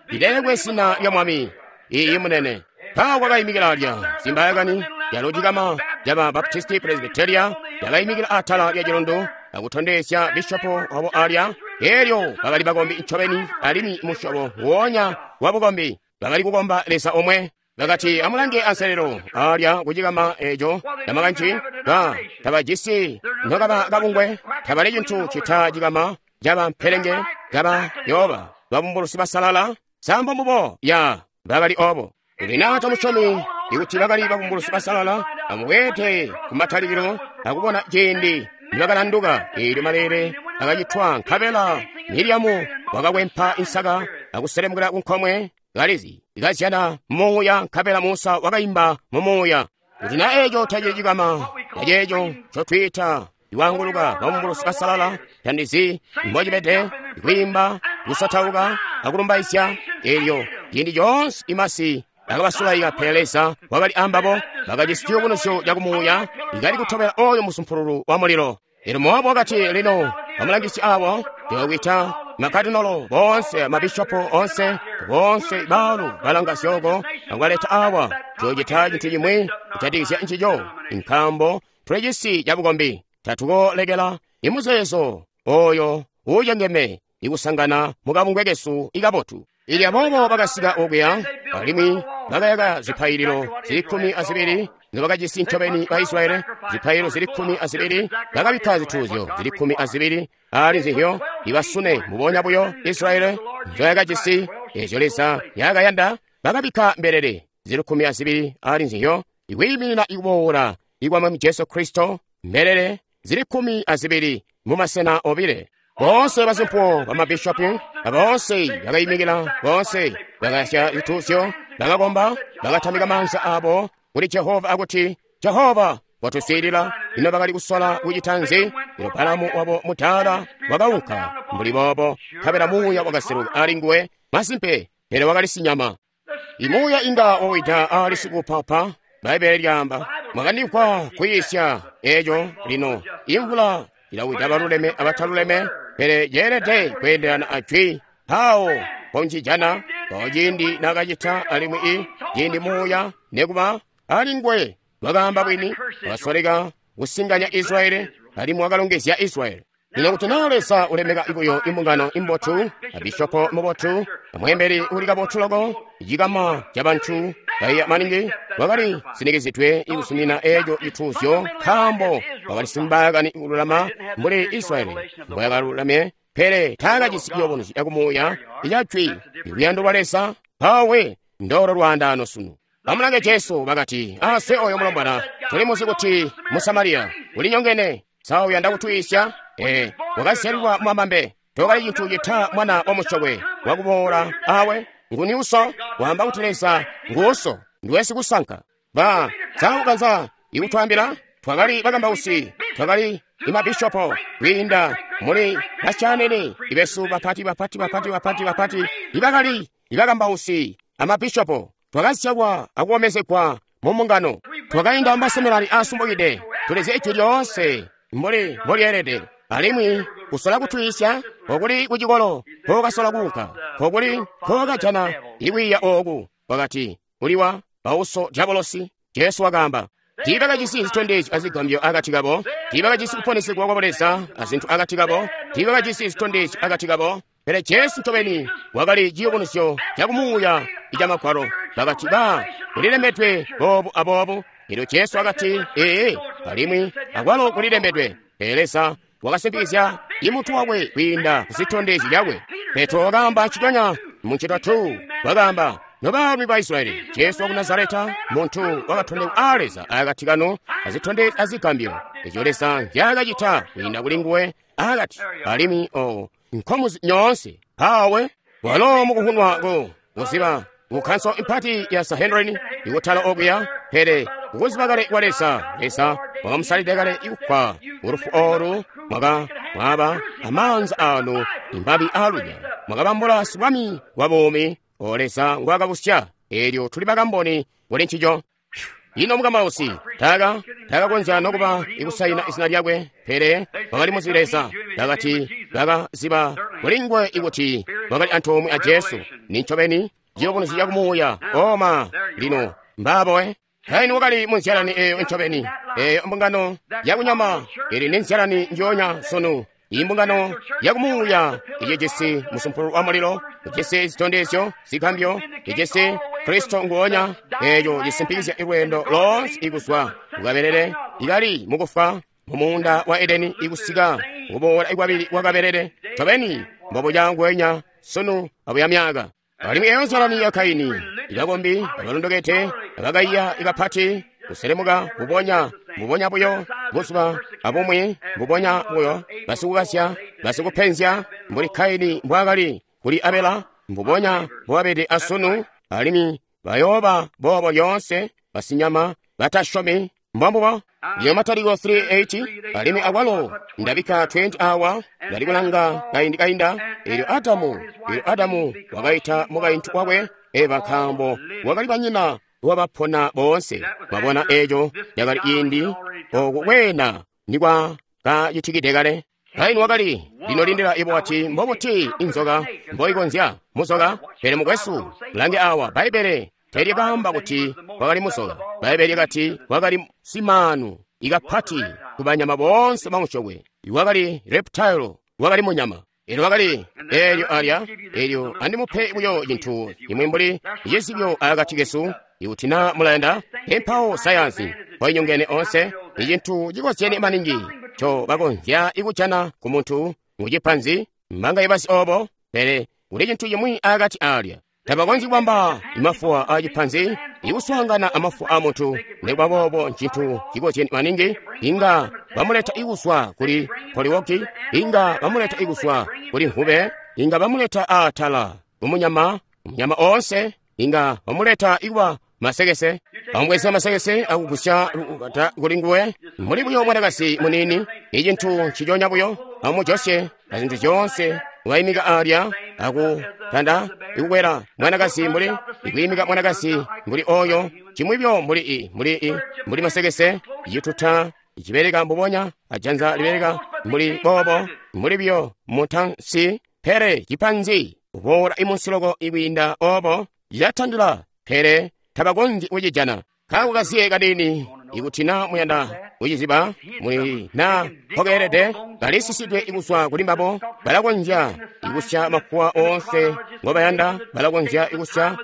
Lilelekwe zina lya Mwami. Iiyi munene. Mpawo kwakaimikila alya zimbayakani yalo cikama caba Baptisti Presbyteria yakaimikila atala lya cilundu akutondezya bishopo wabo alya. Eelyo bakali bakombi ncobeni, alimwi musyobo nguonya wa bukombi, bakali kukomba Leza omwe. Bakati amulange anselelo alya kucikama eco namakanci ba tabajisi nokaba kabungwe, tabali cintu cita cikama caba mpelenge kaba yoba babumbulusi basalala sambo mbubo ya bakali obo. Kuti naa tomusyomi Ikuti bakali babumbulusi basalala, amubweede kumatalikilo akubona ciindi nibakalanduka. Eelyo maleele akacitwa, nkabela Miriamu wakakwempa insaka akuselemukila kunkomwe kalizi ikazyana mumuuya, nkabela Musa wakaimba mumuuya. Kuti na eco tacili cikama aceeco ncotwiita iwanguluka babumbulusi basalala, tandizi mbocibede, kwiimba, kusotauka akulumbaizya. Eelyo ciindi coonse imasi akabasulaika, pele Leza wakali ambabo. Bakajisi ciyubunuzyo cakumuuya ikali kutobela oyo musumpululu wa mulilo. Elyo Mowabu wakati, lino bamulangisi abo ndiyokwita makadinolo boonse, mabishopo onse, boonse baalu balanga zyooko, akubaleta awa. Tuyocita cintu cimwi kujatikizya ncico, nkaambo tuli cisi cabukombi. Tatukolekela imuzeezo oyo uucengeme ikusangana mukabungwe kesu ikabotu. Ili aboobo bakasika okuya, alimwi bakayaka zipaililo zili kkumi azibili nzobakajisi ncobeni ba Israyeli, zipaililo zili kkumi azibili, bakabikka zituuzyo zili kkumi azibili ali nzizyo ibasune mubonya buyo Israyeli nzoyakajisi ezyo Leza yakayanda. Bakabikka mbelele zili kkumi azibili ali nzizyo ikwiiminina ikuboola ikwa Mwami Jesu Kristo, mbelele zili kkumi azibili mumasena obile. Boonse basimpuwo bamabishopu aboonse bakaimikila, boonse bakayasya zituuzyo, bakakomba, bakatamika maanza abo kuli Jehova akuti, Jehova watuswiilila. Ino bakali kusola kucita nzi? Ino Balamu wabo mutaala wakaunka mbuli boobo, nkabela muuya wakaseluka ali nguwe. Masimpe, pele wakali sinyama. Imuuya inga wawida ali sikupapa. Bbaibbele lyaamba, mwakandimvwa kwiisya eco. Lino imvula ilawida baluleme abataluleme, pele yeelede kweendelana ajwi. Mpawo poncijana mpawo ciindi nakacita, alimwi i ciindi muuya nekuba ali nguwe wakaamba bwini, wakasoleka kusinganya Israyeli, alimwi wakalongezya Israyeli. Lino kuti naa Leza ulemeka buyo imbungano imbotu, abishopo mubotu, amweembeli uli kabotu loko, cikama cabantu baiya maningi, wakali sinikizidwe ikusumina eco cituuzyo, nkaambo wakali simbaakani kululama mbuli Israyeli mbwayakalulame, pele taakajisi ciyubunuzyo cakumuuya icajwi iluyando lwa Leza. Mpawe ndolo lwaandaano sunu. Bamulange Jesu bakati, ase oyo mulombwana tulimuzi kuti Musamariya ulinyongene, sa uyanda kutwiisya? Ee, wakazyalilwa mwamambe, tokali cintu cita mwana wa musyokwe wakuboola awe. Nguni uso? Wamba kuti Leza nguuso, ndiwe sikusanka. Ba sa ukanza ikutwambila? Twakali bakambausi, twakali imabishopo, kwiinda muli basyanene ibesu bapati bapati bapati bapati bapati ibakali ibakambausi amabishopo. Twakazyalwa akukomezegwa mu mbungano, twakainda mumaseminari aasumbukide, tulizi ijwi lyoonse mbuli mbolyeelede. Alimwi kusola kutwiisya kokuli kucikolo kokasola kuunka, kokuli kokajana ikwiiya ooku. Wakati uliwa bauso dyabolosi. Jesu wakaamba, tiibakajisi zitondezyo azigambyo akati kabo, tiibakajisi kuponesegwa kwa Leza azintu akati kabo, tiibakajisi zitondezyo akati kabo, pele Jesu ncobeni wakali ciyubunuzyo cakumuuya icamagwalo. Bakati, ba kulilembedwe boobu aboobu. Elyo Jesu wakati, ee, alimwi akwalo kulilembedwe. Pele Leza wakasimpikizya imuntu wakwe kwiinda kuzitondezyo zyakwe. Petro wakaamba nciconya muncitatu, wakaamba, nobaalumi ba Israyeli, Jesu waku Nazareta, muntu wakatondekwa a Leza akati kanu azitondezyo azigambyo ezyo Leza nzyaakacita kwiinda kuli nguwe akati, alimwi o nkomuzi nyoonse. Mpawe walo mukuhunwa ku kuziba kukhanso impati ya Sanhedrin ikutala okuya, pele kukuziba kale kwa Leza, Leza wakamusalide kale ikufwa ulufu olu. Mwaka mwaba amaanza anu imbabi alunya, mwakabambula sibwami wa buumi o Leza ngwakabusya. Eelyo tuli bakamboni kuli ncico. Ino mukambausi taka takakonzya nokuba ikusaina izina lyakwe, pele wakali muzi Leza. Bakati bakaziba kuli nguwe ikuti wakali antoomwe a Jesu. Ni ncobeni ciyubunuzyo cakumuuya. Oma lino mbabowe. Kaini wakali munzyalani eyo ncobeni, eyo mbungano yakunyama ili ni nzyalani njoonya sunu. Imbungano yakumuuya ijisi musumpulu wa mulilo, ijisi zitondezyo zigambyo, ijisi Kristo nguonya, eyo cisimpikizya ilweendo loonse ikuzwa kukabelele ikali mukufwa mumuunda wa Edeni ikusika kuboola ikwabili kwakabelele. Ncobeni mbobuca ngwenya sunu abuya myaka. Alimwi eyo nzyalani ya Kaini Ibakombi abalondokete abakaiya ikapati kuselemuka mbubonya mbubonya buyo buzuba abumwi mbubonya buyo basikukasya basikupenzya mbuli Kaini mbwaakali kuli Abela mbubonya mbobabede asunu alimwi bayooba boobo lyoonse basinyama batasyomi mbombubo. Ndiyo Mataliko three eight alimwi akwalo ndabikka twenty awa ndali kulanga kaindi kainda. Eelyo Adamu eelyo Adamu wakaita mukaintu wakwe Eva nkaambo wakali banyina wabapona boonse. Mwabona eeco cakali ciindi oku kweena nikwa kacitikide kale. Kaini wakali lino lindila ibo wati mbobuti inzoka mboikonzya muzoka. Pele mukwesu lange awa Bbaibbele telyakaamba kuti wakali muzoka. Bbaibbele lyakati wakali simaanu ikapati kubanyama boonse bamusyokwe. Wakali reptile, wakali munyama. Elyo wakali eelyo alya eelyo andimupe buyo cintu imwe mbuli cizibyo akati kesu ikuti na mulayanda. Empawo sayansi mpoinyongene onse icintu cikozyene maningi nco bakonzya ikujana ku muntu mucipanzi mbanga ibasi obo, pele kuli cintu cimwi akati alya. Tabakonzyi kubamba mafuwa a cipanzi ikuswaangana amafuwa a muntu. Nikuba boobo ncintu cikozyene maningi. Inga bamuleta ikuswa kuli poliwoki, inga bamuleta ikuswa kuli nkube, inga bamuleta atala kumunyama munyama onse, inga bamuleta ikuba masekese. Bamubweza masekese akugusya lukata kuli nguwe muli buyo mwanakazi munini. Icintu nciconya buyo amujosye azintu zyoonse waimika alya akutanda ikukwela mwanakazi mbuli ikuyimika mwanakazi mbuli oyo cimwi byo mbuli i mbuli i mbuli masekese cituta cibereka mbubonya ajanza libereka mbuli boobo mbuli byo mutansi pele cipanzi uboola imunsiloko ikwiinda obo cilatandila pele tabakonzyi kucijana. Kaako kaziye kanini ikuti na muyanda kuciziba muli na mpokeelede kalisisidwe ikuswa kuli mbabo. Balakonzya ikusya mafuwa oonse ngobayanda, balakonzya ikusya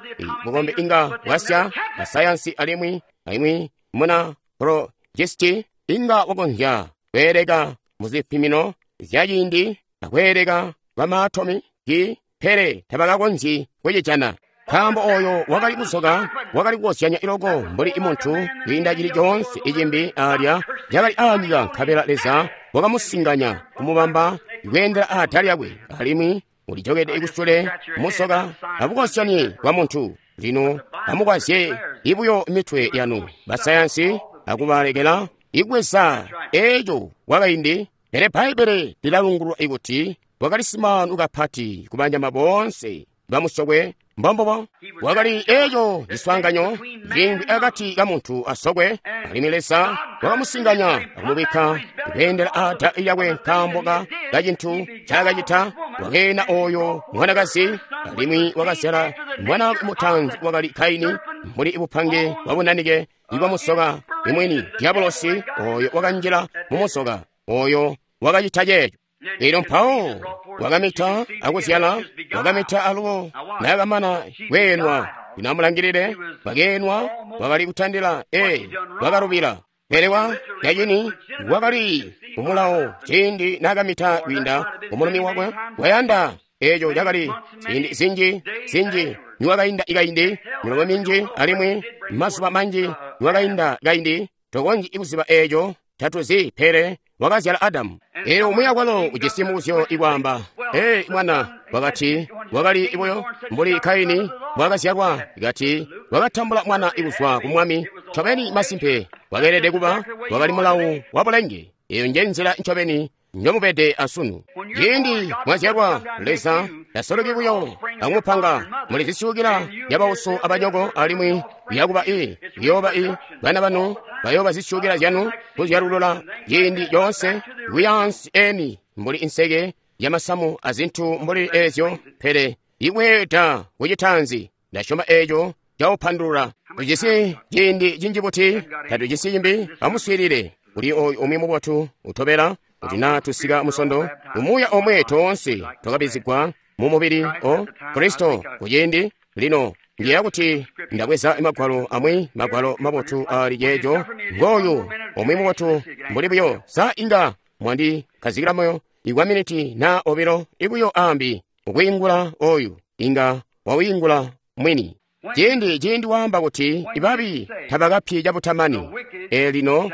bukombe inga bwasya basayansi alimwi alimwi muna projisti inga wakonzya kweeleka muzipimino zyaciindi akweeleka kwamaatomi ki pele tabakakonzyi kucijana. Nkaambo oyo wakali muzoka wakali kukozyanya iloko mbuli imuntu kwiinda cili coonse icimbi alya cakali aanyika, nkabela Leza wakamusinganya kumubamba kweendela aatala lyakwe alimwi ulijokede ikusule muzoka abukozyanye bwa muntu. Lino amukwazye ibuyo mitwe yanu basayansi akubalekela ikweza eeco kwakaindi. Pele Bbaibbele lilalungulula ikuti wakali simaanu kapati kubanyama boonse bamusokwe. Mbombobo wakali eeco ciswaanganyo ciimbi akati ka muntu asokwe, alimwi Leza wakamusinganya akumubikka kweendela aada lyakwe nkaambo ka kacintu ncaakacita. Wakeena oyo mwanakazi alimwi wakazyala mwana mutanzi wakali Kaini mbuli bupange bwabunanike ibwamusoka imwini diabolosi oyo wakanjila mumusoka oyo wakacita ceeco. Elyo mpawo wakamita akuzyala, wakamita alubo nakamana kweenwa. Inamulangilile wakeenwa wakali kutandila e wakalubila. Pele wa yacini wakali kumulawo ciindi nakamita kwiinda kumulumi wakwe wayanda. Eeco cakali ziindi zinji zinji niwakainda ikaindi milomo minji alimwi mazuba manji niwakainda kaindi tokonzyi kuziba eeco tatuzi, pele wakazyala Adamu. Eelyo umwi akwalo ujisi mubuzyo ikwaamba, ee mwana wakati wakali buyo mbuli Kaini mbwaakazyalwa, kati wakatambula mwana ikuzwa ku Mwami. Ncobeni masimpe wakeelede kuba wakali mulawu wa bulenge. Eyo nje nzila ncobeni njomubede asunu. Ciindi mwazyalwa Leza tasoloki buyo akumupanga muli zisyuukila zyabauso abanyoko alimwi yakuba i kuyooba i bana banu bayooba zisyuukila zyanu kuzyalulula ciindi coonse kuyaansi eni mbuli inseke yamasamu azintu mbuli eezyo. Pele ikweeda kucitanzi ndasyoma eeco cawupandulula. Tujisi ciindi cinji buti tatujisi cimbi. Amuswiilile kuli oyu umwi mubotu utobela kuti na tusika musondo umuuya omwe toonse twakabizigwa mu mubili o Kristo kuciindi lino. Ndiyeeya kuti ndabweza magwalo amwi magwalo mabotu ali ceeco. Ngooyu umwi mubotu mbuli buyo sa inga mwandikhazikira moyo ikwa miniti na obilo ibuyo ambi ukwiingula oyu inga wawiingula mwini. Ciindi ciindi waamba kuti ibabi tabakapyi cabutamani. Elino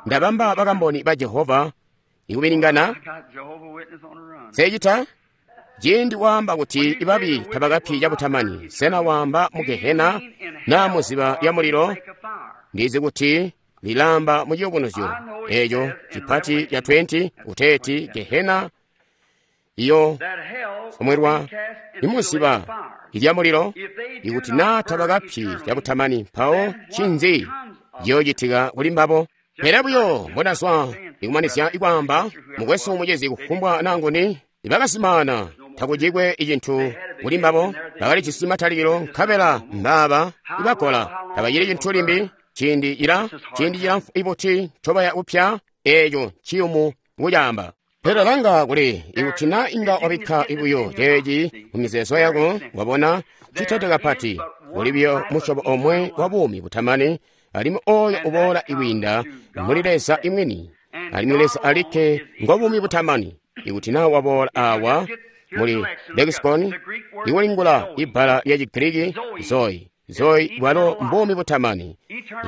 ndabamba bakamboni ba Jehova ikubilingana. Sechita ciindi waamba kuti ibabi tabakapyi cabutamani, sena waamba mu Gehena na muziba lya mulilo? Ndizi kuti lilamba mu ciyubunuzyo eeco cipati ca twenty kuteeti Gehena iyo somwerwa imuziba ilya mulilo. Ikuti naa tabakapyi cabutamani, mpawo ncinzi ciyoocitika kuli mbabo? Pele buyo mbonazwa ikumanizya ikwaamba, mukwesu mucezi kufumbwa nanguni ibakasimana takucikwe icintu kuli mbabo, bakalijisi matalikilo nkabela mbaaba ibakola tabacili cintu limbi. Ciindi ila ciindi cilamfu ibuti ncobaya kupya, eeco nciyumu kucaamba. Pele langa kuli ikuti na inga wabikka buyo ceeci mu mizeezo yako, wabona citete kapati. Kuli buyo musyobo omwe wa buumi butamani, alimwi ooyo uboola ikwiinda muli Leza imwini, alimwi Leza alikke ngo buumi butamani. Ikuti na waboola awa muli lexicon ikulingula ibbala lya Chigiriki zoe, zoe bwalo mbuumi butamani.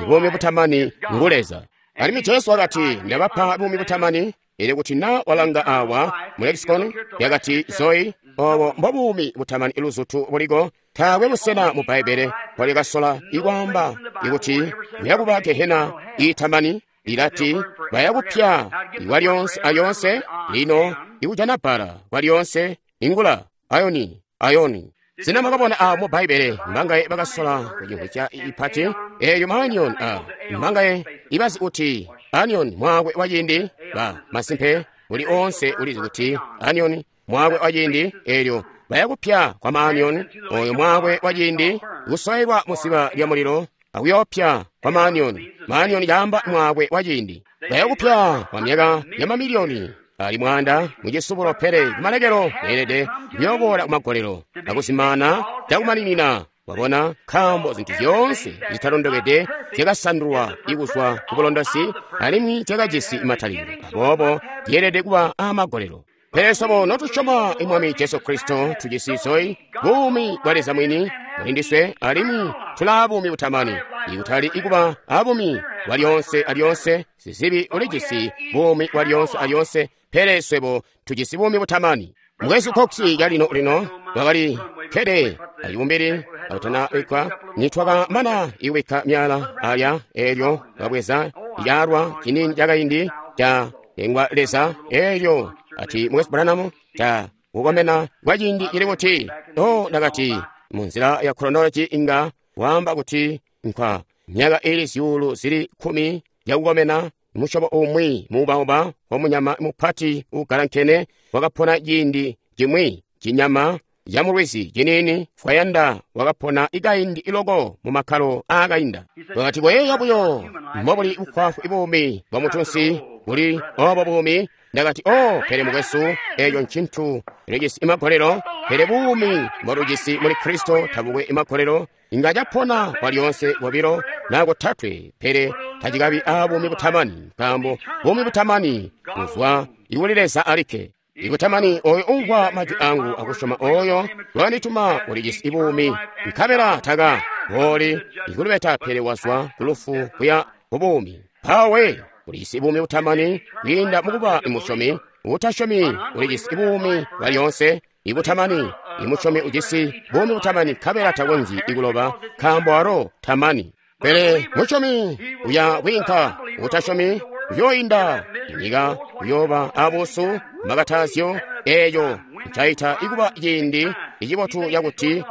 Buumi butamani ngu Leza. Alimwi Jesu wakati, ndabapa buumi butamani. Ili kuti na walanga awa mu lexicon yakati zoe, obo mbobuumi butamani iluzutu buliko. Taakwe busena mu Bbaibbele mpolikasola ikwaamba ikuti kuyakuba Gehena iitamani. Ilati bayakupya ikwalyonse alyonse. Lino ikujana bbala kwalyonse ingula ayoni ayoni. Sina mwakabona awo mu Bbaibbele mbangaye bakasola kucimvwisya ipati eeyo maanion a mbangaye ibazi kuti anion mwaakwe wa ciindi ba masimpe uli onse ulizi kuti anion mwaakwe wa ciindi. Eelyo bayakupya kwa maanion, oyo mwaakwe wa ciindi kusoelwa musiba lya mulilo akuyopya kwa maanion. Maanion caamba mwaakwe wa ciindi. Bayakupya kwa myaka ya mamiliyoni ali mwanda mucisubulo, pele kumalekelo beelede kuyooboola kumagolelo akusimana cakumaninina. Wabona, nkaambo zintu zyoonse zitalondokede zyakasandulwa ikuzwa ku bulondosi alimwi zyakajisi matalikilo, aboobo zyeelede kuba aamagolelo. Pele swebo notusyoma Mwami Jesu Kristo tujisi zoe, buumi bwa Leza mwini muli ndiswe, alimwi tulaa buumi butamani. Ikutali ikuba abuumi bwa lyonse alyonse, sizibi ulijisi buumi bwa lyonse alyonse, pele swebo tujisi buumi butamani. Mukwesu Cox calino lino wakali kkede acibumbili akutana wikwa nitwakamana iwikka myala aya, eelyo wakabweza icaalwa ciniini cakaindi ca lengwa Leza, eelyo ati mukwesu Branham ca kukomena kwa ciindi cili kuti. O ndakati munzila ya chronology inga waamba kuti nkwa myaka ili zyuulu zili kkumi yakukomena. Musyobo umwi muubauba wamunyama mupati uugalankene wakapona ciindi cimwi, cinyama camulwizi ciniini fwayanda wakapona ikaindi iloko mu makkalo aakainda. Wakati koyeeya buyo mbobuli bukwafu buumi bwa mutunsi buli obo buumi. Ndakati o pele mukwesu, eeco ncintu lijisi imagolelo, pele buumi mbotujisi muli Kristo tabukwe imagolelo. Inga capona kwa lyonse kobilo na kotatwe, pele tacikabi abuumi butamani, nkaambo buumi butamani buzwa ikuli Leza alikke. Ikutamani oyo umvwa majwi angu akusyoma oyo wakandituma ulijisi buumi, nkabela taka booli ikulubeta, pele wazwa kulufu kuya kubuumi. Mpawe ulijisi buumi butamani kwiinda mukuba imusyomi. Utasyomi ulijisi buumi bwa lyonse ibutamani. Imusyomi ujisi buumi butamani nkabela takonzyi ikuloba, nkaambo alo tamani. Pele musyomi uya kwiinka, utasyomi uyooinda nyika, uyooba abuusu makatazyo. Eeco ncaita ikuba ciindi icibotu cakuti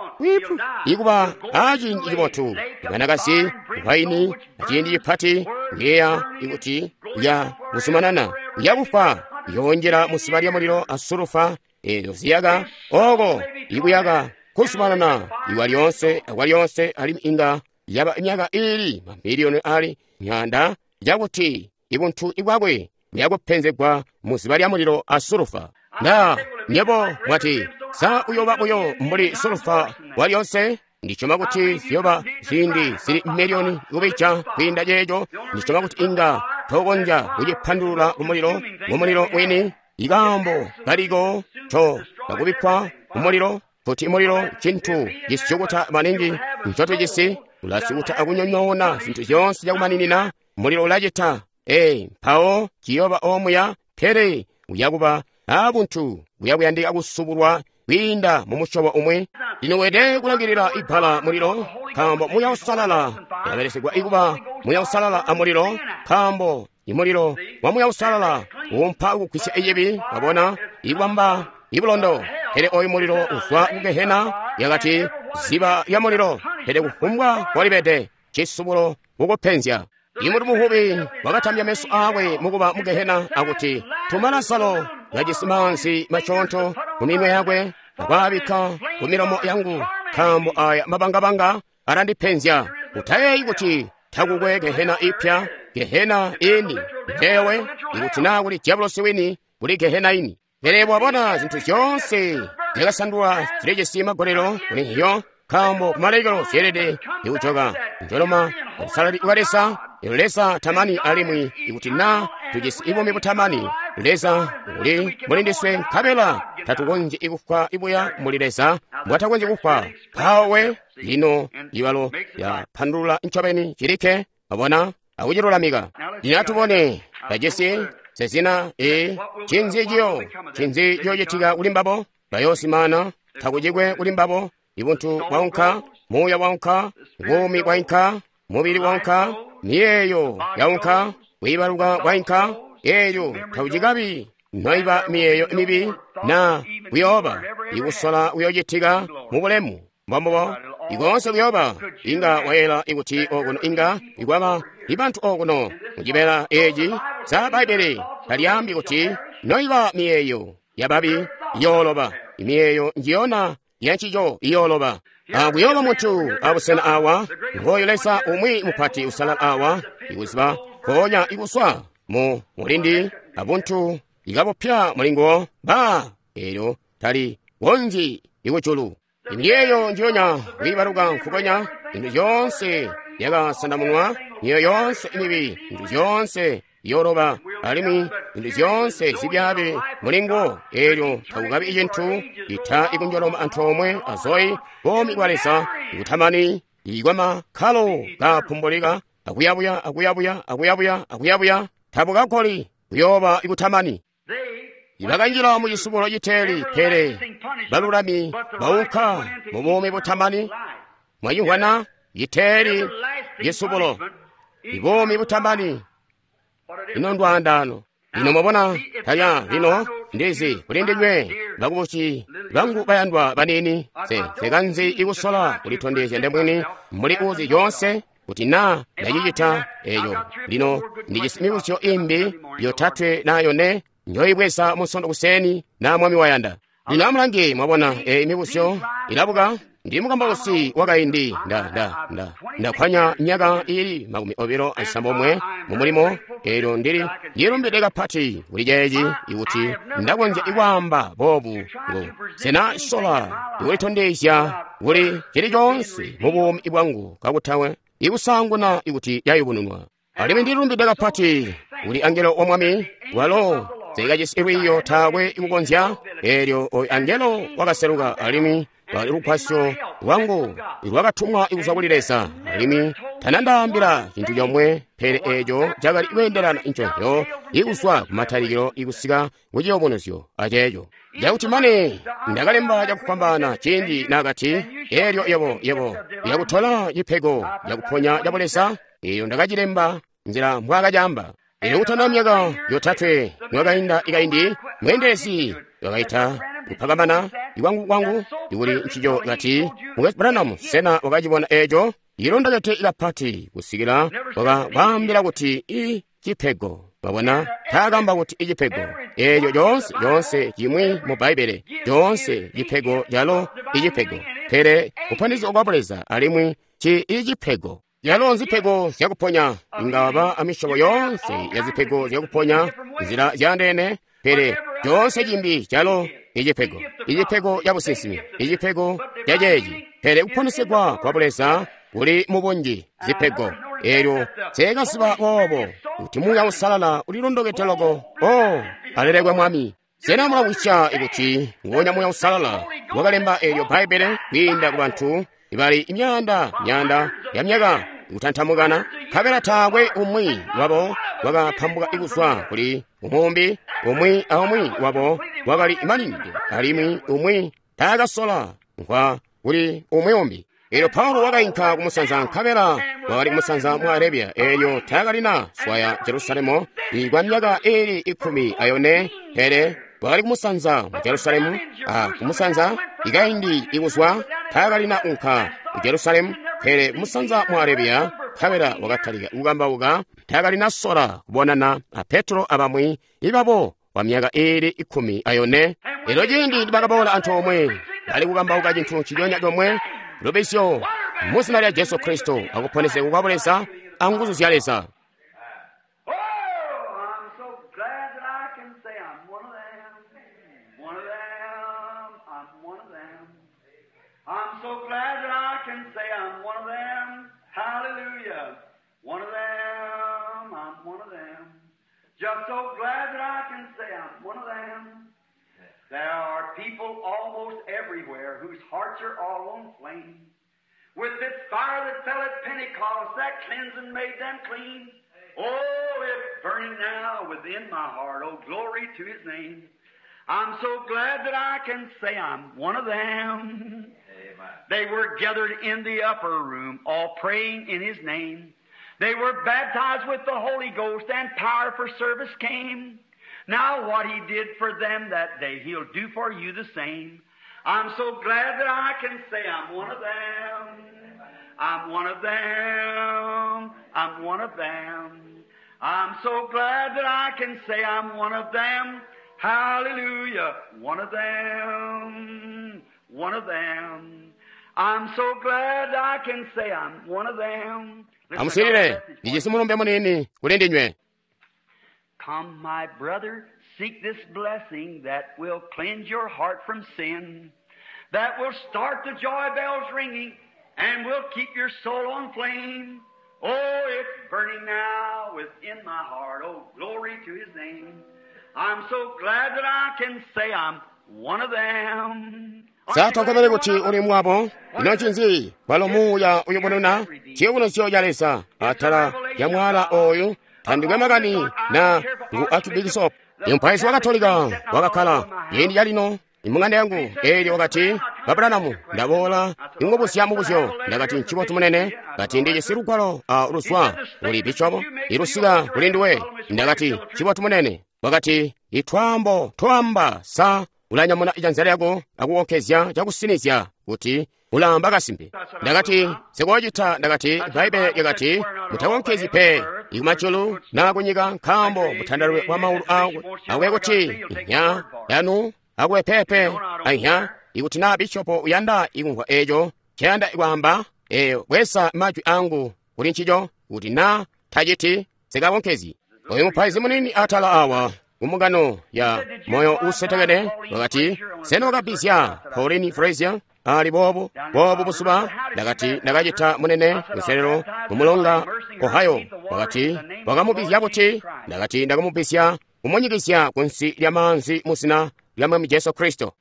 ikuba aciindi cibotu ibanakazi waini aciindi cipati kuyeeya ikuti uya kuzumanana uya kufa, uyoonjela musiba lya mulilo asulufa eelyo ziyaka oko ikuyaka kuzumanana iwa lyonse akwa lyonse, alimwi inga yaba myaka ili mamiliyoni ali myanda cakuti ibuntu ibwakwe buyakupenzegwa muziba lya mulilo asulufa. Na nyebo mwati sa uyoba buyo mbuli sulufa wa lyonse? Ndisyoma kuti ziyoba ziindi zili miliyoni kubija kwiinda ceeco. Ndisyoma kuti inga tokonzya kucipandulula kumulilo kumulilo wini. Ikaambo kaliko co kakubikkwa kumulilo Kuti mulilo ncintu cisyukuta maningi ncotujisi, ulasyukuta akunyonyoona zintu zyoonse cakumaninina. Mulilo ulacita. Ee, mpawo ciyooba omuya, pele uyakuba abuntu buyakuyandika kusubulwa kwiinda mu musyobo umwi. Lino weelede kulangilila ibbala mulilo, nkaambo Muuya Uusalala ulabelesyegwa ikuba Muuya Uusalala a mulilo, nkaambo imulilo wa Muuya Uusalala uumpa kugwisya cibi, wabona, ibamba ibulondo. Pele oyu mulilo uzwa ku gehena, yakati ziba lya mulilo, pele kufumbwa kwalibede cisubulo kukupenzya. Imuntu muvubi wakatambya meso aakwe mukuba mu gehena akuti, tuma Lazaro kajisi maanzi masyoonto mu minwe yakwe akwaabikka ku milomo yangu, nkaambo aya mabangabanga alandipenzya. Utayeeyi kuti takukwe gehena ipya, gehena ini ndewe, ikuti naa kuli diabolosi wini, kuli gehena ini. Pele wabona zintu zyoonse zyakasandulwa zilijisi magolelo kuli njiyo, nkaambo kumalekelo zyeelede ikujoka njoloma busalali bwa Leza. Leza tamani, alimwi ikuti naa tujisi buumi butamani, Leza uli muli ndiswe, nkabela tatukonzyi kufwa ibuya muli Leza mbwatakonzyi kufwa. Mpawo lino ibalo yapandulula ncobeni cilikke, wabona, akucilulamika. Lino atubone tajisi sezina e cinzi ciyo cinzi ciyocitika kuli mbabo. Bayoosimana, takucikwe kuli mbabo. Ibuntu bwaunka, muuya waunka, buumi bwainka, mubili waunka, miyeeyo yaunka, kwiibaluka kwainka. Eelyo takucikabi noiba miyeeyo mibi na kuyooba ikusola kuyoocitika mu bulemu. Mbombubo ikoonse kuyooba inga wayela ikuti okuno inga ikwaba ibantu okuno mucibeela eeci za Bbaibbele talyaambi kuti noiba miyeeyo yababi iyooloba, imiyeeyo njiyona yancico iyooloba. Akuyooba muntu abusena awa, ngooyu Leza umwi mupati usalala awa, ikuziba mpoonya ikuswa mu mulindi abuntu ikabupya mulinguwo ba eelyo tali konzyi ikujulu. Imiyeeyo njiyonya kwiibaluka nkukonya, zintu zyoonse yakasandamunwa, miyeeyo yoonse mibi, zintu zyoonse iyooloba, alimwi zintu zyoonse zibyaabi mulinguwo. Eelyo takukabi cintu ita ikunjoloma antoomwe azoyi buumi bwa Leza ikutamani ikwamakkalo kapumbulika akuyabuya akuyabuya akuyabuya akuyabuya tabukakoli kuyooba ikutamani. Ibakanjila mu cisubulo citeeli, pele balulami baunka mu buumi butamani. Mwacimvwana citeeli cisubulo, ibuumi butamani. Ino ndwaandaano. Lino mwabona talya lino ndizi kuli ndinywe bakubusi bangu bayandwa baniini, se sekanzi ikusola kulitondezya ndemwini muli uzi yoonse kuti naa ndacicita eeco. Lino ndijisi mibuzyo imbi yotatwe naa yone njoyibweza Munsondo kuseni na Mwami wayanda. Lino amulange, mwabona eyi mibuzyo ilabuka. Ndi mukambausi wakaindi, nda nda nda ndakwanya myaka ili makumi obilo acisambomwe mu mulimo. Eelyo ndili ndilumbide kapati kuli ceeci ikuti ndakonzya ikwaamba boobu ngo sena sola ikulitondezya kuli cili coonse mu buumi bwangu kakutawe ikusaanguna ikuti yayubununwa. Alimwi ndilumbide kapati kuli angelo wa Mwami walo sekajisi lwiiyo taakwe ikukonzya. Eelyo oyu angelo wakaseluka alimwi lwali lugwasyo lwangu lwakatumwa kuzwa kuli Leza, alimwi tanandaambila cintu comwe pele eeco cakali kweendelana nconzyo ikuzwa kumatalikilo ikusika kuciyubunuzyo aceeco cakuti mane ndakalemba cakufwambaana ciindi naakati, eelyo yebo yebo uyakutola cipego cakuponya ca Buleza. Eeyo ndakacilemba nzila mbwaakacaamba. Eelyo kutana myaka yotatwe niwakainda ikaindi, mweendelezi wakaita kupakamana ikwangu kwangu ikuli ncico kati, Mukwesu Branham, sena wakacibona eeco? Ilondokete kapati kusikila wakabaambila kuti i cipego. Wabona, taakamba kuti icipego eeco coonse coonse cimwi mu Bbaibbele coonse cipego calo icipego, pele kuponesegwa kwa Buleza alimwi ci icipego yalo nzipego zyakuponya. Inga waba amisyobo yoonse ya zipego zyakuponya nzila zyaandeene, pele coonse cimbi calo icipego, icipego ca businsimi, icipego ca ceeci, pele kuponesegwa kwa Buleza kuli mubunji zipego. Eelyo seekaziba boobo kuti Muuya Uusalala ulilondokete loko. O alelekwe Mwami. Sena mulamvwisya ikuti nguonya Muuya Uusalala wakalemba eelyo Bbaibbele kwiinda ku bantu ibali imyaanda myaanda ya myaka kutantamukana, nkabela taakwe umwi wabo wakapambuka kuzwa kuli umumbi, umwi aumwi wabo wakali maningi, alimwi umwi taakasola nkwa kuli umwi umbi. Eelyo Paulo wakainka kumusanza nkabela wakali kumusanza mu Arabia, eelyo taakalina swaya Jerusalemu kwa myaka iili ikumi ayone, pele wakali kumusanza mu Jerusalemu, a kumusanza ikaindi ikuzwa taakalina unka ku Jerusalemu, pele kumusanza mu Arabia nkabela wakatalika kukambauka, taakalina sola kubonana a Petro abamwi ibabo kwa myaka iili ikumi ayone. Eelyo ciindi nibakaboola antoomwe bali kukambauka cintu nciconya comwe, lubisyo mu zina lya Jesu Kristo akuponesegwa kwa Buleza anguzu zya Leza. Oh, I'm so glad that I can say I'm one of them. One of them. I'm one of them. I'm so glad that I can say I'm one of them. Hallelujah. One of them. I'm one of them. Just so glad that I can say I'm one of them. There are people almost everywhere whose hearts are all on flame. With this fire that fell at Pentecost, that cleansing made them clean. Oh, it's burning now within my heart. Oh, glory to His name. I'm so glad that I can say I'm one of them. Amen. They were gathered in the upper room, all praying in His name. They were baptized with the Holy Ghost, and power for service came. Now what He did for them that day, He'll do for you the same. I'm so glad that I can say I'm one of them. I'm one of them. I'm one of them. I'm so glad that I can say I'm one of them. Hallelujah. One of them. One of them. I'm so glad I can say I'm one of them. Listen, I got a Amuswilile, message for you. ndijisi mulumbe munini kuli ndinywe. Come, my brother, seek this blessing that will cleanse your heart from sin, that will start the joy bells ringing and will keep your soul on flame. Oh, it's burning now within my heart. Oh, glory to His name. I'm so glad that I can say I'm one of them. Aren't you glad Satokobele you're kuti one of uli them? mwabo, ino ncinzi kwalo muuya uyubununa ciyubunuzyo ca Leza atala ya mwala oyu tandikwe makani na ngu archbishop imupaizi wa Katolika wakakkala ciindi calino imung'anda yangu, eelyo wakati, Abrahamu, ndaboola ingubuzya mubuzyo. Ndakati, ncibotu munene. Kati, ndijisi lugwalo a luzwa kuli bishopo ilusika kuli nduwe. Ndakati, ncibotu munene. Wakati, itwaambo twaamba sa ulanyamuna ijanza lyako akukonkezya cakusinizya kuti ulaamba kasimpe. Ndakati, sikoocita. Ndakati, Bbaibbele lyakati mutakonkezyi pe ikumajulu naa kunyika, nkaambo mutandalwe wa maulu akwe akwe kuti inya yanu akwe pepe ainya. Ikuti naa bishopo uyanda ikumvwa eeco ncayanda kwaamba, eyo bweza majwi angu kuli ncico, kuti naa taciti sikakonkezyi. Oyu mupaizi munini atala awa kumungano ya moyo usetekene wakati, sena wakabizya Pauline Frazier ali boobu boobu busuba? Ndakati, ndakacita munene kuselelo kumulonga Ohio. Wakati, wakamubizya buti? Ndakati, ndakamubizya kumunyikizya kunsi lya maanzi mu zina lya Mwami Jesu Kristo.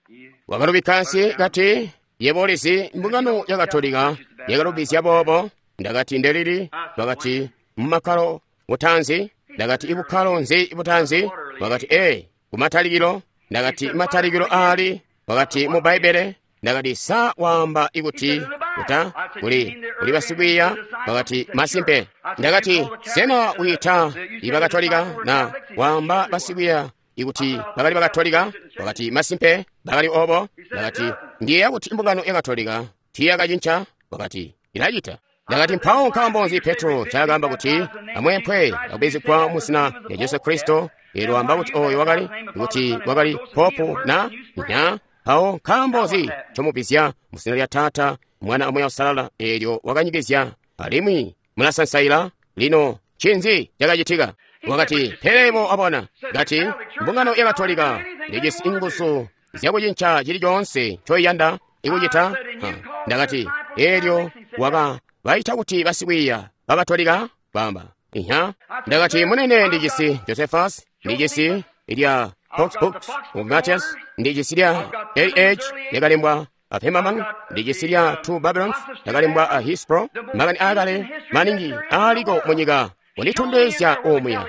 Wakalubika nsi kati, yebo ulizi mbungano ya Katolika yakalubizya boobo. Ndakati, ndelili? Wakati, mumakkalo butanzi. Ndakati, ibukkalo nzi butanzi? Wakati, ee, kumatalikilo. Ndakati, matalikilo ali? Wakati, mu Bbaibbele. Ndakati, sa waamba ikuti kuta kuli kuli basikwiiya? Wakati, masimpe. Ndakati, sena wiita ibakatolika na waamba basikwiiya ikuti bakali bakatolika? Wakati, masimpe bakali obo. Ndakati, ndiyeeya kuti mbungano ya Katolika tiiyakacinca. Wakati, ilacita. Ndakati, mpawo nkaambo nzi Petro ncaakaamba kuti amweempwe akubizigwa mu zina lya Jesu Kristo? Eelyo waamba kuti oyo wakali kuti wakali popu na nya. Mpawo nkaambo nzi ncomubizya mu zina lya Taata, Mwana a Muuya Uusalala? Eelyo wakanyikizya alimwi mulasansaila. Lino ncinzi cakacitika? Wakati, pele bo abona. Kati, mbungano ya Katolika lijisi inguzu zyakucinca cili coonse ncoiyanda ikucita. Ha. Ndakati, eelyo waka baita kuti basikwiiya bakatolika bamba inya. Ndakati, munene ndijisi Josephus, ndijisi lya Fox Books of Matthias, ndijisi lya A H lyakalembwa a Pemaman, ndijisi lya Two Babylons lyakalembwa a Hispro, makani aakale maningi aaliko munyika kunditondezya omuya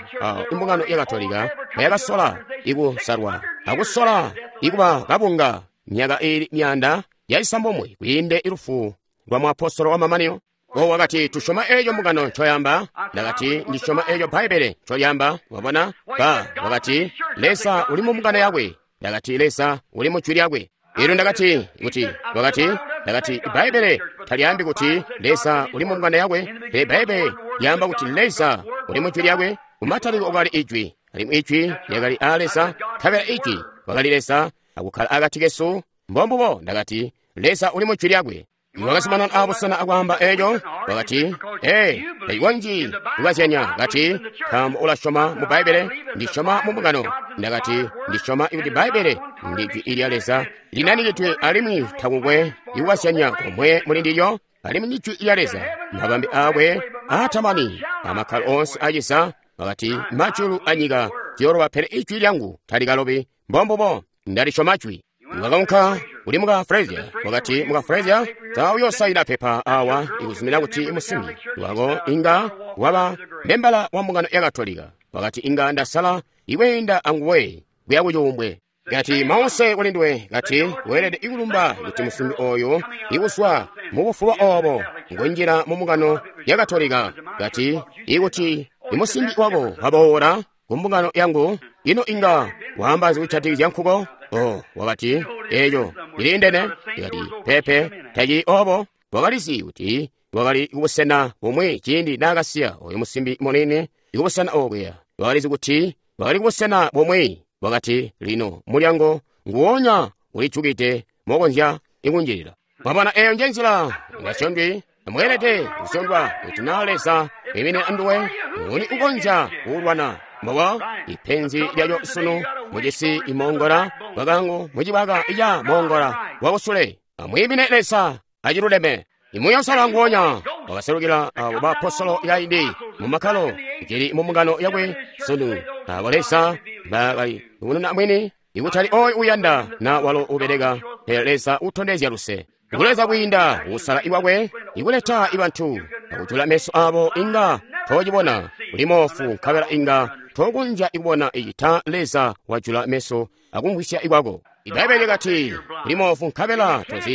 imbungano ya Katolika yakasola ikusalwa akusola ikuba kabunga myaka ili myanda yaisambomwe kwiinde ilufu lwa muapostolo wa mamanino. O wakati tusyoma eeco mbungano ncoyamba. Ndakati ndisyoma eeco Bbaibbele ncolyamba. Wabona ba wakati Leza uli mu mbungano yakwe. Ndakati Leza uli mu jwi lyakwe. Elyo ndakati kuti wakati ndakati Bbaibbele talyaambi kuti Leza uli mu mbungano yakwe, pele Bbaibbele lyaamba kuti Leza uli mu jwi lyakwe. Kumatalikilo kwakali Ijwi, alimwi Ijwi lyakali aa Leza, nkabela Ijwi wakali Leza akukkala akati kesu. Mbombubo ndakati Leza uli mu jwi lyakwe. Wakazumanana abusena akwaamba eeco, wakati, ee, tacikonzyi kukazyanya. Kati, nkaambo ulasyoma mu Bbaibbele, ndisyoma mu mbungano. Ndakati, ndisyoma kuti Bbaibbele ndi jwi lya Leza linanikidwe alimwi takukwe ikukazyanya komwe muli ndilyo, alimwi ndi jwi lya Leza. Mabambe aakwe aatamani amakkalo oonse aciza. Wakati, majulu anyika ziyooloba, pele ijwi lyangu talikalobi. Mbombubo, ndalisyoma jwi. Wakaunka kuli muka Frazier. Wakati muka Frazier, sa uyoosayina pepa awa ikuzumina kuti musimbi wako inga waba membala wa mbungano ya Katolika. Wakati inga ndasala ikweenda anguwe kuya kucuumbwe. Kati mause kuli nduwe. Kati weelede ikulumba kuti musimbi oyo ikuswa mubufuba obo ngunjila mu mbungano ya Katolika. Kati ikuti imusimbi wako waboola ku mbungano yangu, ino inga waamba zikujatikizya nkuko? Oh, wakati eeco iliindene. Kati pepe tacili obo. Wakalizi kuti wakali kubusena bumwi ciindi naakasiya oyo musimbi munini ikubusena okuya. Wakalizi kuti wakali kubusena bumwi. Wakati lino mulyango nguwonya ulijukide mokonzya ikunjilila. Mwabona, eyo nje nzila ngasyondwi mweelede kusyondwa kuti naa Leza wimine anduwe nguni ukonzya kuulwana. Mbobo ipenzi lyaco sunu mujisi imongola wakangu mucibaka ica mongola wakusule. Amwiimine Leza aciluleme. Imuya usala nguwonya wakaselukila abo baapostolo kaindi mu makkalo cili mu mbungano yakwe sunu. Abo Leza bakali kununa mwini ikutali oyo uyanda na walo ubeleka, pele Leza utondezya luse. Kuleza kwiinda kusala iwakwe ikuleta ibantu akujula meso abo inga tocibona uli moofu, nkabela inga tokunja ikubona icita Leza wajula meso akumvwisya ikwako. Ibaibbele lyakati uli moofu nkabela tozi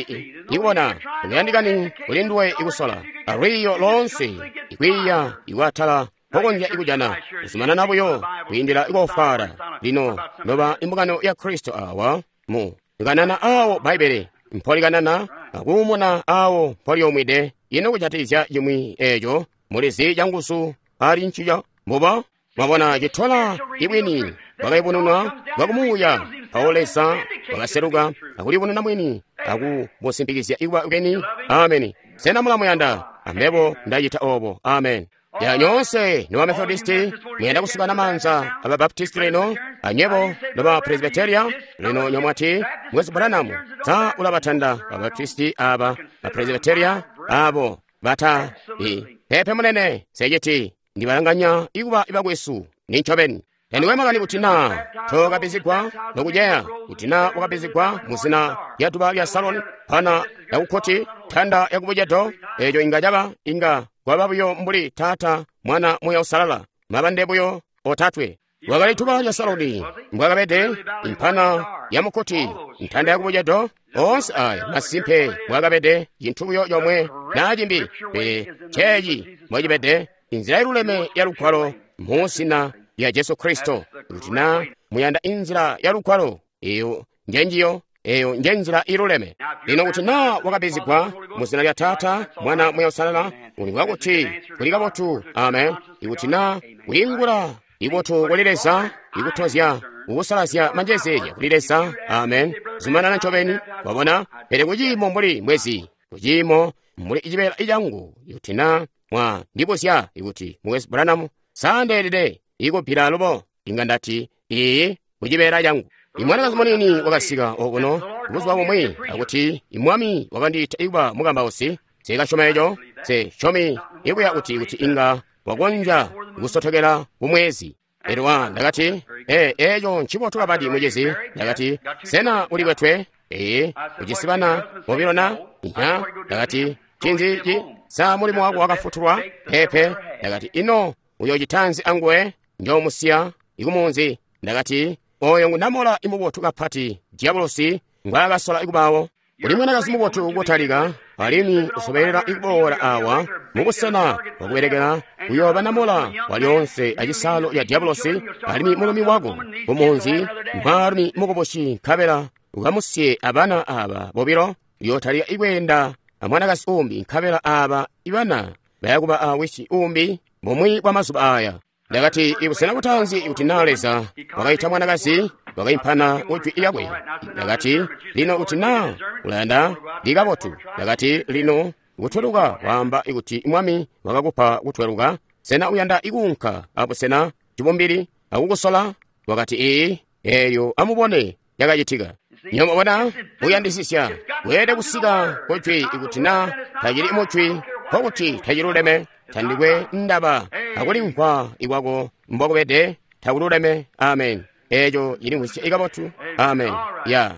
ikubona, ukuyandikani kuli nduwe ikusola alwiiyo loonse ikwiiya ikwatala pokonzya ikujana kuzumanana buyo kwiindila ikofwaala. Lino noba imbungano ya Kristo awa mu ikanana awo Bbaibbele mpolikanana akuumuna awo mpoliomwide. Ino kujatikizya cimwi eeco mulizi canguzu ali ncico. Mbubo mwabona citola ibwini bwakaibununwa bwakumuuya. Mpawo Leza wakaseluka akulibununa mwini akubusimpikizya ikuba bweni. Ameni. Sena mulamuyanda? Ambebo ndacita obo. Amen. Ya nyoonse noba Methodisti muyanda kusukana manza aba Baptisti lino, anywebo noba Presbyteria lino nyomwati Mukwesu Branham sa ulabatanda ba Baptisti aba ba Presbyteria abo bata i pepe munene sejeti ndibalanganya ikuba ibakwesu nincobeni. Andiwe makani kuti naa tokabizigwa nokujeya kuti naa wakabizigwa muzina lya duba lya Saloni pana yakukkoti tanda yakubucedo eeco inga caba inga kwaba buyo mbuli Taata Mwana Muya Usalala mabande buyo otatwe. Wakali duba lya Saloni mbwakabede impana ya mukkoti ntanda yakubucedo oonse aya masimpe mbwakabede cintu buyo comwe naa cimbi, pele ceeci mbwacibede inzila iluleme ya lugwalo muzina lya Jesu Kristo. Kuti naa muyanda inzila ya lugwalo, eyo njenjiyo, eyo njenzila iluleme. Lino kuti naa wakabizigwa muzina lya Taata Mwana Muya Usalala, ulimvwa kuti kuli kabotu. Amen. Ikuti naa kwiingula ibotu kuli Leza, ikutozya kukusalazya manjezeezya kuli Leza. Amen. Zumanana ncobeni. Wabona? Pele kuciimo mbuli mwezi, kuciimo mbuli icibeela icangu, ikuti naa mwandibuzya ikuti Mukwesu Branham sandeelede ikubbila alubo, inga ndati iyi kucibeela cangu. Imwanakazi munini wakasika okuno buzuba bumwi akuti imwami wakandiita ikuba mukambausi. Nseekasyoma eco, nsesyomi ikuya kuti kuti inga wakonzya kusotokela kumwezi. Elyo wa ndakati, ee, eco ncibotu kapati mucizi. Ndakati, sena ulikwetwe? Ee, ujisi bana bobilo na? Inya. Ndakati, ncinzi ci? Sa mulimo wako wakafutulwa? Peepe. Ndakati, ino uyocitanzi anguwe? Njoomusiya ikumunzi. Ndakati, oyo ngunamola imubotu kapati diabolosi ngwaakasola ikubawo. Uli mwanakazi mubotu kutalika, alimwi usobelela ikuboola awa mubusena bwakubelekela uyooba namola walyoonse acisaalo lya diabolosi, alimwi mulumi wako kumunzi mwaalumi mukubusi, nkabela ukamusiye abana aba bobilo. Uyootalika ikweenda amwanakazi umbi, nkabela aba ibana bayakuba awisi umbi bumwi bwa mazuba aya. Ndakati, ibusena butaanzi kuti naa Leza wakaita mwanakazi wakaimpana kujwi lyakwe. Ndakati, lino kuti naa ulayanda likabotu. Ndakati, lino kutweluka waamba kuti Mwami wakakupa kutweluka. Sena uyanda ikuunka abusena cibumbili akukusola? Wakati, ee. Eelyo amubone yakacitika. Nyomubona uyandisisya weelede kusika kujwi. Ikuti naa tacili mujwi, nkokuti taciluleme. Tandikwe ndaba akulimvwa ikwako mbokubede, takululeme. Amen. Eeco cilimvwisya ikabotu. Amen. Ya.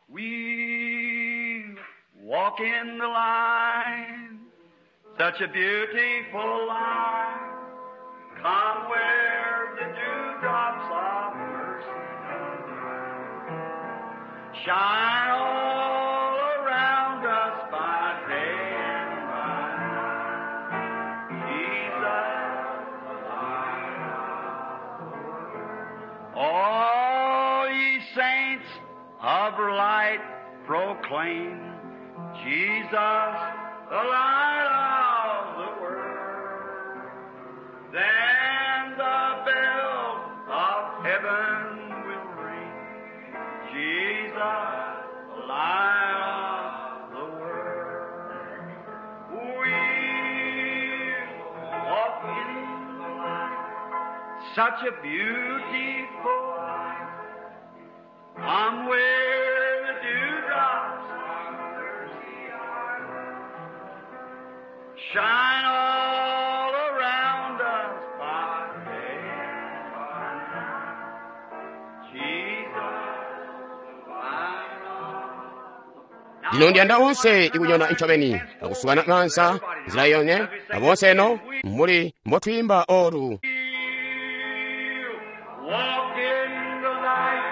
We walk in the light, such a beautiful light. Come where the dewdrops of mercy shine all around us by day and by night. Jesus, the light of the world. All ye saints of light proclaim Jesus, the light of the world. Then the bell of heaven will ring, Jesus, the light of the world. We walk in the light, such a beautiful light. Come where the dewdrops of mercy are, shine all around us by day and by night. Jesus, the light of Lino ndiyanda onse ikunyona ncobeni akusukana mansa nzila yonye abonse eno muli mbotuyimba olu. Walk in the light,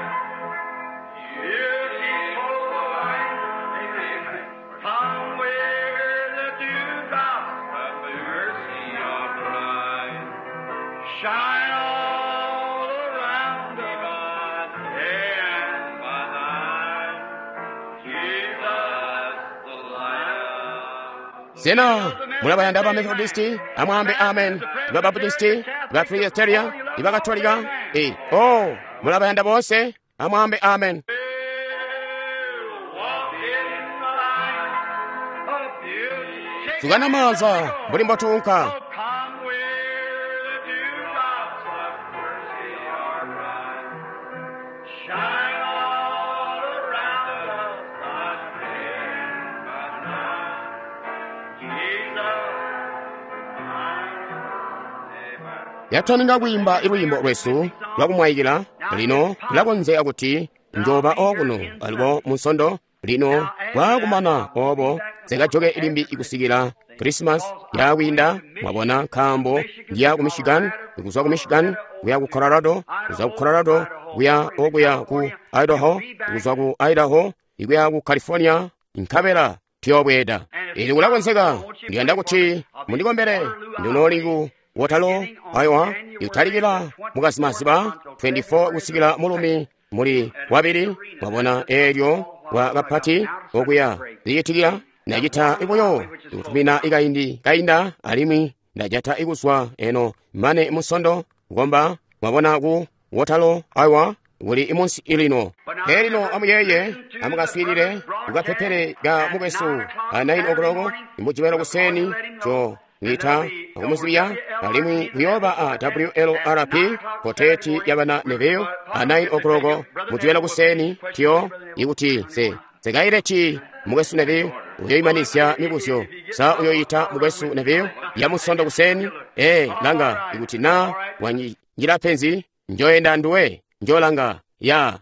beautiful light. Come where the dewdrops of mercy are bright. Shine all around us, day and by night. Jesus, the light. Sena mulabayanda ba Methodisti amwambe amen, ba Baptisti, ba Presbyteria, ba Katolika, e oh mulabayanda bonse amwambe amen. Walk in the light of beauty. Sukana manza mbuli mbotunka. Come where the dewdrops of mercy are bright. Shine all around us by day and by night. Jesus, Yatwaninga kuyimba iluyimbo lwesu lwakumwayikila lino lilakonzeka kuti njoba okuno alipo munsondo lino kwakumana obo zikajoke ilimbi ikusikila Christmas yakwinda mwabona nkambo ndiya ku Michigan, kuzwa ku Michigan kuya ku Colorado, kuzwa ku Colorado kuya okuya ku Idaho, kuzwa ku Idaho ikuya ku California, nkabela tiyobweda. Ili kulakonzeka ndiyanda kuti mundikombere ndinoli ku Waterloo, Iowa, ikutalikila mukazimaziba twenty-four kusikila mulumi muli wabili mwabona elyo wa kapati okuya liyitikila ndacita ibuyo ikutumina ikaindi kainda alimwi ndajata ikuswa eno mane musondo kukomba mwabona ku Waterloo, Iowa kuli imunsi ilino. Elino amuyeye amukaswilile kukapepele ka mukwesu a nine o'clock imujibelo kuseni cho ngita akumuzibiya alimwi kuyoba a W L R P koteti yabana neveyo a nine o'clock mujibelo kuseni tiyo ikuti se sekaileti mukwesu neveyo uyoyimanisya mibuzyo sa uyoyita mukwesu neveyo yamusondo kuseni e langa ikuti na wanjila penzi njoyenda nduwe njolanga ya.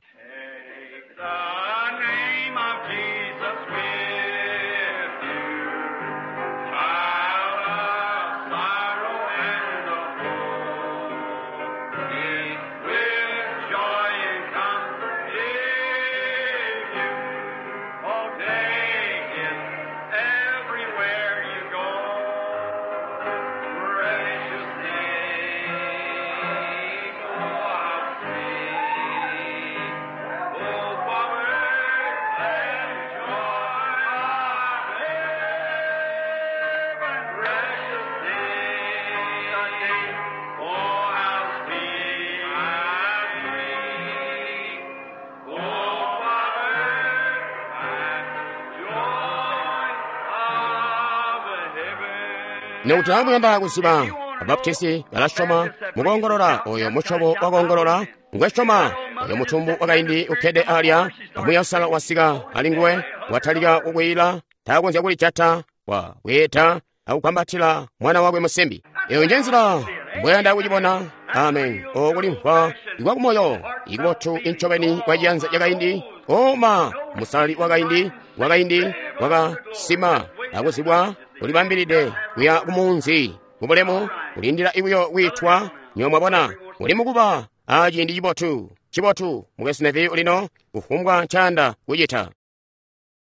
Lino kuti amuyanda kuziba, Abaptisti balasyoma mukoongolola, oyo musyobo wa koongolola ngwe syoma. Oyo mutumbu wakaindi ukkede alya, amuya usala wasika ali nguwe, watalika kukwiila, takonzya kulijata, wa bweeda akukwambatila mwana wakwe musimbi. Eyo nje nzila mbweyanda kucibona. Amen. Okulimvwa ikwakumoyo ikubotu incobeni kwa ciyanza cakaindi, oma musalali wakaindi wakaindi wakasima akuzibwa, ulibambilide kuya kumunzi mubulemu, kulindila buyo kwiitwa. Nywebo mwabona, uli mukuba a ciindi cibotu cibotu. Mukwesu Neville lino kufumbwa ncayanda kucita.